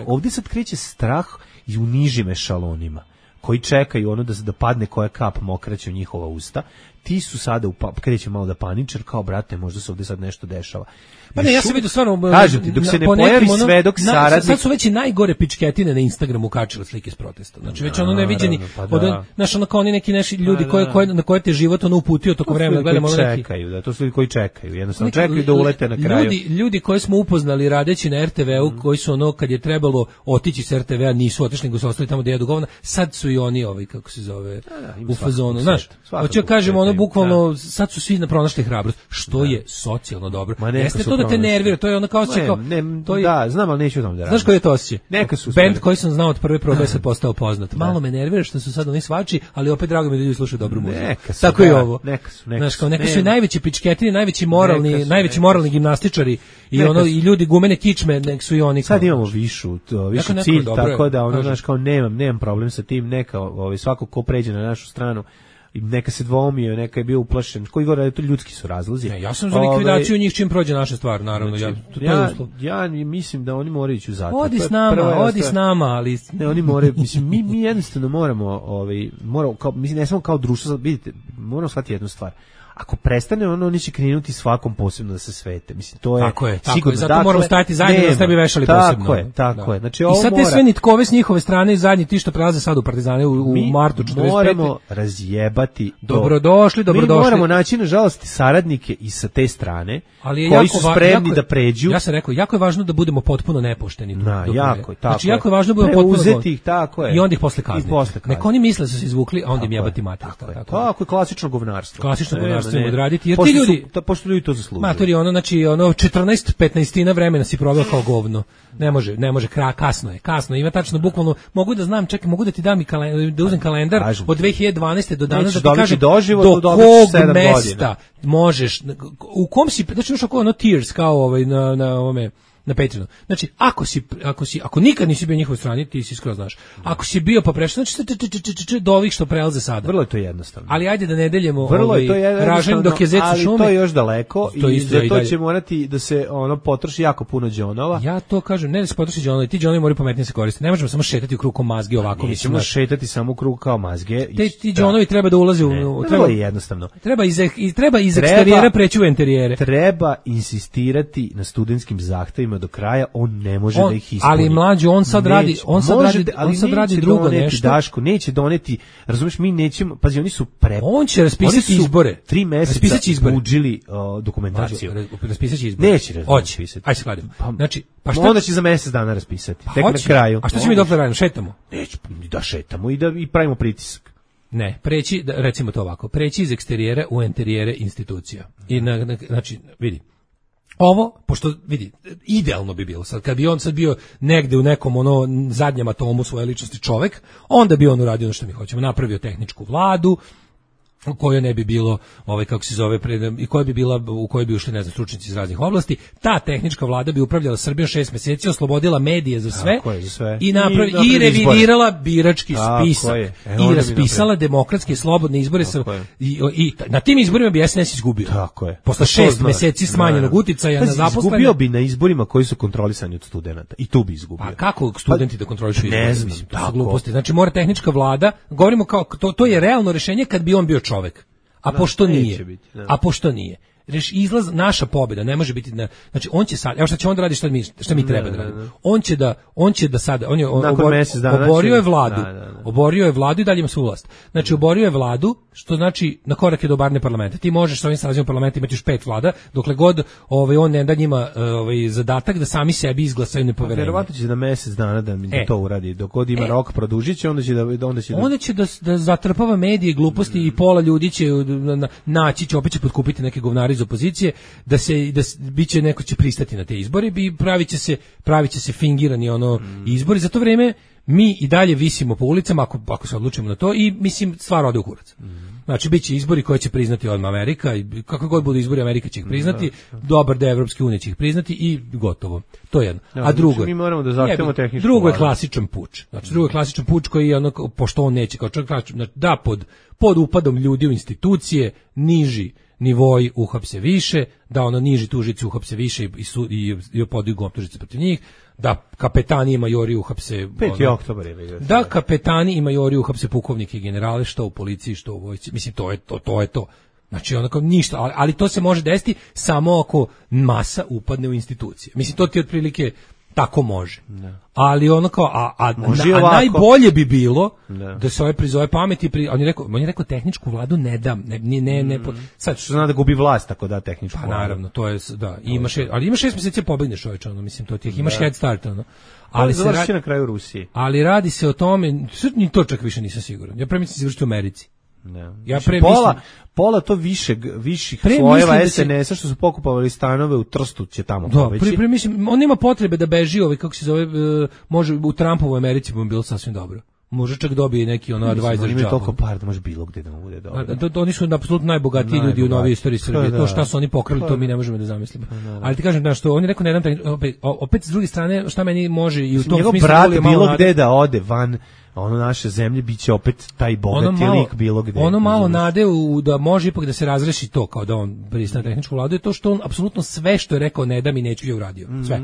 Ovdje sad kreće strah i u nižim ešalonima, koji čekaju da padne koja kap mokraće u njihova usta. Ti su sada kreće malo da paničar, kao brate, možda se ovdje sad nešto dešava.
Pa ne, ja sam vidio stvarno,
kažem ti, dok se ne pojavi svedok saradnik.
Sad su već i najgore pičketine na Instagramu kačile slike s protesta. Znači već neviđeni, znaš, kao oni neki ljudi na koje te život uputio tokom vremena, gledamo neki.
To su ljudi koji čekaju, jednostavno čekaju da ulete na kraju.
Ljudi koje smo upoznali radeći na RTV-u, koji su kad je trebalo otići s RTV-a, nisu otišli, nego su ostali tamo gdje jedu govna, sad su i oni kako se zove, u fazonu, znaš. Hoće kažemo bukvalno, sad su svi pronašli hrabrost, što je socijalno dobro. Jeste to da te nervira, to je ono kao
da, znam, ali neću tamo da radim.
Znaš koji je to osjećaj?
Neka su
bend koji sam znao od prve probe se postao poznat. Malo me nervira što su sad oni svači, ali opet drago mi da ljudi slušaju dobru muziku. Tako i ovo. Neka su i najveći pičketini, najveći moralni gimnastičari i ljudi gumene kičme, nek su i oni.
Sad imamo višu cilj, tako da znaš kao nemam problem sa tim, neka svako ko pređe na našu stranu neka se dvoumio, neka je bio uplašen, koji govore, to ljudski su razlozi.
Ja sam za likvidaciju njih čim prođe naša stvar, naravno.
Ja mislim da oni moraju ići u zatvor.
Odi s nama, ali...
Ne, oni moraju, mislim, mi jednostavno moramo, ne samo kao društvo, vidite, moramo shvatiti jednu stvar. ako prestane oni će krenuti svakom posebno da se svete. Mislim, to je
tako je,
sigurno.
Zato moramo stajati zajedno da se ne bi vešali posebno.
Tako je. Znači,
i sad te sve nitkove s njihove strane i zadnji ti što prelaze sad u Partizane u martu 45.
Moramo razjebati.
Dobrodošli.
Mi moramo naći, nažalost, saradnike i sa te strane, koji su spremni da pređu.
Ja sam rekao, jako je važno da budemo potpuno nepošteni.
Jako je, tako.
Znači, jako je važno da budemo potpuno
ih, tako je.
I onda ih posle kazniti. Neko oni misle da su se izvukli, a onda im jebati mater.
Tako je, klasično govnarstvo.
Klasično govnarstvo im odraditi, jer ti ljudi...
Pošto ljudi to zaslužuju.
Matori, znači, 14-15 vremena si proveo kao govno. Ne može, kasno. Ima tačno, bukvalno, mogu da znam, čekaj, mogu da ti dam i da uzem kalendar od 2012. do danas, da ti kažem do kog mesta možeš, u kom si, znači još ako tiers kao na ovome, na Patreonu. Znači, ako nikad nisi bio njihovoj strani, ti si skoro znaš. Ako si bio pa prešao, znači do ovih što prelaze sada.
Vrlo je to jednostavno.
Ali ajde da ne deljemo ražanj dok je zec u šumi.
Ali to je još daleko i za to će morati da se potroši jako puno džonova.
Ja to kažem, ne da se potroši džonovi, ti džonovi moraju pametnije se koristiti. Ne možemo samo šetati u krug kao mazge ovako.
Nećemo šetati samo u krug kao mazge.
Ti džonovi treba da ulaze u...
Vrlo je jednostavno.
Treba iz eksterijera preći u interijere.
Treba insistirati na studentskim zahtevima do kraja, on ne može da ih ispuni.
Ali mlađo, on sad radi drugo nešto.
Daško neće doneti, razumeš, mi nećemo, pazi, oni su
on će raspisati izbore.
3 meseca buđili dokumentaciju.
Raspisati izbore.
Neće raspisati.
Ajde se kladim. Znači,
onda će za mjesec dana raspisati. Tek na kraju.
A šta će mi dokle radimo? Šetamo?
Neće, da šetamo i pravimo pritisak.
Ne, recimo to ovako, preći iz eksterijera u interijere institucija. I znači, vidi, ovo, pošto, vidi, idealno bi bilo sad, kad bi on sad bio negde u nekom zadnjem atomu svoje ličnosti čovek, onda bi on uradio ono što mi hoćemo, napravio tehničku vladu, u kojoj ne bi bilo, kako se zove, i koja bi bila, u kojoj bi ušli, ne znam, stručnjaci iz raznih oblasti. Ta tehnička vlada bi upravljala Srbijom 6 meseci, oslobodila medije za sve, i revidirala birački spisak i raspisala demokratske slobodne izbore i na tim izborima bi SNS izgubio.
Tako je.
Posle 6 meseci smanjenog uticaja na zaposlene.
Izgubio bi na izborima koji su kontrolisani od studenata i tu bi izgubio.
A kako studenti da kontrolišu izbore?
Ne znam,
tako. Gluposti. Znači mora tehnička vlada, govorimo kao, to je realno rešenje kad bi on bio čovek. A pošto nije. Izlaz, naša pobjeda ne može biti, znači on će sad, evo šta će onda raditi, šta mi treba da radimo. On će da sad, on je oborio je vladu i dalje ima svu vlast. Znači oborio je vladu, što znači na korak je do barne parlamenta. Ti možeš sa ovim sazivom parlamenta imati još 5 vlada, dokle god on ne da njima zadatak da sami sebi izglasaju nepoverenje.
Verovatno će na mjesec dana da to uradi. Dok god ima rok produžit će, onda
će da zatrpava medije, gluposti i pola ljudi će naći će, opet će potkupiti neke govnari iz opozicije, da biće neko će pristati na te izbore i pravit će se fingirani izbori. Za to vreme mi i dalje visimo po ulicama ako se odlučimo na to i mislim stvar ode u kurac. Znači biće izbori koje će priznati odmah Amerika i kakvi god budu izbori Amerika će ih priznati, dobar deo Evropske unije će ih priznati i gotovo. To je jedno. A drugo,
mi moramo da zahtevamo tehničku.
Drugo je klasičan puč. Znači drugo je klasičan puč koji je pošto on neće kao čovjek da pod upadom ljudi u institucije niži nivoi uhapse više, da niži tužici uhapse više i podigu optužnice protiv njih, da kapetani i majori uhapse
5. oktobar je.
Da kapetani i majori uhapse pukovnike i generale, što u policiji, što u vojsci. Mislim, to je to. Znači, ništa, ali to se može desiti samo ako masa upadne u institucije. Mislim, to ti otprilike tako može. Ne. Ali a najbolje bi bilo da se prizove pameti, on je rekao tehničku vladu ne dam,
sad što zna da gubi vlast tako da tehničku vladu.
Naravno, to je ali ima 6 mjeseci pobegneš čoveče, mislim to ti imaš head start
Ali se radi na kraju Rusije.
Ali radi se o tome, ni to čak više nisam siguran. Ja premišljam se završiti u Americi.
Ne. Ja pola to viših slojeva SNS-a što su pokupovali stanove u Trstu će tamo pobeći.
On nema potrebe da beži, kako se zove, može u Trumpovoj Americi bi mu bilo sasvim dobro. Može čak dobije neki advisor job.
Ima toliko para da može bilo gde da mu bude dobro.
Oni su apsolutno najbogatiji ljudi u novoj istoriji Srbije. To šta su oni pokrali, to mi ne možemo da zamislimo. Ali ti kažem što on je rekao ne dam, opet s druge strane šta meni može i u tom smislu
brat bilo gde da ode van naše zemlje biće opet taj bogati lik bilo gde.
Ono malo nade da može ipak da se razreši to kao da on pristane tehničku vladu je to što on apsolutno sve što je rekao ne da mi neću je uradio. Sve.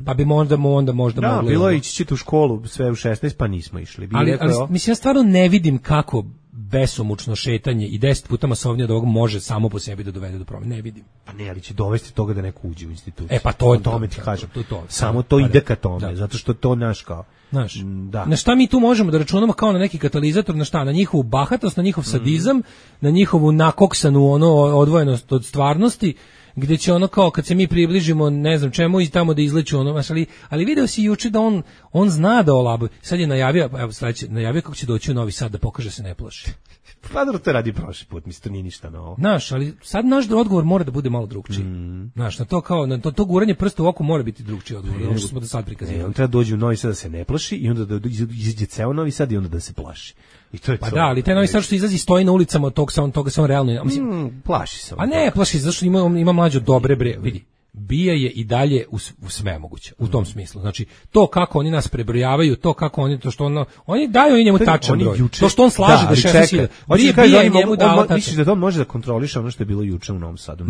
Pa bi onda možda
bilo ići ćete u školu sve u 16 pa nismo išli.
Ali mislim ja stvarno ne vidim kako besomučno šetanje i 10 puta masovnije od ovog može samo po sebi da dovede do promjene. Ne vidim.
Pa ne, ali će dovesti toga da neko uđe u instituciju.
Pa to je
tome ti kažem.
To.
Samo to ide ka tome, zato što to naš kao.
Znaš, na šta mi tu možemo da računamo kao na neki katalizator, na šta? Na njihovu bahatost, na njihov sadizam, na njihovu nakoksanu odvojenost od stvarnosti, gdje će ono kao kad se mi približimo ne znam čemu i tamo da izleću ono, ali video si juče da on zna da olabuje. Sad je najavio, evo sledeće, najavio kako će doći u Novi Sad da pokaže se ne plaši.
Pa dobro, to radi prošli put, mislim, to nije ništa novo.
Znaš, ali sad naš odgovor mora da bude malo drugčiji. Znaš, na to kao, na to guranje prsta u oko mora biti drugčiji odgovor, ono što smo do sad prikazivali.
On treba dođi u Novi Sad da se ne plaši i onda da izađe ceo Novi Sad i onda da se plaši. I to je
pa to. Da, ali taj Novi Sad što izlazi stoji na ulicama toga se on realno, mislim,
plaši se.
A ne, plaši se, zato što ima mlađe dobre vidi. Bija je i dalje u sve moguće, u tom smislu. Znači, to kako oni nas prebrojavaju, to kako oni, to što oni daju i njemu tačan broj. To što on slaže da 16.000. Bija je njemu dao tačan.
Misliš da to može da kontroliše ono što je bilo juče u Novom Sadu?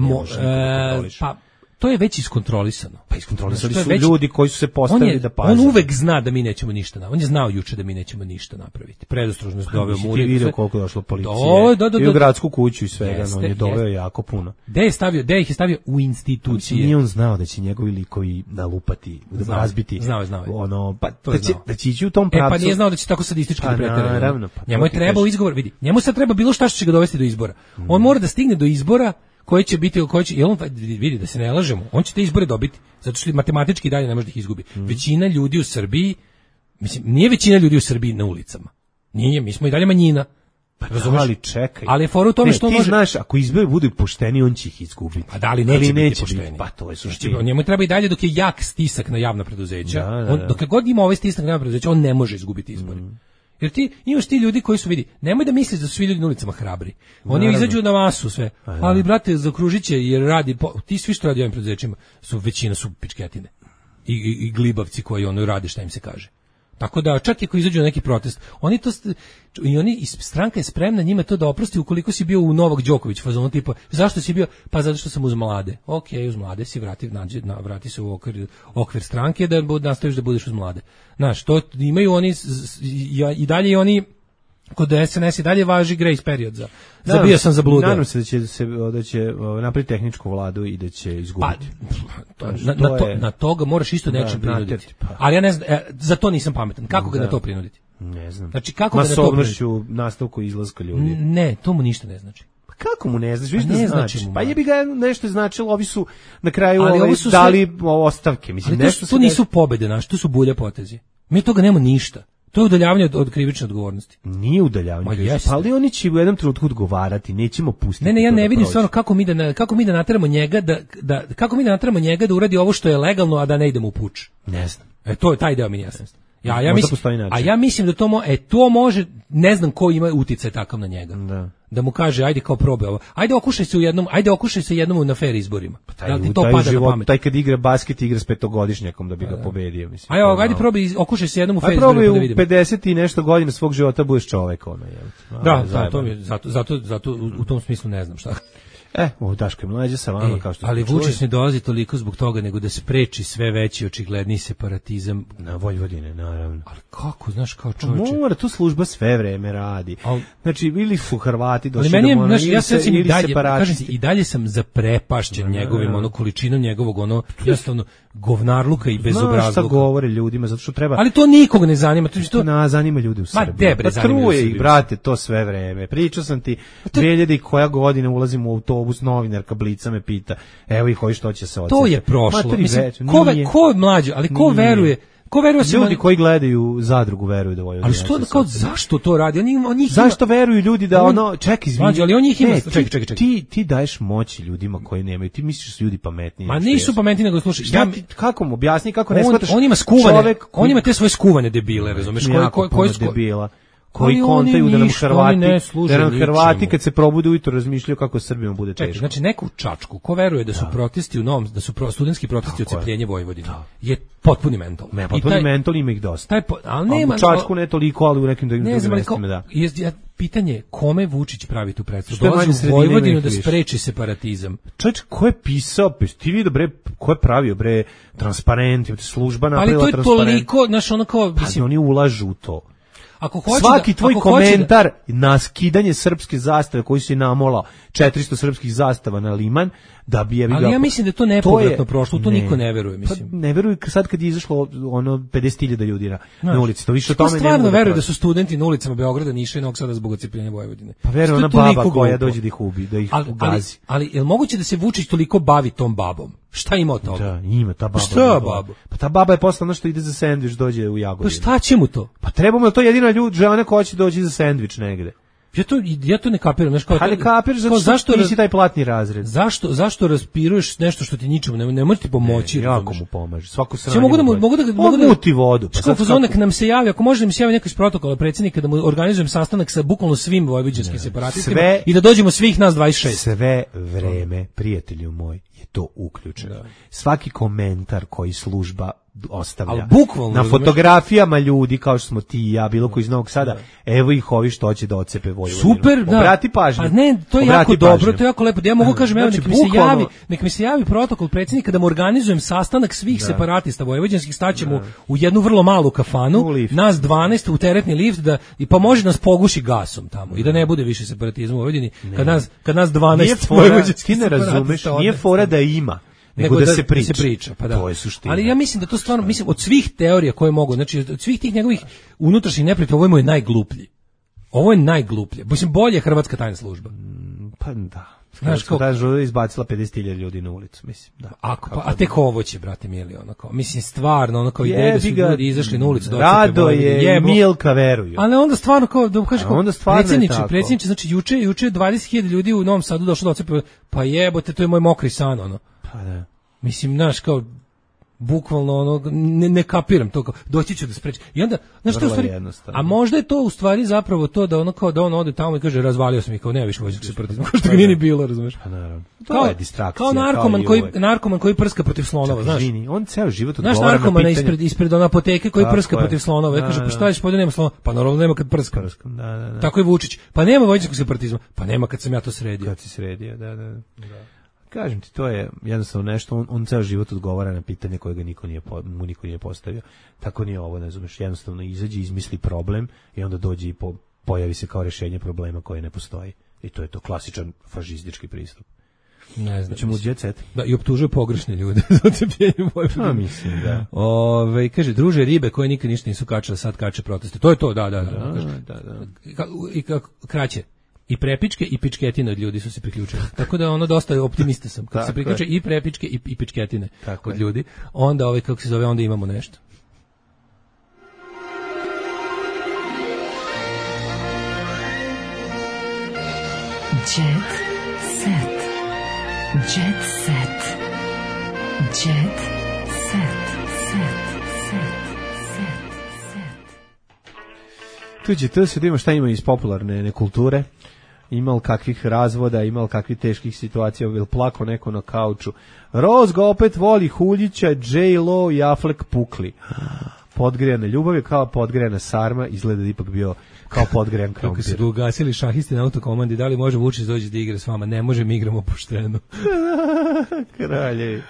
Pa, to je već iskontrolisano.
Pa iskontrolisali su ljudi koji su se postavili da paze.
On uvek zna da mi nećemo ništa napraviti. On je znao juče da mi nećemo ništa napraviti. Predostrožnost doveo mu.
Ti vidio koliko je došlo policije. I u gradsku kuću i svega, on je doveo jako puno.
Gde ih je stavio u institucije.
Nije on znao da će njegovi likovi nalupati, razbiti.
Znao.
Ono, pa da će ići u tom pravcu.
Pa nije znao da će tako sadistički preterati.
Naravno.
Njemu je trebao izgovor, vidi. Njemu sad treba bilo šta što će ga dovesti do izbora. On mora da stigne do izbora koji će biti, i on vidi da se ne lažemo, on će te izbore dobiti, zato što matematički dalje ne može da ih izgubi. Većina ljudi u Srbiji, mislim, nije većina ljudi u Srbiji na ulicama. Nije, mi smo i dalje manjina.
Razumeš? Ali čekaj.
Ali je fora u tome što
ti
može.
Znaš, ako izbori budu pošteni, on će ih izgubiti.
A da li neće biti pošteni?
Pa to je suština.
Njemu treba i dalje dok je jak stisak na javna preduzeća. Dok god ima ovaj stisak na javna preduzeća, on ne može izgubiti izbore. Jer ti imaš ti ljudi koji su, vidi, nemoj da misliš da su svi ljudi na ulicama hrabri. Oni izađu na masu sve. Ali brate, zakružiće jer radi ti svi što radi ovim preduzećima većina su pičketine. I glibavci koji ono rade šta im se kaže. Tako da čak i ako izađu na neki protest, stranka je spremna njima to da oprosti ukoliko si bio u Novak Đoković fazonu tipa zašto si bio? Pa zato što sam uz mlade. Okej, uz mlade si vrati se u okvir stranke da nastaviš da budeš uz mlade. Znaš, to imaju oni i dalje i oni kod SNS i dalje važi grace period za bio sam zabluda.
Nadam se da će napraviti tehničku vladu i da će izgubiti.
Na toga moraš isto nečim prinuditi. Ali ja ne znam, za to nisam pametan. Kako ga na to prinuditi?
Ne znam.
Znači, kako ga na to prinuditi?
Nastavku izlaska ljudi.
Ne, to mu ništa ne znači.
Pa kako mu ne znači? Ne znači. Pa jebi ga nešto značilo, ovi su na kraju dali ostavke. Mislim,
nešto to nisu pobede naše, to su bulje potezi. Mi toga nemamo ništa. To je udaljavanje od krivične odgovornosti.
Nije udaljavanje, ali oni će u jednom trenutku odgovarati, nećemo pustiti.
Ne, ja ne vidim stvarno kako mi da nateramo njega da uradi ovo što je legalno, a da ne idemo u puč.
Ne znam.
To je taj deo mi jasno. Ja mislim da to može, ne znam ko ima uticaj takav na njega. Da mu kaže ajde kao probaj ovo. Ajde okušaj se jednom na fair izborima.
Taj kad igra basket igra s petogodišnjakom da bi ga pobedio, mislim.
Ajde probaj okušaj se jednom u fair izborima da vidimo.
U 50 i nešto godina svog života budeš čovek ono je.
Zato u tom smislu ne znam šta.
Ovo Daško je mlađe sa vama kao što
ali Vučić ne dolazi toliko zbog toga nego da spreči sve veći očigledni separatizam
na Vojvodine, naravno.
Ali kako, znaš, kao čovječe?
Mora, tu služba sve vreme radi. Znači, bili su Hrvati došli
do Mona, ili separatisti. I dalje sam zaprepašćen njegovim, količinom njegovog, jednostavno, govnarluka i bezobrazluka.
Znaš šta govore ljudima, zato što treba...
Ali to nikog ne zanima.
To zanima ljudi u Srbiji. Pa truje ih, brate, to sve vreme. Pričao sam ti, 2000 koja godina ulazim u autobus, novinarka Blica me pita, evo ih hoji što će se odsjeti.
To je prošlo. Mislim, ko je mlađe, ali ko veruje?
Ljudi koji gledaju Zadrugu veruju da Vojvodina.
Ali što kao zašto to radi?
Zašto veruju ljudi da čekaj, izvini.
Ali on ih ima. Čekaj.
Ti daješ moć ljudima koji nemaju. Ti misliš da su ljudi pametniji.
Ma nisu pametniji nego slušaj.
Kako mu objasni kako ne shvataš?
On ima skuvane. On ima te svoje skuvane debile, razumeš?
Koji su debila? Koji kontaju da nam Hrvati kad se probude ujutro razmišljaju kako Srbima bude teško.
Znači neku čačku ko veruje da su protesti u Novom, da su studentski protesti odcepljenje Vojvodine je potpuni mental.
Potpuni mental ima ih dosta.
Ali nema
čačku ne toliko, ali u nekim drugim mestima da.
Pitanje kome Vučić pravi tu predstavu? Dolazi u Vojvodinu da spreči separatizam.
Čovječ, ko je pisao? Ti vidio bre, ko je pravio bre transparent, služba napravila transparent.
Ali to je toliko, znaš, ono kao,
mislim, oni ulažu u to.
ako hoće
svaki tvoj
ako hoće
komentar na skidanje srpske zastave koji si namolao 400 srpskih zastava na Liman, da bi
ali ja mislim da je to nepovratno prošlo, to niko ne veruje, mislim.
Pa ne veruju sad kad je izašlo ono 50.000 ljudi na ulici, to više o tome ne
stvarno
mogu
veruje da su studenti na ulicama Beograda, Niša i Novog Sada zbog odcepljenja Vojvodine.
Pa veruje ona baba koja dođe da ih ubi, da ih ugazi.
Ali je li moguće da se Vučić toliko bavi tom babom? Šta ima od toga?
Da, ima ta baba.
Šta baba?
Pa ta baba je posla ono što ide za sendvič, dođe u Jagodinu.
Pa šta će mu to?
Pa treba mu to jedina žena koja će doći za sendvič negde.
Ja to ne kapiram, znaš kao.
Ali kapiraš zašto nisi taj platni razred.
Zašto raspiruješ nešto što ti ničemu ne može ti pomoći?
Jako mu pomaže. Svako
sranje. Mogu da
muti vodu.
Pa sad kako nam se javi, ako može da mi se javi neko iz protokola predsjednika da mu organizujem sastanak sa bukvalno svim vojvođanskim separatistima i da dođemo svih nas 26.
Sve vreme, prijatelju moj, je to uključeno. Da. Svaki komentar koji služba ostavlja na fotografijama ljudi kao što smo ti i ja, bilo koji iz Novog Sada, evo ih ovi što će da ocepe Vojvodinu.
Super, da.
Obrati pažnju.
A ne, to je jako dobro, to je jako lepo. Ja mogu kažem, evo, nek mi se javi protokol predsjednika da mu organizujem sastanak svih separatista vojvođanskih, staćemo u jednu vrlo malu kafanu, nas 12 u teretni lift i pa može nas poguši gasom tamo i da ne bude više separatizma u Vojvodini. Kad nas 12 vojvođanskih
ne razumeš, nije fora da ima. Nego da se
priča, pa da.
To je suština.
Ali ja mislim da to stvarno, mislim, od svih teorija koje mogu, znači od svih tih njegovih unutrašnjih neprijatelja, ovo je najgluplji. Ovo je najgluplje. Mislim, bolje je hrvatska tajna služba.
Pa da. Znaš, kao da je izbacila 50.000 ljudi na ulicu, mislim. Da.
A tek ovo će, brate mili, onako. Mislim, stvarno, onako ideje da su ljudi izašli na ulicu.
Rado je, Milka veruju.
Ali onda stvarno, kao, da kažeš, predsjedniče, znači, juče 20.000 ljudi u Novom Sadu došlo da ocepe, pa jebote, to je moj mokri san, ono.
Pa da.
Mislim, znaš, kao, bukvalno, ono, ne kapiram to, kao, doći ću da sprečim. I onda, znaš što u stvari, a možda je to u stvari zapravo to da ono kao da on ode tamo i kaže, razvalio sam ih, kao, nema više vojvođanskog separatizma, kao što ga nije ni bilo, razumeš?
Pa naravno. To je distrakcija.
Kao narkoman koji prska protiv slonova, znaš.
On ceo život
odgovara na pitanje. Znaš narkomana ispred ona apoteke koji prska protiv slonova, ja kaže, pa šta ćeš, pa nema slonova, pa naravno nema kad prska.
Da.
Tako je Vučić, pa nema vojvođanskog separatizma, pa nema kad sam ja to sredio.
Kad si sredio, da. Kažem ti, to je jednostavno nešto, on ceo život odgovara na pitanje koje ga niko nije postavio. Tako nije ovo, ne znameš, jednostavno izađe, izmisli problem i onda dođe i pojavi se kao rješenje problema koje ne postoji. I to je to klasičan fašistički pristup.
Ne znam.
Ćemo u jet set.
Da, i optužuje pogrešne ljude za ocepljenje Vojvodine.
Pa mislim, da.
Kaže, druže, ribe koje nikad ništa nisu kačale, sad kače proteste. To je to, da. I kako kraće. I prepičke i pičketine od ljudi su se priključili. Tako da ono dosta optimista sam. Kad se priključe i prepičke i pičketine od ljudi, onda kako se zove, onda imamo nešto.
Jet set. Jet set. Jet
set. To se da ima šta ima iz popularne kulture. Imal kakvih razvoda, imal kakvih teških situacija, ili plako neko na kauču. Rose ga opet voli Huljića, J-Lo i Affleck pukli. Podgrejana ljubav je kao podgrejana sarma, izgleda da ipak bio kao podgrejan krompir.
Kako se ugasili šahisti na autokomandi, da li može Vučić doći da igra s vama? Ne može, mi igramo pošteno.
Kraljevi.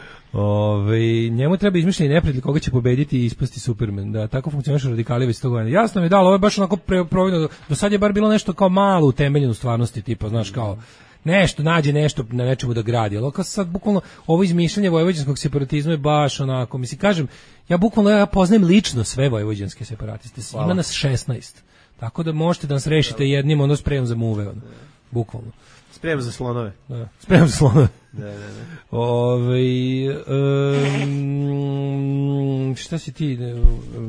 Njemu treba izmišljeni neprijatelj koga će pobediti i ispasti Superman. Da, tako funkcionišu radikali već 100 godina. Jasno mi je dalo, ovo je baš onako providno. Do sad je bar bilo nešto kao malo utemeljeno u stvarnosti, tipa, znaš, kao nešto, nađe nešto na nečemu da gradi. Ali kao sad, bukvalno, ovo izmišljanje vojvođanskog separatizma je baš onako, mislim, kažem, ja poznajem lično sve vojvođanske separatiste. Ima nas 16. Tako da možete da nas rešite jednim, ono spremom za muve, ono. Bukvalno.
Spremom za slonove.
Da. Spremom za slonove.
Da.
Šta si ti?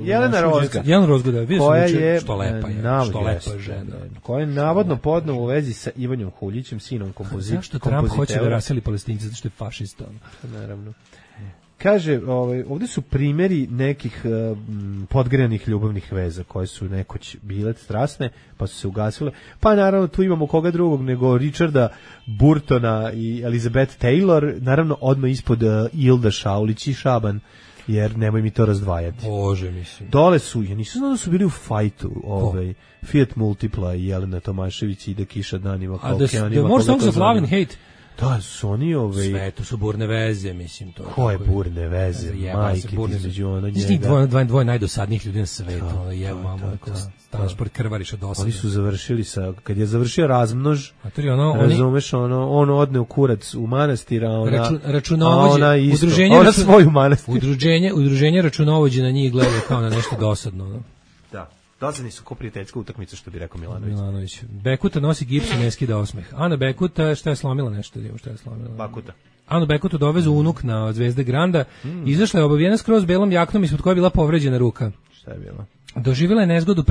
Jelena Rozga.
Jelena Rozga, da.
Koja je
što lepa žena.
Koja je navodno podnela u vezi sa Ivanjom Huljićem, sinom kompozitora.
Zašto Trump hoće da raseli Palestince, zato što je fašista?
Naravno. Kaže, ovdje su primjeri nekih podgrejanih ljubavnih veza koje su nekoć bile strasne, pa su se ugasile. Pa naravno tu imamo koga drugog nego Richarda Burtona i Elizabeth Taylor, naravno odmah ispod Ilda Šaulić i Šaban, jer nemoj mi to razdvajati.
Bože, mislim.
Dole su, ja nisam znao da su bili u fajtu, Fiat Multipla i Jelena Tomašević i da kiša danima kao okeanima.
The more songs of love and hate.
Da, su oni
sve to su burne veze, mislim to.
Ko je burne veze? Majke, između ono njega.
Dvoje najdosadnijih ljudi na svetu, ono jevo mamu, transport krvariš od dosadne.
Oni su završili kad je završio razmnož, razumeš, on odne u kurac u manastir, a ona isto, ona svoju manastir.
Udruženje računovođe na njih gleda kao na nešto dosadno.
Da. Dosadni su ko prijateljska utakmica, što bi rekao Milanović.
Bekuta nosi gips i ne skida osmeh. Ana Bekuta, šta je slomila nešto? Šta je slomila?
Bakuta.
Anu Bekutu dovezu unuk na Zvezde Granda. Izašla je obavijena skroz belom jaknom ispod koje je bila povređena ruka.
Šta je bilo?
Doživjela je nezgodu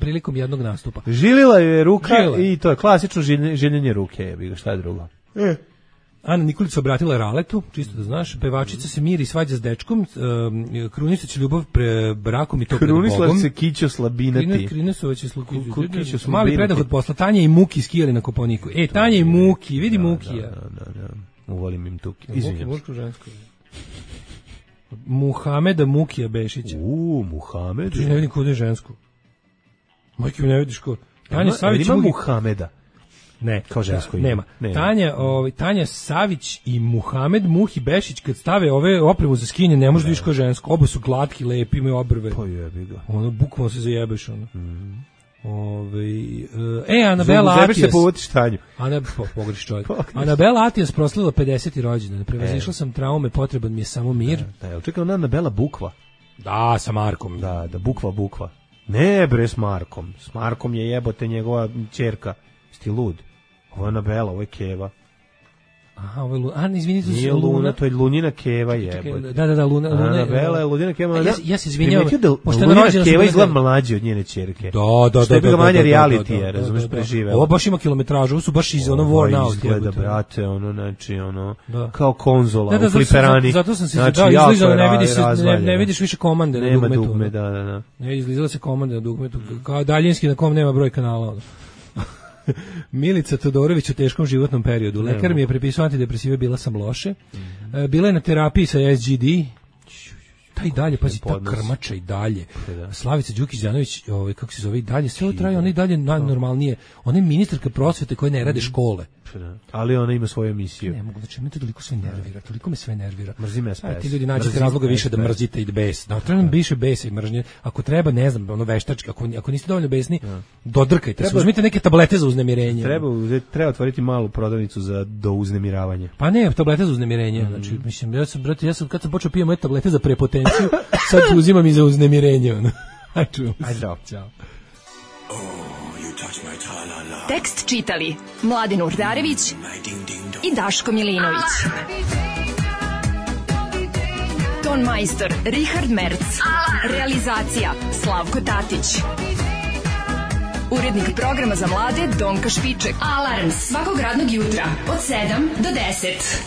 prilikom jednog nastupa.
Žilila je ruka i to je klasično žiljenje ruke. Šta je drugo?
Ana Nikolić se obratila Raletu, čisto da znaš, pevačica se miri i svađa s dečkom, krunisać ljubav pre brakom i to pred Bogom.
Krunisla se Kićo Slabinati.
Krunisovać je mali predah od posla. Tanja i Muki skijali na Koponiku. Tanja i Muki, vidi Mukija.
Da. Uvolim im tuki. Izvinjam se.
Žensko. Muhameda Mukija Bešića.
Muhamed.
Ti ne vidim kod je žensko. Majke mi ne vidiš ko. Tanja Savić
ima Muhameda.
Ne,
kao žensko
nema. Tanja Savić i Muhamed Muhi Bešić kad stave ove opremu za skinje ne može da vidiš kao žensko. Oba su glatki, lepi, imaju obrve.
Pa jebi ga.
Ono bukvalno se zajebeš ono. Anabela Atijas.
Se povodiš Tanju.
Pogreši čovjek. Anabela Atijas proslavila 50. rođendan. Prevazišla sam traume, potreban mi je samo mir.
Da, čekaj, ona Anabela Bukva.
Da, sa Markom.
Da, Bukva. Ne bre, s Markom. S Markom je jebote njegova ćerka. Sti lud. Ovo je Anabela, ovo je Keva.
Aha, ovo je izvini, to
nije Luna, to je Lunina Keva jebote.
Da, Luna.
Anabela je Lunina Keva.
Ja se izvinjavam.
Pošto Lunina Keva izgleda mlađe od njene ćerke.
Da.
Što je bilo manje reality, razumeš, preživela.
Ovo baš ima kilometražu, ovo su baš iz ono worn out.
Izgleda, brate, znači, kao konzola u fliperani.
Zato sam se izlizala, ne vidiš više komande na dugmetu.
Nema dugme, da.
Ne, izlizala se komande na dugmetu, kao daljinski na kom nema broj kanala. Milica Todorović u teškom životnom periodu. Lekar mi je prepisao antidepresive, bila sam loše. Bila je na terapiji sa SGD. Taj dalje, pazi, ta krmača i dalje. Slavica Đukić-Đanović, kako se zove, i dalje, sve ovo traje, ona i dalje najnormalnije. Ona je ministarka prosvete koja ne rade škole.
Ali ona ima svoju emisiju.
Ne mogu, znači, me to toliko me sve nervira.
Mrzim SPS.
Ti ljudi nađete razloga više da mrzite i bes. Da, treba nam više besa i mržnje. Ako treba, ne znam, ono veštački, ako niste dovoljno besni, dodrkajte se. Uzmite neke tablete za uznemirenje.
Treba otvoriti malu prodavnicu do uznemiravanja.
Pa ne, tablete za uznemirenje. Znači, mislim, ja sam kad sam počeo pijem moje tablete za prepotenciju, sad uzimam i za uznemirenje. Ajde, čao.
Tekst čitali Mladen Urdarević i Daško Milinović. Ton majstor Richard Merc. Realizacija Slavko Tatić. Urednik programa za mlade Donka Špiček. Alarms svakog radnog jutra od 7 do 10.